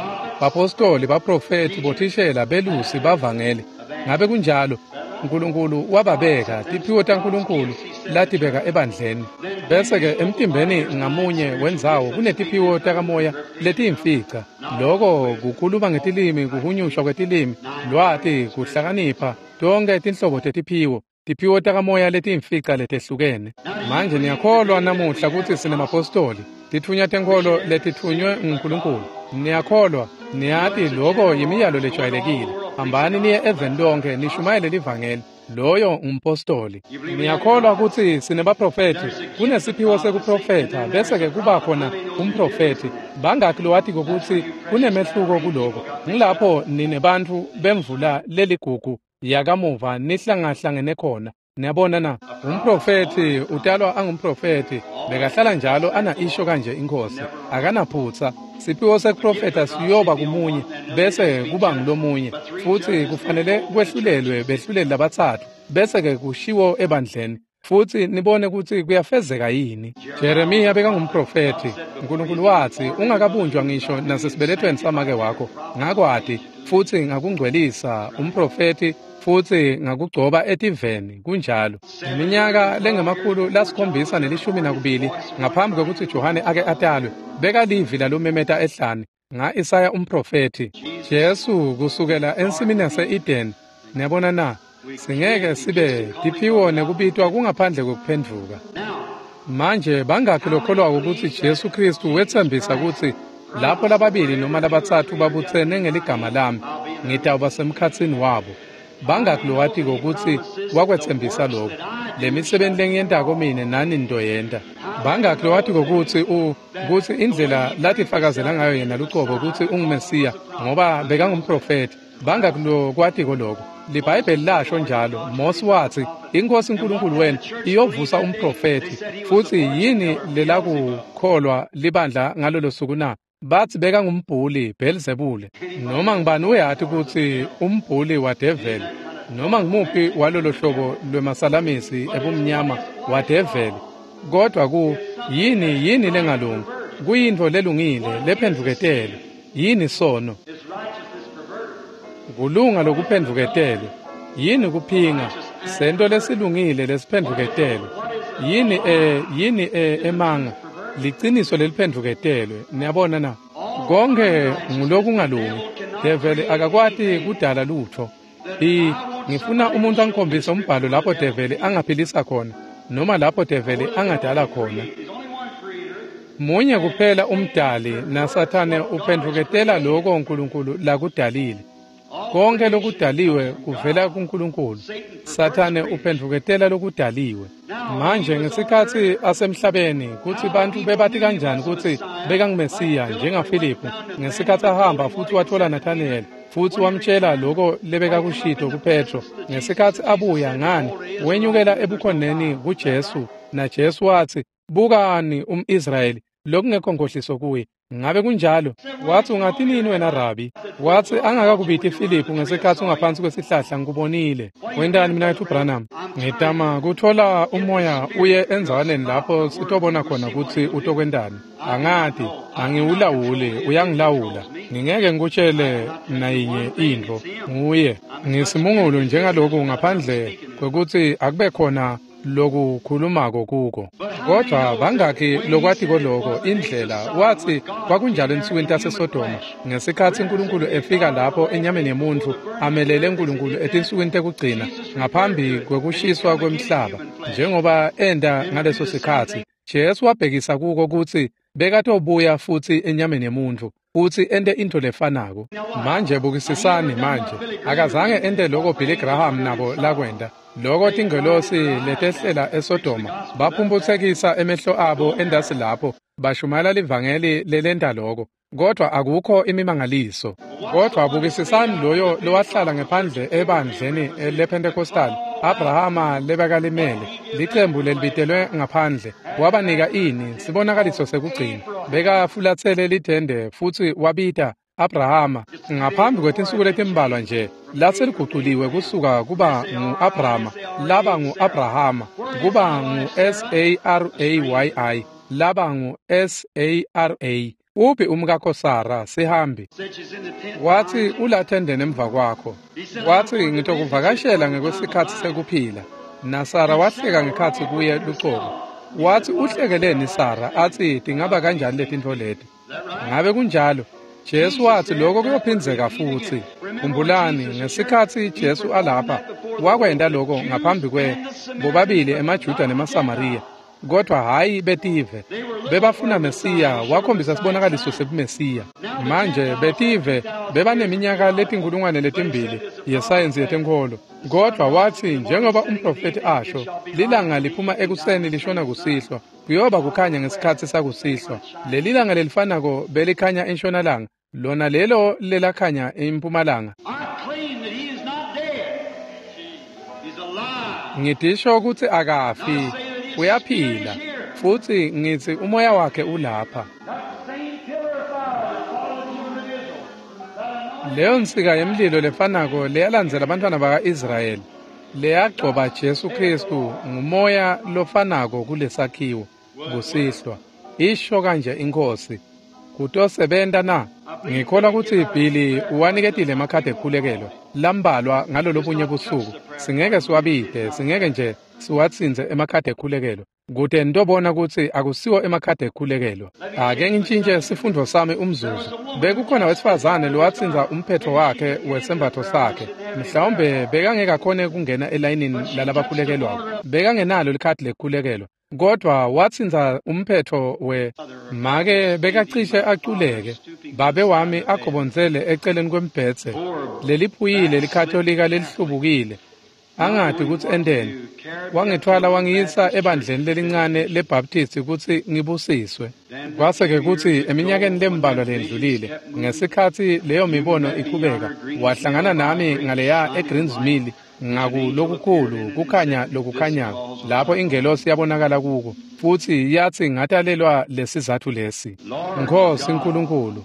bapostoli, baprofethi, bothishela, belusi, bavangeli. Ngabe kunjalo? Nkulunkulu wababeka tiphiwo taNkulunkulu latibeka ebandleni. Bese-ke emtimbeni ngamunye wendzawo kunetiphiwo takamoya letiyimfica. Loko kukhuluma ngetilimi, kuhunyushwa kwetilimi, lwati, kuhlakanipha, tonkhe tinhlobo tetiphiwo, tiphiwo takamoya letiyimfica letehlukene. Manje niyakholwa namuhla kutsi sinemapostoli, titfunywa tenkholo letitfunywe nguNkulunkulu. Niyakholwa, niyati loko yimiyalo lejwayelekile. Hambani niye eveni lonke nishumayele livangeli. Loyo ngumpostoli. Niyakholwa kutsi sinebaprofethi, kunesiphiwo sekuprofetha, bese-ke kuba khona umprofethi. Bangaki lowatiko kutsi kunemehluko kuloko? Ngilapho ninebantfu bemvula leligugu yakamuva nihlangahlangene khona. Niyabona na? Umprofethi utalwa angumprofethi, bekahlala njalo ana isho kanje inkosi, akanaphutsa. Siphiwo sekuprofetha siyoba kumunye bese kuba ngulomunye, futsi kufanele kwehlulelwe behluleli labatsatfu bese-ke kushiwo ebandleni, futsi nibone kutsi kuyafezeka yini. Jeremiya bekangumprofethi. Nkulunkulu watsi, ungakabunjwa ngisho nasesibelethweni samake wakho, ngakwati futsi ngakungcwelisa umprofethi, futsi ngakugcoba etiveni. Kunjalo. Iminyaka lengemakhulu lasikhombisa nelishumi nakubili ngaphambi kwekutsi Johane ake atalwe, bekalivi lalomemeta ehlane nga-Isaya umprofethi. Jesu kusukela ensimini yase-Eden. Niyabona na? Singeke sibe tiphiwo nekubitwa kungaphandle kwekuphendvuka. Manje bangakhi lokholwako kutsi Jesu Khristu wetsembisa kutsi lapho lababili noma labatsatfu babutsene ngeligama lami, ngitawuba semkhatsini wabo? Bangakhi lowatiko kutsi wakwetsembisa lokho? Lemisebenti lengiyentako mine nani nitoyenta. Bangakhi lowatiko kutsi u kutsi indlela latifakazela ngayo yena lucobo kutsi unguMesiya ngoba bekangumprofethi? Bangakhi lokwatiko lokho? LiBhayibheli lasho njalo. Mose watsi, iNkosi uNkulunkulu wenu iyovusa umprofethi. Futsi yini lelakukholwa libandla ngalolo suku na? Batsi bekangumbhuli Belzebule. Noma ngibani uyati kutsi umbhuli wadeveli, noma ngimuphi walolo hlobo lwemasalamisi ebumnyama wadeveli. Kodwa ku yini yini lengalungi? Kuyintfo lelungile lephendvuketele. Yini sono? Kulunga lokuphendvuketele. Yini kuphinga? Sento lesilungile lesiphendvuketele. Yini eh yini eh emanga? Liciniso leliphendvuketelwe. Niyabona na? Konke ngulokungalungi. Develi akakwati kudala lutho. I ngifuna umuntu angikhombise umbhalo lapho develi angaphilisa khona noma lapho develi angadala khona. Munye kuphela umdali, naSathane uphendvuketela lokho uNkulunkulu lakudalile. Konke lokudaliwe kuvela kuNkulunkulu. Sathane uphendvuketela lokudaliwe. Manje ngesikhatsi asemhlabeni, kutsi bantfu bebati kanjani kutsi bekanguMesiya njengaFiliphu ngesikhatsi ahamba futsi watfola Nathaniyeli futsi wamtjela loko lebekakushito kuPetro. Ngesikhatsi abuya ngani, wenyukela ebukhoneni kuJesu, naJesu watsi, bukani um-Israyeli lokungekho nkhohliso kuye. Ngabe kunjalo? Watsi, ungathi nini wena Rabi? Watsi, angakakubiti Filiphu ngesikhatsi ungaphansi kwesihlahla ngikubonile. Wentani mina wethu Branham? Ngitama kutfola umoya uye endzawaneni lapho sitobona khona kutsi utokwentani. Angati, angiwulawuli, uyangilawula. Ngingeke ngikutshele nayinye intfo. Nguye. Ngisimungulu njengaloku ngaphandle kwekutsi akube khona lokukhulumako kuko. Kodwa bangakhi lokwatiko loko indlela? Watsi kwakunjalo ensukwini taseSodoma ngesikhatsi uNkulunkulu efika lapho enyameni yemuntfu amelele uNkulunkulu etinsukwini tekugcina ngaphambi kwekushiswa kwemhlaba, njengoba enda ngaleso sikhatsi. Jesu wabhekisa kuko kutsi bekatobuya futsi enyameni yemuntfu futsi ente intfo lefanako. Manje bukisisani manje, akazange ente loko Billy Graham nabo lakwenta. Loko tingelosi letehlela eSodoma baphumphutsekisa emehlo abo endasi lapho bashumayela livangeli lelenta loko, kodwa akukho imimangaliso. Kodwa bukisisani loyo lowahlala ngephandle ebandleni lePentecostal, Abrahama lebekalimele, licembu lelibitelwe ngaphandle, wabanika ini? Sibonakaliso sekugcina. Bekafulatsele lithende futsi wabita Abrahama ngaphambi kwetinsuku letimbalwa nje laseliguculiwe kusuka kuba ngu-Abrahama laba ngu-Abrahama kuba ngu-S A R A Y I laba ngu-S A R A. Uphi umkakho Sara sihambi? Watsi ulathendeni emva kwakho. Watsi ngitokuvakashela ngekwesikhatsi sekuphila. NaSara wahleka ngekhatsi kuye lucobo. Watsi uhlekeleni Sara atsi tingaba kanjani letintfo leti? Ngabe kunjalo? Jesu watsi lokho kuyophindzeka futsi. Khumbulani ngesikhatsi Jesu alapha wakwenta lokho ngaphambi kwe bobabili emaJuda nemaSamariya. Kodwa hhayi betive. Bebafuna Mesiya, wakhombisa sibonakaliso sebuMesiya. Manje betive bebaneminyaka letinkulungwane letimbili yesayensi yetenkholo. Kodwa watsi njengoba umprofeti asho, lilanga liphuma ekuseni lishona kusihlwa, kuyoba kukhanya ngesikhatsi sakusihlwa. Leli langa lelifanako belikhanya entshonalanga, lona lelo lelakhanya empumalanga. Ngitisho kutsi akafi, uyaphila, futsi ngitsi umoya wakhe ulapha. Leyo nsika yemlilo lefanako leyalandzela abantwana baka-Israyeli, leyagcoba Jesu Kristu ngumoya lofanako kulesakhiwo kusihlwa. Isho kanje iNkhosi, kutosebenta na? Ngikholwa kutsi Billy uwaniketile emakhadi ekukhulekelwa lambalwa ngalolobunye busuku. Singeke siwabite, singeke nje siwatsintse emakhadi ekukhulekelwa. Kute nitobona kutsi akusiwo emakhadi ekukhulekelwa. Ake ngitshintshe sifundvo sami umzuzu. Bekukhona wesifazane lowatsintsa umphetho wakhe wesembatfo sakhe. Mhlawumbe bekangeke akhone kungena elayinini lalabakhulekelwako. Bekangenalo likhadi lekukhulekelwa. Kodwa watsintsa umphetho we make bekacishe aculeke. Babe wami agobondzele eceleni kwembhedze. Leliphuyile likatolika lelihlubukile. Angati kutsi enteni. Wangithwala wangiyisa ebandleni lelincane leBaptist kutsi ngibusiswe. Kwase-ke kutsi eminyakeni lembalwa lendlulile, ngesikhatsi leyo mibono iqhubeka, wahlangana nami ngaleya eGreens Mill ngakulokukhulu kukhanya lokukhanyako, lapho ingelosi yabonakala kuko, futsi yatsi ngatalelwa lesizatfu lesi. Nkhosi Nkulunkulu,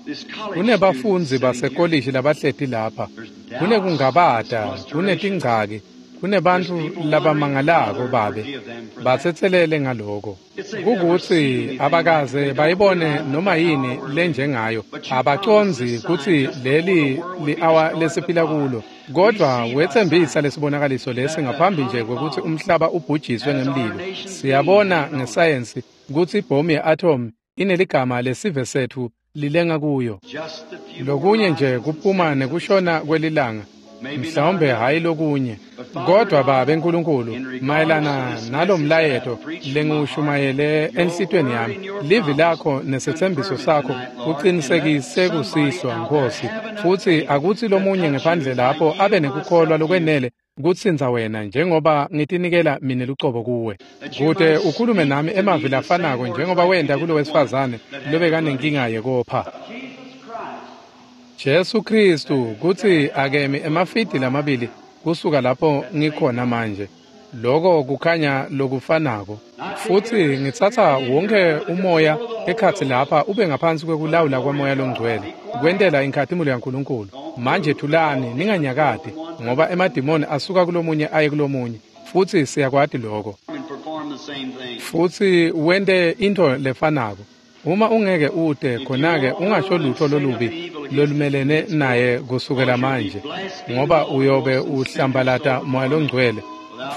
kunebafundzi basekolishi labahleti lapha, kunekungabata, kunetingcaki, kunebantfu labamangalako babe batsetselele ngaloko. Kukutsi abakaze bayibone noma yini lenjengayo, abacondzi kutsi leli li-awa lesiphila kulo. Kodwa wetsembisa lesibonakaliso lesi ngaphambi nje kwekutsi umhlaba ubhujiswe ngemlilo. Siyabona ngesayensi kutsi ibhomu ye-atom ineligama lesive setfu lilenga kuyo. Lokunye nje kuphuma nekushona kwelilanga, mhlawumbe hhayi lokunye. Kodwa Babe Nkulunkulu, mayelana nalomlayeto lengiwushumayele enhlitiyweni yami, livi lakho nesetsembiso sakho kucinisekise kusihlwa, Nkhosi, futsi akutsi lomunye ngephandle lapho abe nekukholwa lokwenele kutsintsa wena njengoba ngitinikela mine lucobo kuwe. Kute ukhulume nami emavi lafanako njengoba wenta kulo wesifazane lobekanenkinga yekopha. Jesu Kristu kutsi akemi emafidi lamabili kusuka lapho ngikhona manje. Loko kukhanya lokufanako. Futsi ngitsatsa wonke umoya ekhatsi lapha ube ngaphansi kwekulawula kwamoya longcwele, kwentela inkhatimulo yaNkulunkulu. Manje thulani, ninganyakati, ngoba emadimoni asuka kulomunye aye kulomunye, futsi siyakwati loko. Futsi wente intfo lefanako. Uma ungeke ute khona-ke ungasho lutho lolubi lolumelene naye kusukela manje, ngoba uyobe uhlambalata moya longcwele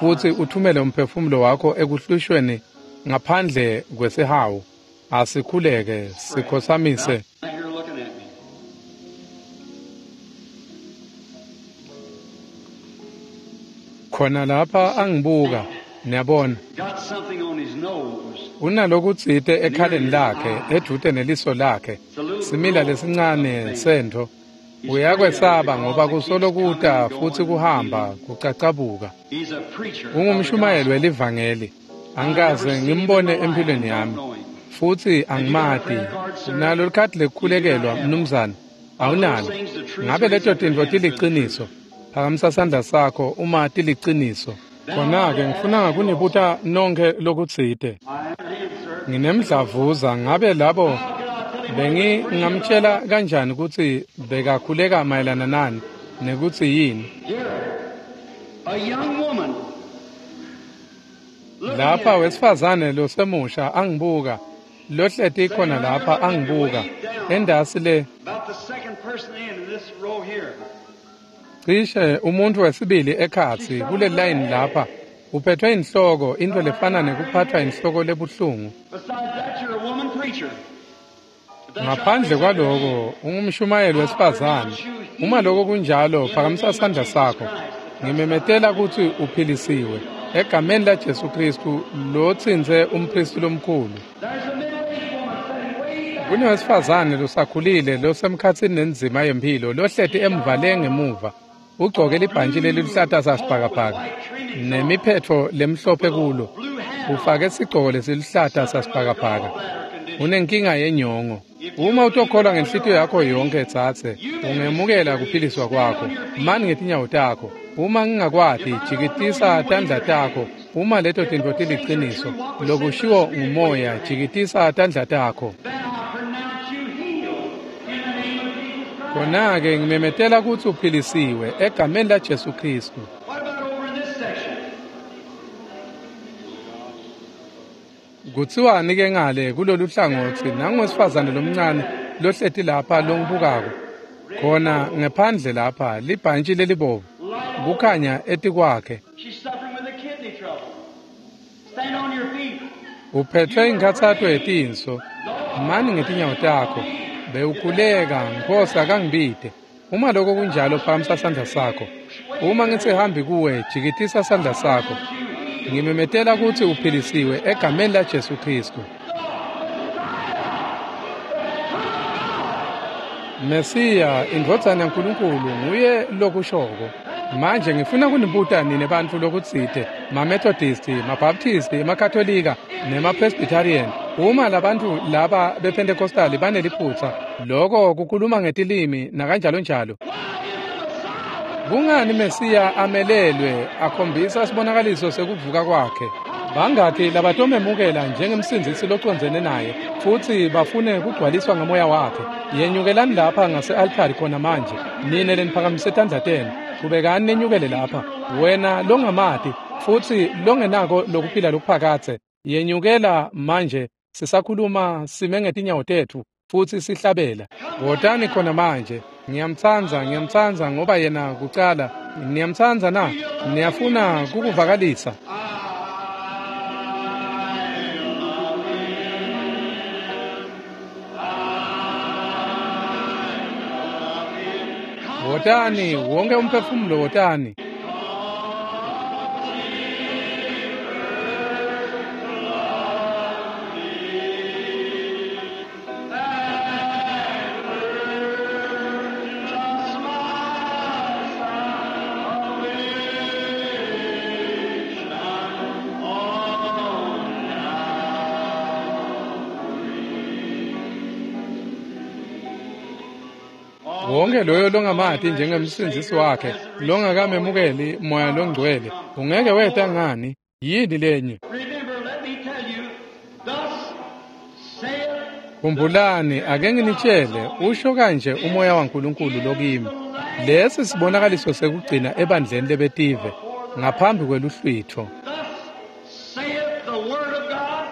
futsi uthumele umphefumulo wakho ekuhlushweni ngaphandle kwesihawu. Asikhuleke sikhotsamise. Khona lapha angibuka, niyabona. Unalokutsite ekhaleni lakhe, edvute neliso lakhe, simila lesincane sentfo. Uyakwesaba ngoba kusolo kuta futsi kuhamba kucacabuka. Ungumshumayeli welivangeli. Angikaze ngimbone empilweni yami, futsi angimati. Unalo likhadi lekukhulekelwa, mnumzane? Awunalo? Ngabe leto tintfo tiliciniso? Phakamisa sandla sakho uma tiliciniso. Khona-ke ngifuna kunibuta nonkhe lokutsite. Nginemdlavuza, ngabe labo bengingamtjela kanjani kutsi bekakhuleka mayelana nani nekutsi yini? Lapha wesifazane losemusha angibuka, lohleti khona lapha angibuka, endasi le cishe umuntu wesibili ekhatsi kule line lapha Uphethwe inhloko, into lefana nekuphathwa inhloko lebuhlungu. Besides that, you're a woman preacher. If that's Ngaphandle right, kwaloko, ungumshumayeli wesifazane. Uma lokho kunjalo, phakamisa sandla sakho. Ngimemetela kutsi uphilisiwe egameni laJesu Kristu lotsintse umphristi lomkhulu. There's a middle-aged woman sitting way back. Kunowesifazane losakhulile losemkhatsini nenzima yemphilo lohleti emva le ngemuva. Ugcoke libhantji leliluhlata sasibhakabhaka nemiphetfo lemhlophe kulo. Ufake sigcoko lesiluhlata sasibhakabhaka. Unenkinga yenyongo. Uma utokholwa ngenhlitiyo yakho yonkhe tsatse, ungemukela kuphiliswa kwakho. Mani ngetinyawo takho. Uma ngingakwati, jikitisa tandla takho. Uma leto tintfo tiliciniso, lokushiwo ngumoya, jikitisa tandla takho. Then I pronounce you healed in the name of Jesus Christ. Khona-ke ngimemetela kutsi uphilisiwe egameni laJesu Khristu. What about over in this section? Kutsiwani ke ngale kulolu hlangotsi nangowesifazane lomncane lohleti lapha longibukako. Khona ngephandle lapha libhantji lelibovu kukhanya etikwakhe. She's suffering with a kidney trouble. Stand on your feet. Uphethwe inkhatsato yetinso. Mani ngetinyawo takho. Bewukhuleka, Nkosi akangibide. Uma lokho kunjalo phakamisa sandla sakho. Uma ngitsi hambi kuwe, jikitisa sandla sakho. Ngimemetela kutsi uphilisiwe egameni laJesu Khristu. Mesiya, indvodzana yaNkulunkulu, nguye lokushoko. Manje ngifuna kunibuta nine bantfu lokutsite, maMethodisti, maBaptisti, emaKatolika nemaPresbyterian. Uma labantfu laba bePentecostali baneliphutsa, loko kukhuluma ngetilimi nakanjalonjalo. Kungani Mesiya amelelwe akhombisa sibonakaliso sekuvuka kwakhe? Bangakhi labatomemukela njengemsindzisi locondzene naye futsi bafune kugcwaliswa ngamoya wakhe? Yenyukelani lapha ngase-altari khona manje, nine leniphakamise tandla tenu. Chubekani nenyukele lapha. Wena longamati futsi longenako lokuphila lokuphakadze, yenyukela manje sisakhuluma sime ngetinyawo tetfu futsi sihlabela. Wotani khona manje. Ngiyamtsandza, ngiyamtsandza ngoba yena kucala. Niyamtsandza na? Niyafuna kukuvakalisa? Wotani, wonke umphefumulo wotani. Wonke loyo longamati njengemsindzisi wakhe, longakamemukeli moya longcwele, ungeke weta ngani? Yini lenye? Remember, let me tell you, thus saith Khumbulani, ake nginitshele, usho kanje umoya waNkulunkulu lokimi. Lesi sibonakaliso sekugcina ebandleni lebetive ngaphambi kweluhlwitho. Thus saith the word of God.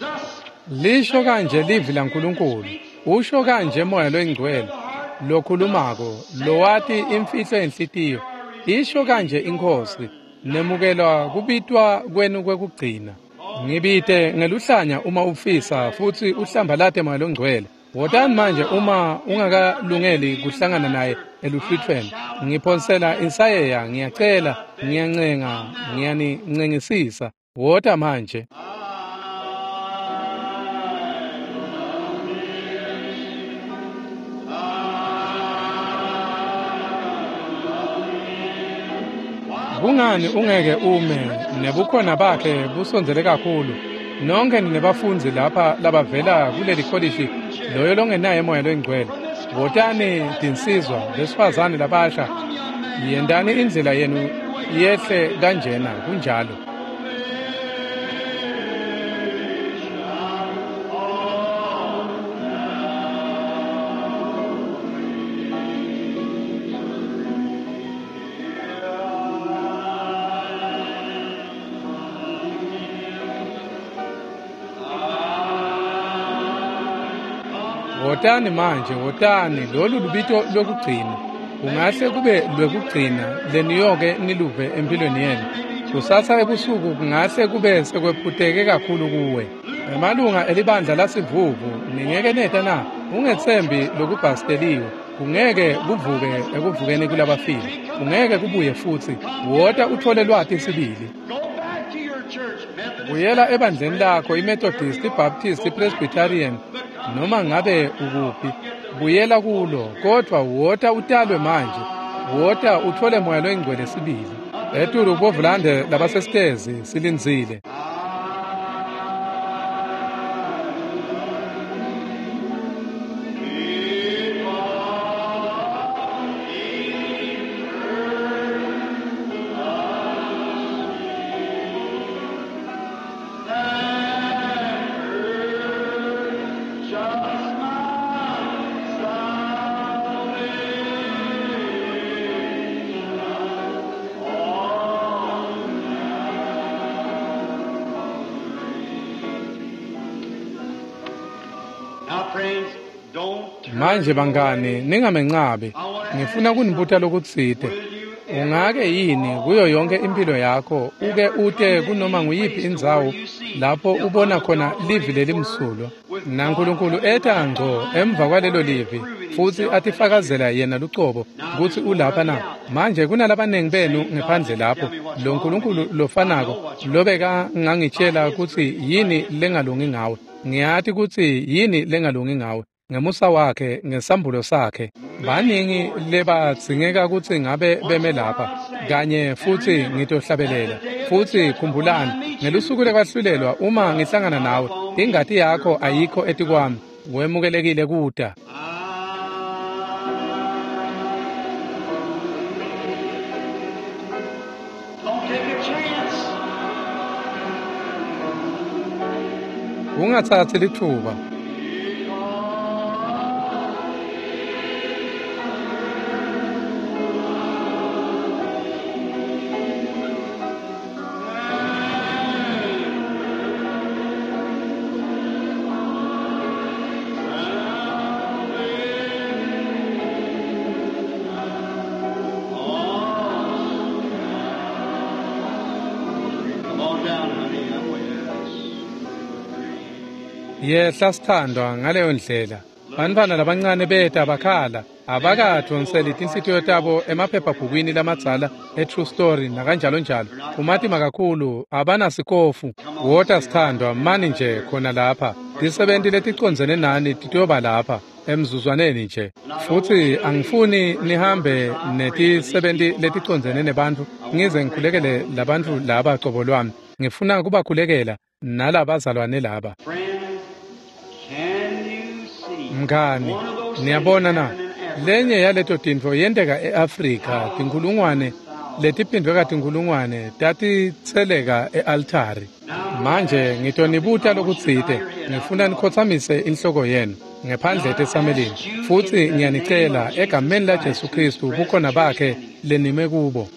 Thus Lisho kanje livi laNkulunkulu. Usho kanje moya loyingcwele lokhulumako, lowati imfihlo yenhlitiyo. Isho kanje iNkhosi, nemukelwa kubitwa kwenu kwekugcina. Ngibite ngeluhlanya uma ufisa futsi uhlambalate moya longcwele. Wotani manje uma ungakalungeli kuhlangana naye eluhlwithweni. Ngiphonsela insayeya, ngiyacela, ngiyancenga, ngiyanincengisisa. Wota manje. Kungani ungeke ume nebukhona bakhe busondzele kakhulu? Nonke ninebafundzi lapha labavela kuleli kholishi, loyo longenaye moya loyingcwele. Wotani tinsizwa, besifazane labasha, yendani indlela yenu yehle kanjena kunjalo. Wotani manje, wotani, lolu lubito lokugcina. Kungahle kube lwekugcina leniyoke niluve empilweni yenu. Kusasa ebusuku kungahle kube sekwephuteke kakhulu kuwe. Emalunga elibandla lasivuvu, ningeke neta na? Ungetsembi lokubhasteliwe. Kungeke kuvuke ekuvukeni kulabafile. Kungeke kubuye futsi. Wota uthole lwati sibili. Buyela ebandleni lakho, iMethodist, iBaptist, iPresbyterian, noma ngabe ukuphi. Buyela kulo, kodwa wota utalwe manje. Wota uthole Moya loyingcwele sibili. Etulu kubovulande labasesitezi silindzile. Manje bangani, ningamencabi. Ngifuna kunibuta lokutsite. Ungake yini kuyo yonke impilo yakho uke ute kunoma nguyiphi indzawo lapho ubona khona livi lelimsulwa naNkulunkulu eta ngco emva kwalelo livi futsi atifakazela yena lucobo kutsi ulapha na? Manje kunalabanengi benu ngephandle lapho lo Nkulunkulu lofanako lobeka ngangitshela kutsi yini lengalungi ngawe. Ngiyati kutsi yini lengalungi ngawe. Ngemusa wakhe, ngesambulo sakhe, baningi lebadzingeka kutsi ngabe beme lapha kanye futsi ngitohlabelela. Futsi khumbulani, ngelusuku lekwahlulelwa uma ngihlangana nawe, ingati yakho ayikho etikwami. Wemukelekile kuta. Ungatsatsi litfuba. Yehla sithandwa ngaleyo ndlela. Bantfwana labancane beta bakhala, abakadvonseli tinhlitiyo tabo emaphephabhukwini lamadzala e-True Story nakanjalo njalo. Kumatima kakhulu, abanasikofu. Wota sithandwa, mani nje khona lapha. Tisebenti leticondzene nani titoba lapha emzuzwaneni nje. Futsi angifuni nihambe netisebenti leticondzene nebantfu ngize ngikhulekele labantfu laba cobo lwami. Ngifuna kubakhulekela nalabazalwane laba. Mngani, niyabona na? Lenye yaleto tintfo yenteka e-Afrika, tinkhulungwane letiphindvwe katinkhulungwane tatitseleka e-altari. Manje ngitonibuta lokutsite, ngifuna nikhotsamise inhloko yenu ngephandle etetsamelini. Futsi ngiyanicela egameni laJesu Khristu bukhona bakhe lenime kubo.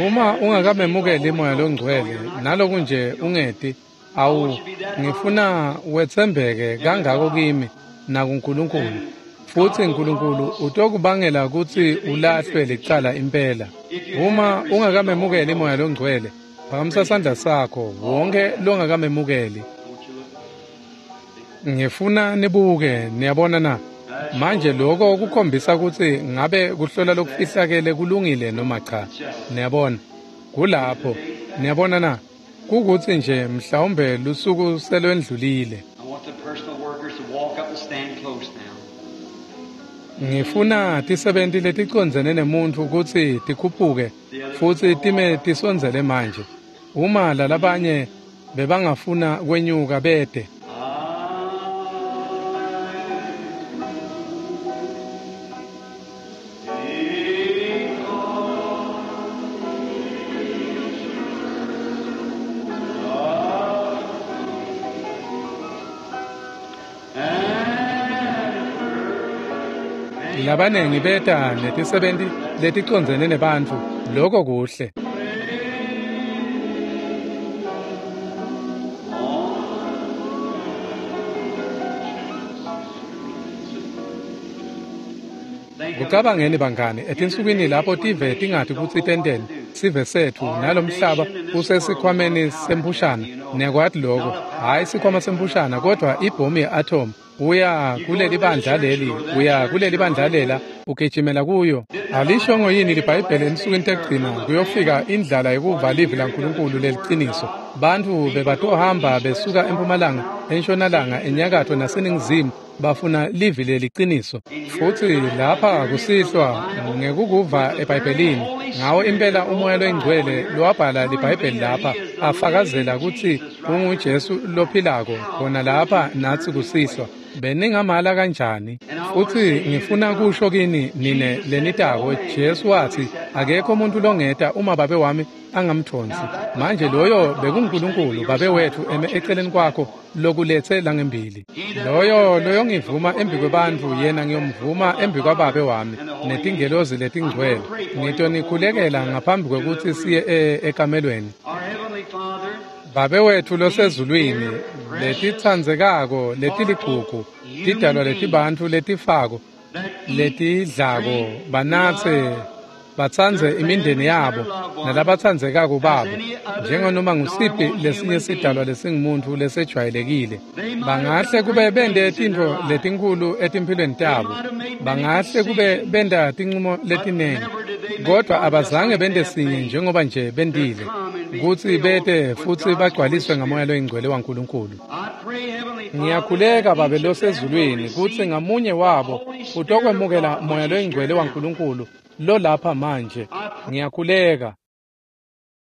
Uma ungakamemukeli Moya loNgcwele naloku nje ungeti, awu ngifuna wetsembeke kangako kimi nakuNkulunkulu. Futsi uNkulunkulu utokubangela kutsi ulahlwe licala impela. Uma ungakamemukeli Moya loNgcwele, phakamisa sandla sakho, wonke longakamemukeli. Ngifuna nibuke, niyabona na? Manje lokho kukhombisa kutsi ngabe kuhlola lokufihlakele kulungile noma cha. Niyabona? Kulapho. Niyabona na? Kukutsi nje mhlawumbe lusuku selwendlulile. Ngifuna tisebenti leticondzene nemuntfu kutsi tikhuphuke futsi time tisondzele manje. Uma lalabanye bebangafuna kwenyuka bete. Labanengi beta netisebenti leticondzene nebantfu, lokho kuhle. Kucabangeni bangani, etinsukwini lapho tive tingati kutsi tenteni, Sive setfu nalomhlaba usesikhwameni semphushana. Niyakwati loko, hhayi sikhwama semphushana, kodvwa ibhomu ye-atom. Uya kuleli bandla leli, uya kuleli bandla lela, ugijimela kuyo. Alishongo yini liBhayibheli ensukwini tekugcina kuyofika indlala yekuva livi laNkulunkulu leliciniso? Bantfu bebatohamba besuka empumalanga, entshonalanga, enyakatfo naseningizimu bafuna livi leliciniso. Futsi lapha kusihlwa ngekukuva eBhayibhelini, ngawo impela uMoya loyiNgcwele lowabhala liBhayibheli lapha afakazela kutsi unguJesu lophilako khona lapha natsi kusihlwa. Beningamala kanjani? Futsi ngifuna kusho kini nine lenitako, Jesu watsi akekho umuntu longeta uma Babe wami angamthonsi. Manje loyo bekunguNkulunkulu Babe wetfu eme eceleni kwakho lokuletse langembili. Loyo loyongivuma embikwebantfu yena ngiyomvuma embikwaBabe wami netingelozi letingcwele. Ngitonikhulekela ngaphambi kwekutsi siye e- ekamelweni. Our Heavenly Father, Babe wetfu losezulwini, letitsandzekako letiligugu, tidalwa letibantfu letifako, letidlako, banatse, batsandze imindeni yabo nalabatsandzekako babo, njenganoma ngusiphi lesinye sidalwa lesingumuntfu lesejwayelekile. Bangahle kube bente tintfo letinkhulu etimphilweni tabo, bangahle kube benta tincumo letinengi, kodvwa abazange bente sinye njengoba nje bentile, kutsi bete futsi bagcwaliswe ngaMoya loyiNgcwele waNkulunkulu. I pray, Heavenly Father, Ngiyakhuleka Babe losezulwini kutsi ngamunye wabo utokwemukela Moya loyiNgcwele waNkulunkulu lolapha manje. Ngiyakhuleka